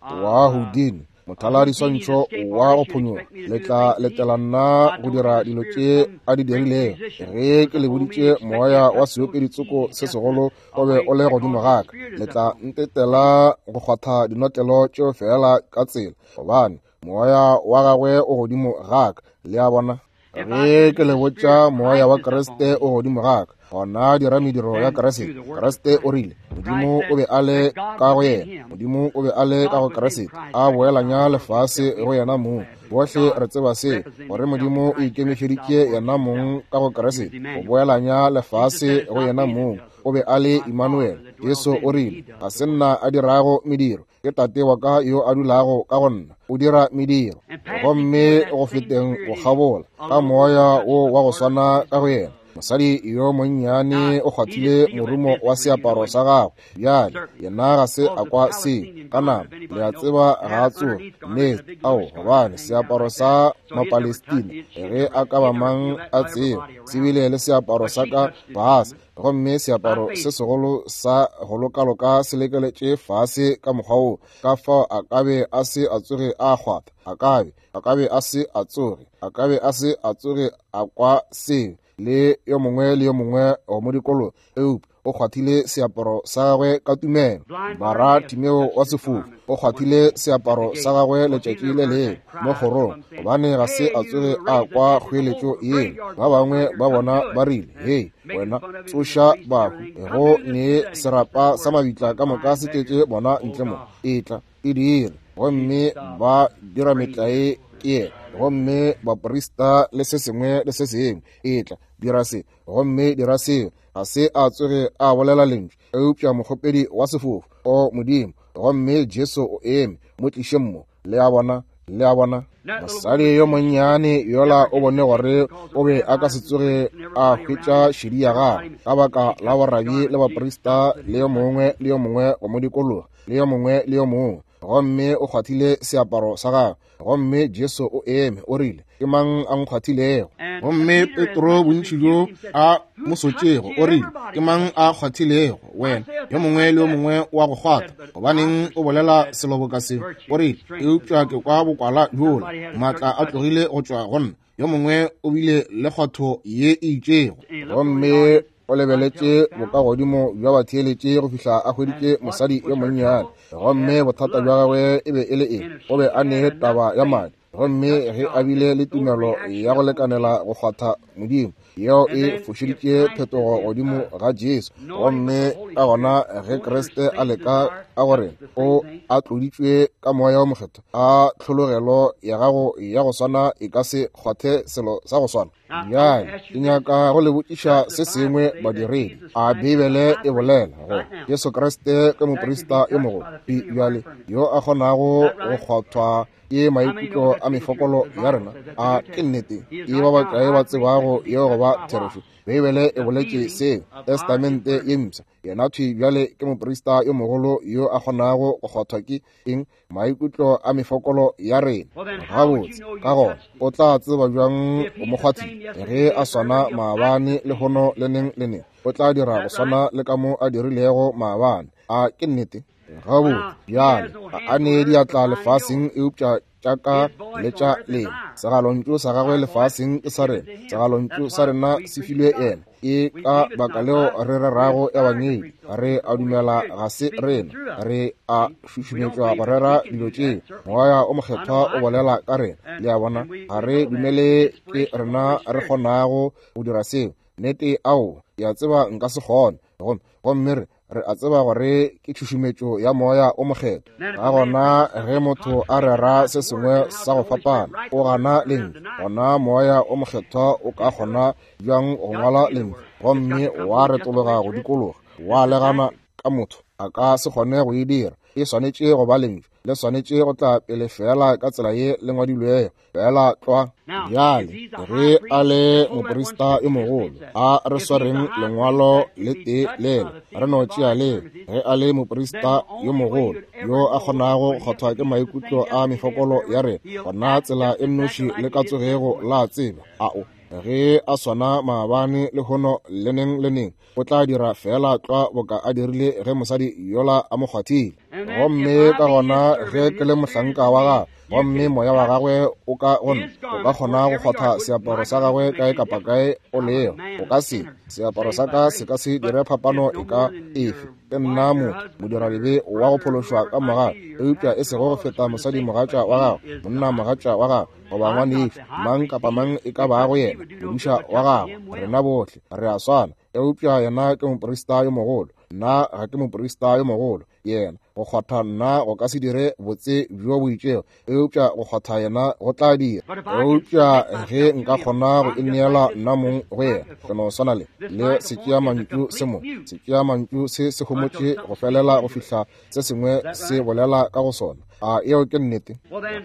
wa Houdini, mothala-diswantšho wa go phonyoga, le tla letela nna go dira dilo tše a di dirilego. Ge ke le boditše moya wa seopedi tsoko se segolo o be o le godimo ga ka, le tla ntetela go kgwatha dinotlelo tšeo fela ka tsela, gobane moya wa gagwe o godimo ga ka. Le a bona? Ge ke le botša moya wa Kriste o godimo ga ka, Gona dira mediro ya Kriste. Kriste o rile Modimo o be a le ka go yena, Modimo o be a le ka go Kriste, a boelanya lefase go yena mong. Bohle re tseba se, gore Modimo o ikemišeditše yena mong ka go Kriste, go boelanya lefase go yena mong. O be a le Emmanuel. Jesu o rile, ga se nna a dirago mediro, ke Tate wa ka yo a dulago ka go nna, o dira mediro. Gomme go feteng go kgabola ka moya wo wa go swana ka go yena, mosadi yo monnyane o kgwathile morumo wa seaparo sa gagwe. Bjale yena ga se a kwa seo ka nama, le a tseba, ga a tsoge nnete. Ao, gobane seaparo sa Mapalestina, ge a ka ba mang a tseba, se bile le seaparo sa ka fase, gomme seaparo se segolo sa go lokaloka se lekeletše fase ka mokgwa wo, ka fao a ka be a se a tsoge a kgwatha, a ka be a ka be a se a tsoge a ka be a se a tsoge a kwa seo le yo mongwe le yo mongwe go mo dikolo. Eupša o kgwathile seaparo sa gagwe ka tumelo. Bara Timeo wa sefofu o kgwathile seaparo sa gagwe letšatši le lengwe mo kgorong, gobane ga se a tsoge a kwa kgoeletšo yeo. Ba bangwe ba bona ba rile, hei wena, tsoša bahu, go ne serapa sa mabitla ka moka se tletše bona ntle mo, etla e dire. Gomme ba dira metlae ke yena, gomme baprista le se sengwe le se sengwe, etla dira se gomme dira seo. Ga se a tsoge a bolela lentšu, eupša mokgopedi wa sefofu, o Modimo. Gomme Jesu o eme, mo tlišeng mo. Le a bona, le a bona. Mosadi yo monnyane yola o bone gore o be a ka se tsoge a hwetša šedi ya gagwe ka baka la borabi le baprista le yo mongwe le yo mongwe go mo dikologa, le yo mongwe le yo mongwe. Gomme o kgwathile seaparo sa gagwe, gomme Jesu o eme, o rile, ke mang a nkgwathilego? Gomme Petro, bontši bjo a mo sotšego, o rile, ke mang a kgwathilego wena? Yo mongwe le yo mongwe wa go kgwatha, gobaneng o bolela selo boka seo? O rile, eupša ke kwa bokwala bjola, maatla a tlogile go tšwa go nna. Yo mongwe o bile le kgwatho ye e itšego. Gomme o lebeletše bokagodimo bja batheeletše go fihla a hweditše mosadi yo monnyane. Gomme bothata bja gagwe e be e le eng? O be a ne taba ya madi. Gomme ge a bile le tumelo ya go lekanela go kgwatha Modimo, yeo e fošeditše phetogo godimo ga Jesu. Gomme ka gona ge Kriste a leka ka gore o a tloditšwe ka moya o mokgethwa, a tlhologelo ya gago ya go swana e ka se kgwathe selo sa go swana. Bjale ke nyaka go le botšiša se sengwe badiredi. A Beibele e bolela gore Jesu Kriste ke moprista yo mogolo bjale yo a kgonago go kgwathwa ke maikutlo a mefokolo ya rena? A ke nnete? Ke ba bakae ba tsebago yeo go ba therešo? Beibele e boletše seo, Testamente ye mpsha. Yena thwi bjale ke moprista yo mogolo yo a kgonago go kgwathwa ke eng? Maikutlo a mefokolo ya rena. Gabotse, ka gona o tla tseba bjang o mo kgwathile? Ge a swana maabane, lehono le neng le neng, o tla dira go swana le ka mo a dirilego maabane. A ke nnete? Gabotse, bjale ga a ne diatla lefaseng eupša tša ka le tša lena. Segalontšu sa gagwe lefaseng ke sa rena, segalontšu sa rena se filwe yena. Ke ka baka leo re rerago ebangedi. Re a dumela ga se rena, re a šušumetšwa go rera dilo tšeo. Moya o mokgethwa o bolela ka rena. Le a bona, ga re dumele ke rena re kgonago go dira seo. Nnete, ao, ke a tseba nka se kgone. Gomme gomme re re a tseba gore ke tšhušumetšo ya moya o mokgethwa. Ka gona ge motho a rera se sengwe sa go fapana, o gana lentšu, gona moya o mokgethwa o ka kgona bjang go ngwala lentšu gomme wa retologa go dikologa wa legana ka motho? A ka se kgone go e dira. E swanetše go ba lentšu, le swanetše go tla pele fela ka tsela ye le ngwadilwego, fela tlwa. Bjale ge a le moprista yo mogolo, a re swareng lengwalo le tee lela, re no tšea leo. Ge a le moprista yo mogolo yo a kgonago go kgwathwa ke maikutlo a mefokolo ya rena, gona tsela e nnoši le ka tsogego la tseba, ao, ge a swana maabane, lehono le neng le neng, o tla dira fela tlwa boka a dirile ge mosadi yola a mo kgwathile. Gomme ka gona ge ke le mohlanka wa gagwe, gomme moya wa gagwe o ka go nna, o ka kgona go kgwatha seaparo sa gagwe kae kapa kae o lego. O ka se, seaparo sa ka se ka se dire phapano e ka efe. Ke nna motho, modiradibe wa go phološwa ka mogau, eupša e sego go feta mosadi mogatša wa gagwe, monna mogatša wa gagwe, goba ngwanešu, mang kapa mang e ka bago yena, modiša wa gagwe. Rena bohle re a swana. Eupša yena ke moprista yo mogolo, nna ga ke moprista yo mogolo. Yena go kgwatha nna go ka se dire botse bjo bo itšego, eupša go kgwatha yena go tla dira. Eupša ge nka kgona go ineela nna mong go yena, ke no swana le le setšeamantšu se mo setšeamantšu se se homotše go felela go fihla se sengwe se bolela ka go sona. A eo ke nnete?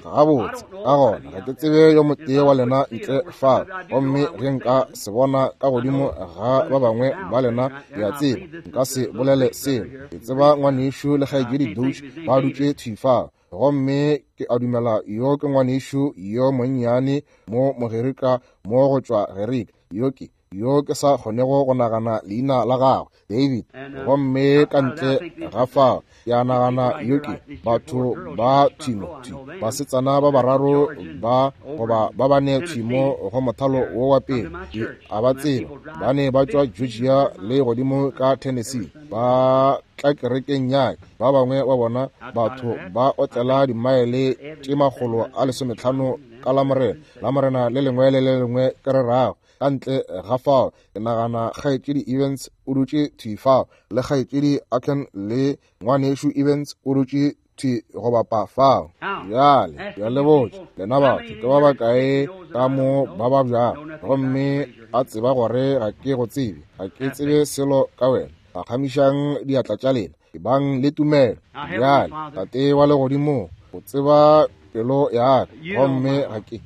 Gabotse, ka gona ga ke tsebe yo motee wa lena ntle fa, gomme ge nka se bona ka godimo ga ba bangwe ba lena, ke a tseba nka se bolele selo. Ke tseba ngwanešu le kgaetšedi Doge ba dutše thwi fa, gomme ke a dumela yo ke ngwanešu yo monnyane mo Mogerika mo go tšwa Gerika, yo ke yo ke sa kgonego go nagana leina la gagwe, David. Gomme ka ntle ga fao ke a nagana yo ke batho ba thimo thwi basetsana ba bararo ba goba ba bane thimo go mothalo wo wa pele, ke a ba tseba, ba ne ba tšwa Georgia le godimo ka Tennessee, ba tla kerekeng ya ka. Ba bangwe ba bona batho ba otlela dimaele tše makgolo a lesometlhano ka Lamorena, Lamorena le lengwe le le lengwe ke re rago. Ka ntle ga fao ke nagana kgaetšedi Evans o dutše thwi fao, le kgaetšedi Aken le ngwanešu Evans o dutše thwi go bapa fao. Bjale ke a le botša lena batho ke ba bakae ka mo ba babjago, gomme a tseba gore ga ke go tsebe, ga ke tsebe selo ka wena. Phagamišang diatla tša lena, ebang le tumelo. Bjale Tate wa legodimo, o tseba pelo ya ka, gomme ga ke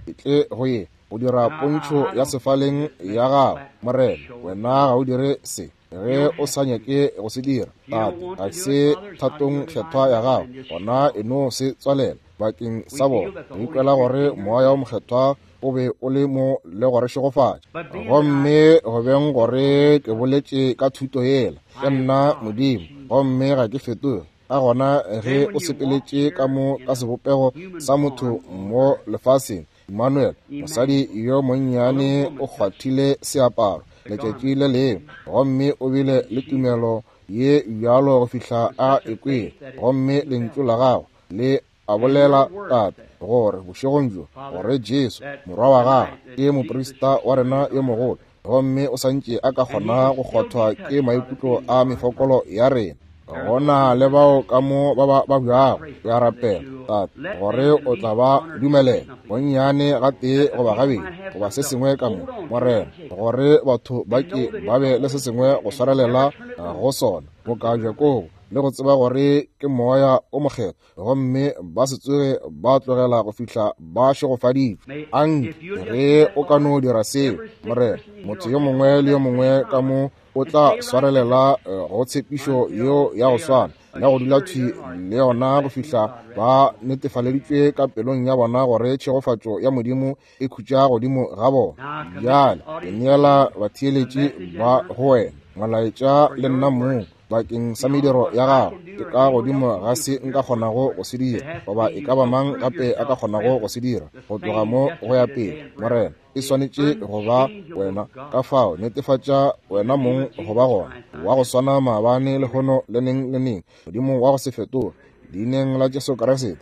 ke tle go ye go dira pontšho ya sefaleng ya gago, Morena. Wena ga o dire se ge o sa nyake go se dira, Tate. Ga se thatong kgethwa ya gago, gona e no se tswalela bakeng sa bona. Re ikwela gore Moya o Mokgethwa o be o le mo le go re šegofatša. Gomme go beng gore ke boletše ka thuto yela, ke nna Modimo, gomme ga ke fetoge. Ka gona ge o sepeletše ka mo ka sebopego sa motho mo lefaseng, Emmanuel, mosadi yo monnyane o kgwathile seaparo letšatši le lengwe, gomme o bile le tumelo ye bjalo go fihla a ekwele, gomme lentšu la gago le a bolela, Tate, gore bošegong bjo gore Jesu morwa wa gagwe ke moprista wa rena yo mogolo, gomme o santše a ka kgona go kgwathwa ke maikutlo a mefokolo ya rena. Gona le bao ka mo ba ba babjago, ke a rapela, Tate, gore o tla ba dumelela bonnyane gatee goba gabedi goba se sengwe ka mo, Morena, gore batho ba ke ba be le se sengwe go swarelela go sona boka Jakobo, le go tseba gore ke Moya o Mokgethwa, gomme ba se tsoge ba tlogela go fihla ba šegofaditšwe. Anke ge o ka no dira seo, Morena, motho yo mongwe le yo mongwe ka mo o tla swarelela go tshepišo yeo ya go swana ya go dula thwi le yona go fihla ba netefaleditšwe ka pelong ya bona gore tšhegofatšo ya Modimo e khutša godimo ga bona. Bjale ke neela batheeletši ba go wena molaetša le nna mong bakeng sa mediro ya gago. Ke ka godimo ga se nka kgonago go se dira, goba e ka ba mang gape a ka kgonago go se dira go tloga mo go ya pele, Morena. E swanetše go ba wena. Ka fao netefatša wena mong go ba gona wa go swana maabane, lehono le neng le neng, Modimo wa go se fetoge. Leineng la Jesu Kriste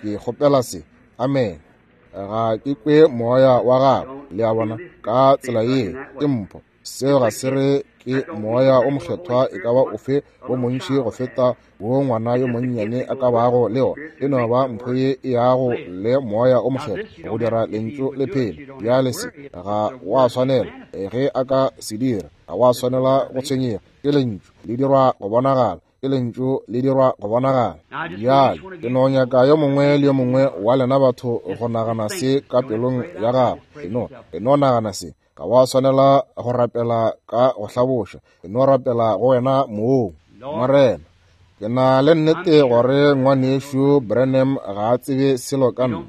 ke kgopela se, amen. Ga ke kwe moya wa gago, le a bona, ka tsela ye ke mpho. Seo ga se re ke Moya o Mokgethwa e ka ba ofe wo montši go feta wo ngwana yo monnyane a ka bago le ona. E no ba mpho ye e yago le Moya o Mokgethwa go dira lentšu le phele. Bjale se ga wa swanela, ge a ka se dira, ga wa swanela go tshwenyega. Ke lentšu le dirwa go bonagala, ke lentšu le dirwa go bonagala. Bjale ke no nyaka yo mongwe le yo mongwe wa lena batho go nagana se ka pelong ya gago. E no, e no nagana se. Ga wa swanela go rapela ka go hlaboša, e no rapela go wena mong. Morena, ke na le nnete gore ngwanešu Branham ga a tsebe selo ka nna,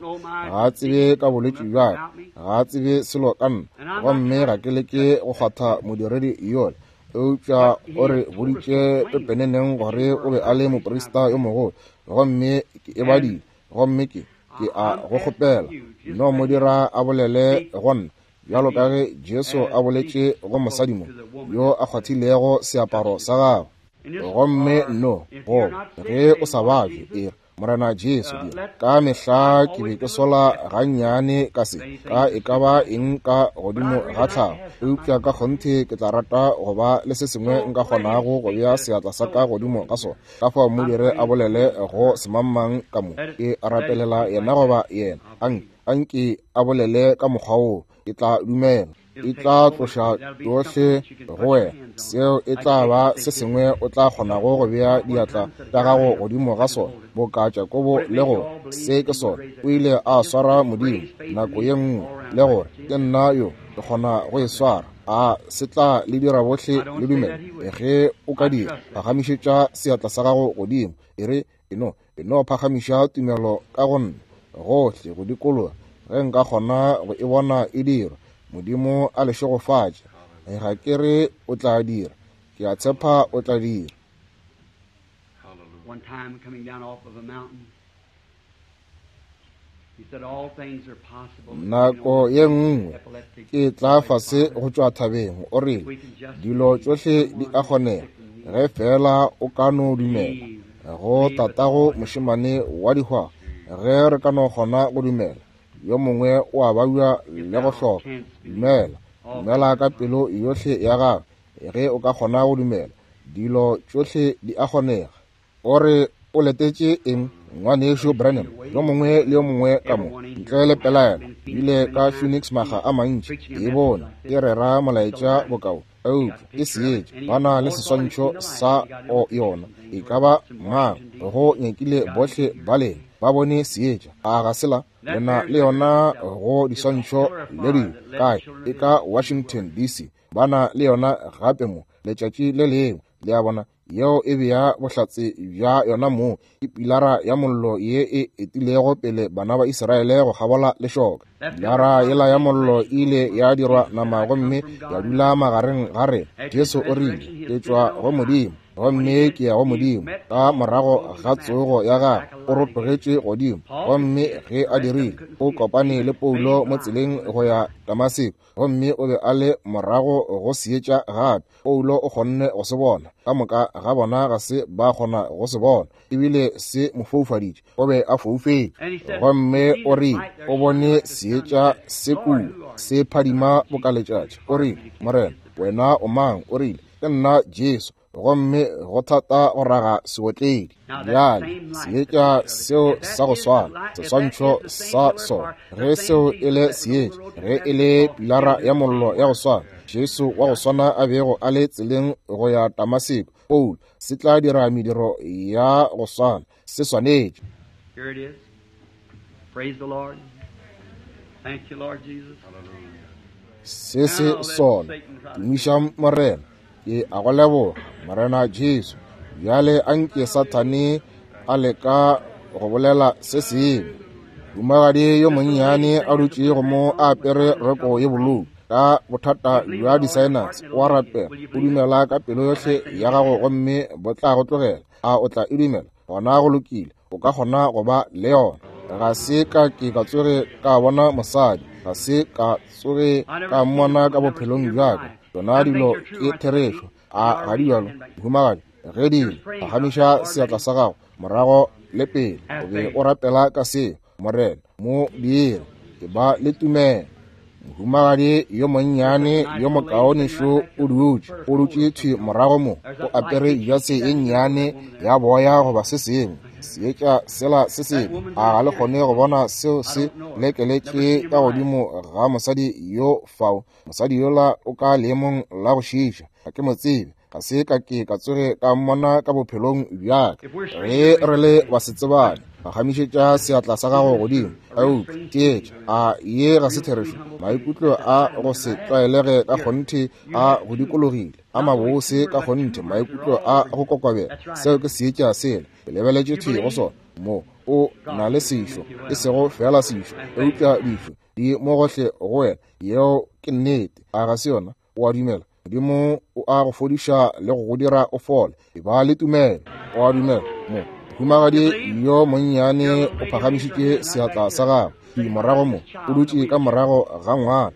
ga a tsebe ka bolwetši bja ka, ga a tsebe selo ka nna, gomme ga ke leke go kgwatha modiredi yola. Eupša o re boditše pepeneneng gore o be a le moprista yo mogolo, gomme ke e badile, gomme ke ke a go kgopela no mo dira a bolele go nna bjalo ka ge Jesu a boletše go mosadi mo yo a kgwathilego seaparo sa gagwe. Gomme no, goba ge o sa babje, e re Morena Jesu dira. Ka mehla ke be ke sola gannyane ka se, ka e ka ba eng ka godimo ga tlhago, eupša ka kgonthe ke tla rata go ba le se sengwe nka kgonago go bea seatla sa ka godimo ga sona. Ka fao mo dire a bolele go semangmang ka mo, ke rapelela yena goba yena. Anke, anke a bolele ka mokgwa woo, ke tla dumela. E tla tloša tšohle go wena. Seo e tla ba se sengwe o tla kgonago go bea diatla tša gago godimo ga sona, boka Jakobo le gore se ke sona. O ile a swara Modimo nako ye nngwe le gore ke nna yo ke kgona go e swara. A se tla le dira bohle le dumele? Ge o ka dira, phagamišetša seatla sa gago godimo. E re, e no, e no phagamiša tumelo ka go nna gohle go dikologa, ge nka kgona go e bona e dirwa. Modimo a le šegofatše. Ga ke re o tla dira, ke a tshepa o tla dira. One time coming down off of a mountain, he said all things are possible. Nako ye nngwe ke tla fase go tšwa thabeng, o rile dilo tšohle di a kgonega ge fela o ka no dumela. Go tatago mošemane wa dihwa, ge re ka no kgona go dumela. Yo mongwe o a babja le go hloka. Dumela, dumela ka pelo yohle ya gago. Ge o ka kgona go dumela, dilo tšohle di a kgonega. O re o letetše eng, ngwanešu Branham? Yo mongwe le yo mongwe ka mo, ntle le pelaelo, bile ka Phoenix maga a mantši, ke bone ke rera molaetša bokao, eupša ke seetša, ba na le seswantšho sa o yona. E ka ba mang go nyakile bohle ba lena ba bone seetša? A ga se la lena le yona go diswantšho le dilo kae? E ka Washington D C ba na le yona gape mo letšatši le lengwe. Le a bona, yeo e bea bohlatse bja yona mo, ke pilara ya mollo ye e etilego pele bana ba Israele go kgabola lešoka. Pilara yela ya mollo e ile ya dirwa nama gomme ya dula magareng ga rena. Jesu o rile, ke tšwa go Modimo gomme ke ya go Modimo. Ka morago ga tsogo ya gagwe o rotogetše godimo, gomme ge a dirile o kopane le Paulo mo tseleng go ya Damaseko, gomme o be a le morago go seetša gape. Paulo o kgonne go se bona, ka moka ga bona ga se ba kgona go se bona, ebile se mo foufaditše. O be a foufetše, gomme o rile o bone seetša se kua se phadima boka letšatši. O rile, Morena, wena o mang? O rile, ke nna Jesu, gomme go thata go raga seotledi. Bjale seetša seo sa go swana, seswantšho sa sona, ge seo e le seetša, ge e le pilara ya mollo ya go swana, Jesu wa go swana a bego a le tseleng go ya Damaseko, Paulo, se tla dira mediro ya go swana, se swanetše. Here it is. Praise the Lord. Thank you, Lord Jesus. Se se sona. Tumiša Morena. Ke a go leboga, Morena Jesu. Bjale anke Sathane a leka go bolela se sengwe. Mohumagadi yo monnyane a dutšego mo a apere roko ye bolou ka bothata bja di-sinus, o a rapela, o dumela ka pelo yohle ya gago gomme bo tla go tlogela. A o tla e dumela? Gona go lokile, o ka kgona go ba le yona. Ga se ka ke ka tsoge ka bona mosadi, ga se ka tsoge ka mmona ka bophelong bja ka. Tšona dilo ke therešo, a ga di bjalo, mohumagadi? Ge di ile, phagamiša seatla sa gago morago le pele, o be o rapela ka seo. Morena mo dire, ke ba le tumelo. Mohumagadi yo monnyane yo mokaone šo o dutše, o dutše thwi morago mo, o apere jase ye nnyane ya boya goba se sengwe, seetša sela se sengwe. A ga le kgone go bona seo se lekeletše ka godimo ga mosadi yo fao? Mosadi yola o ka leemong la go šiiša, ga ke mo tsebe, ga se ka ke ka tsoge ka mmona ka bophelong bja ka. Ge re le basetsebane, phagamišetša seatla sa gago godimo. Eupša theetša, a ye ga se therešo? Maikutlo a go se tlwaelege ka kgonthe a go dikologile, a mabose ka kgonthe, maikutlo a go kokobela. Seo ke seetša sela ke lebeletše thwi go sona. Mo o na le sešo, e sego fela sešo, eupša dišo di mo gohle go wena. Yeo ke nnete, a ga se yona? O a dumela? Modimo o a go fodiša le go go dira o fole. E ba le tumelo. O a dumela? Mo Mohumagadi yo monnyane o phagamišitše seatla sa gagwe morago mo, o dutše ka morago ga ngwana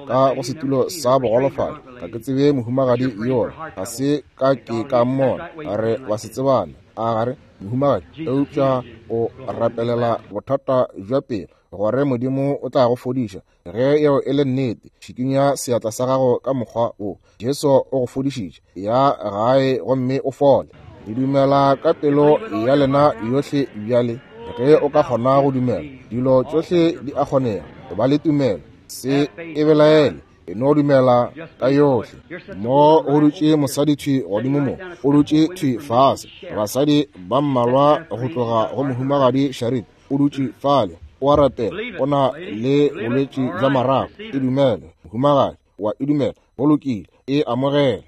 ka go setulo sa bogolofadi. Ga ke tsebe mohumagadi yola, ga se ka ke ka mmona, re wa se tsebana a gare mohumagadi, eupša o rapelela bothata bja pelo gore Modimo o tla go fodiša. Ge yeo e le nnete, šikinya seatla sa gago ka mokgwa wo. Jesu o go fodišitše, ya gae gomme o fole. Le dumela ka pelo ya lena yohle bjale. Ge o ka kgona go dumela, dilo tšohle di a kgonega. Ba le tumelo, se e belaele, e no dumela ka yohle. Mo go dutše mosadi thwi godimo mo, o dutše thwi fase. Basadi ba mmalwa go tloga go mohumagadi Sharit, o dutše fale, o a rapela, o na le bolwetši bja marapo. E dumele, mohumagadi, wa e dumela, go lokile, e amogele.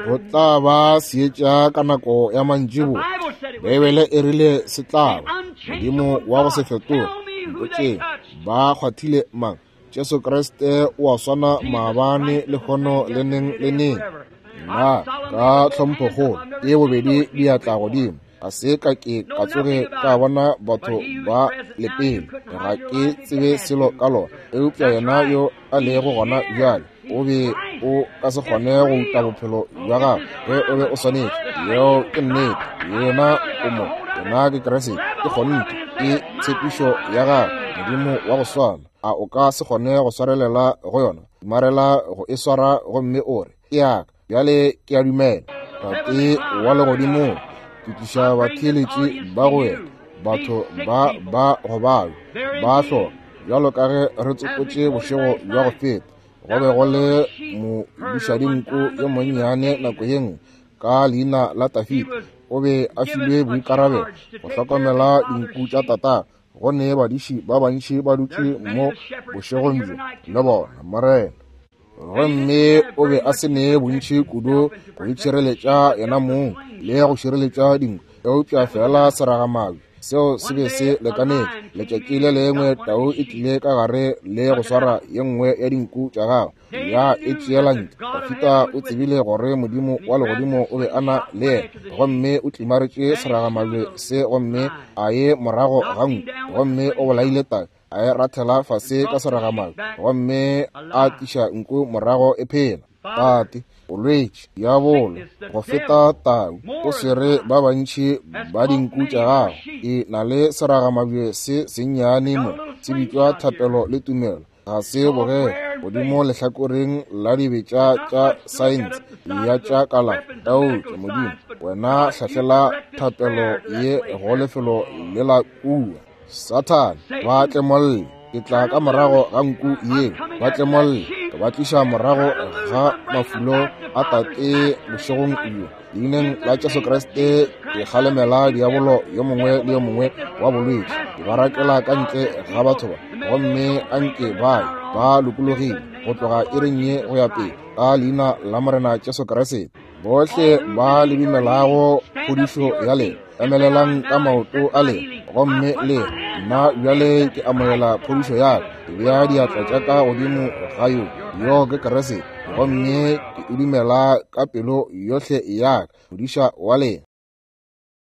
Go tla ba seetša ka nako ya mantšiboa. Beibele e rile se tla ba. Modimo wa go se fetoge. Mpotšeng, ba kgwathile mang? Jesu Kriste o a swana maabane, lehono le neng le neng. Nna ka tlhomphokgolo e bobedi diatla godimo. Ga se ka ke ka tsoge ka bona batho ba lepele, ga ke tsebe selo ka lona, eupša yena yo a lego gona bjale o be o ka se kgone go uta bophelo bja gago ge o be o swanetše. Yeo ke nnete. Yena o mo, yena ke Kriste, ke kgonthe, ke tshepišo ya gagwe, Modimo wa go swana. A o ka se kgone go swarelela go yona? Marela go e swara gomme o re, ke yaka bjale, ke a dumela. Tate wa legodimong, ke tliša batheeletši ba go wena, batho ba ba go balwa ba hloka, bjalo ka ge re tsopotše bošego bja go feta. Go be go le modišadinku yo monnyane nako ye nngwe ka leina la Tafita. O be a filwe boikarabelo go hlokomela dinku tša tata. Go ne badiši ba bantši ba dutše mo bošegong bjo le bona, Morena. Gomme o be a se ne bontši kudu go itšhireletša yena mong le go šireletša dinku, eupša fela seragamabje seo se be se lekanetše. Letšatši le lengwe tau e tlile ka gare le go swara ye nngwe ya dinku tša gagwe, ya e tšeela ntle. Dafita o tsebile gore Modimo wa legodimo o be a na le yena, gomme o tlimaretše seragamabje se gomme a ye morago ga nku, gomme o bolaile tau, a e rathela fase ka seragamabje, gomme a tliša nku morago e phela. Tate, bolwetši, diabolo, go feta tau, o swere ba bantši ba dinku tša gago. E na le seragamabje se sennyane mo, se bitšwa thapelo le tumelo. Ga se bogele godimo lehlakoreng la dibetša tša saense ya tša kalafo. Eupša Modimo, wena hlahlela thapelo ye go lefelo le la kua. Sathane, ba tlemolle, ke tla ka morago ga nku yeo. Ba tlemolle, ke ba tliša morago ga mafulo a tate bošegong bjo. Leineng la Jesu Kriste ke kgalemela diabolo yo mongwe le yo mongwe wa bolwetši. Ke ba rakela ka ntle ga batho ba, gomme a nke ba ba lokologile go tloga iring ye go ya pele, ka leina la Morena Jesu Kriste. Bohle ba le dumelago phodišo ya lena, emelelang ka maoto a lena gomme le nna bjale ke amogela phodišo ya ka. Ke bea diatla tša ka godimo ga yo, yo ke Kriste, gomme ke e dumela ka pelo yohle ya ka, modiša wa lena.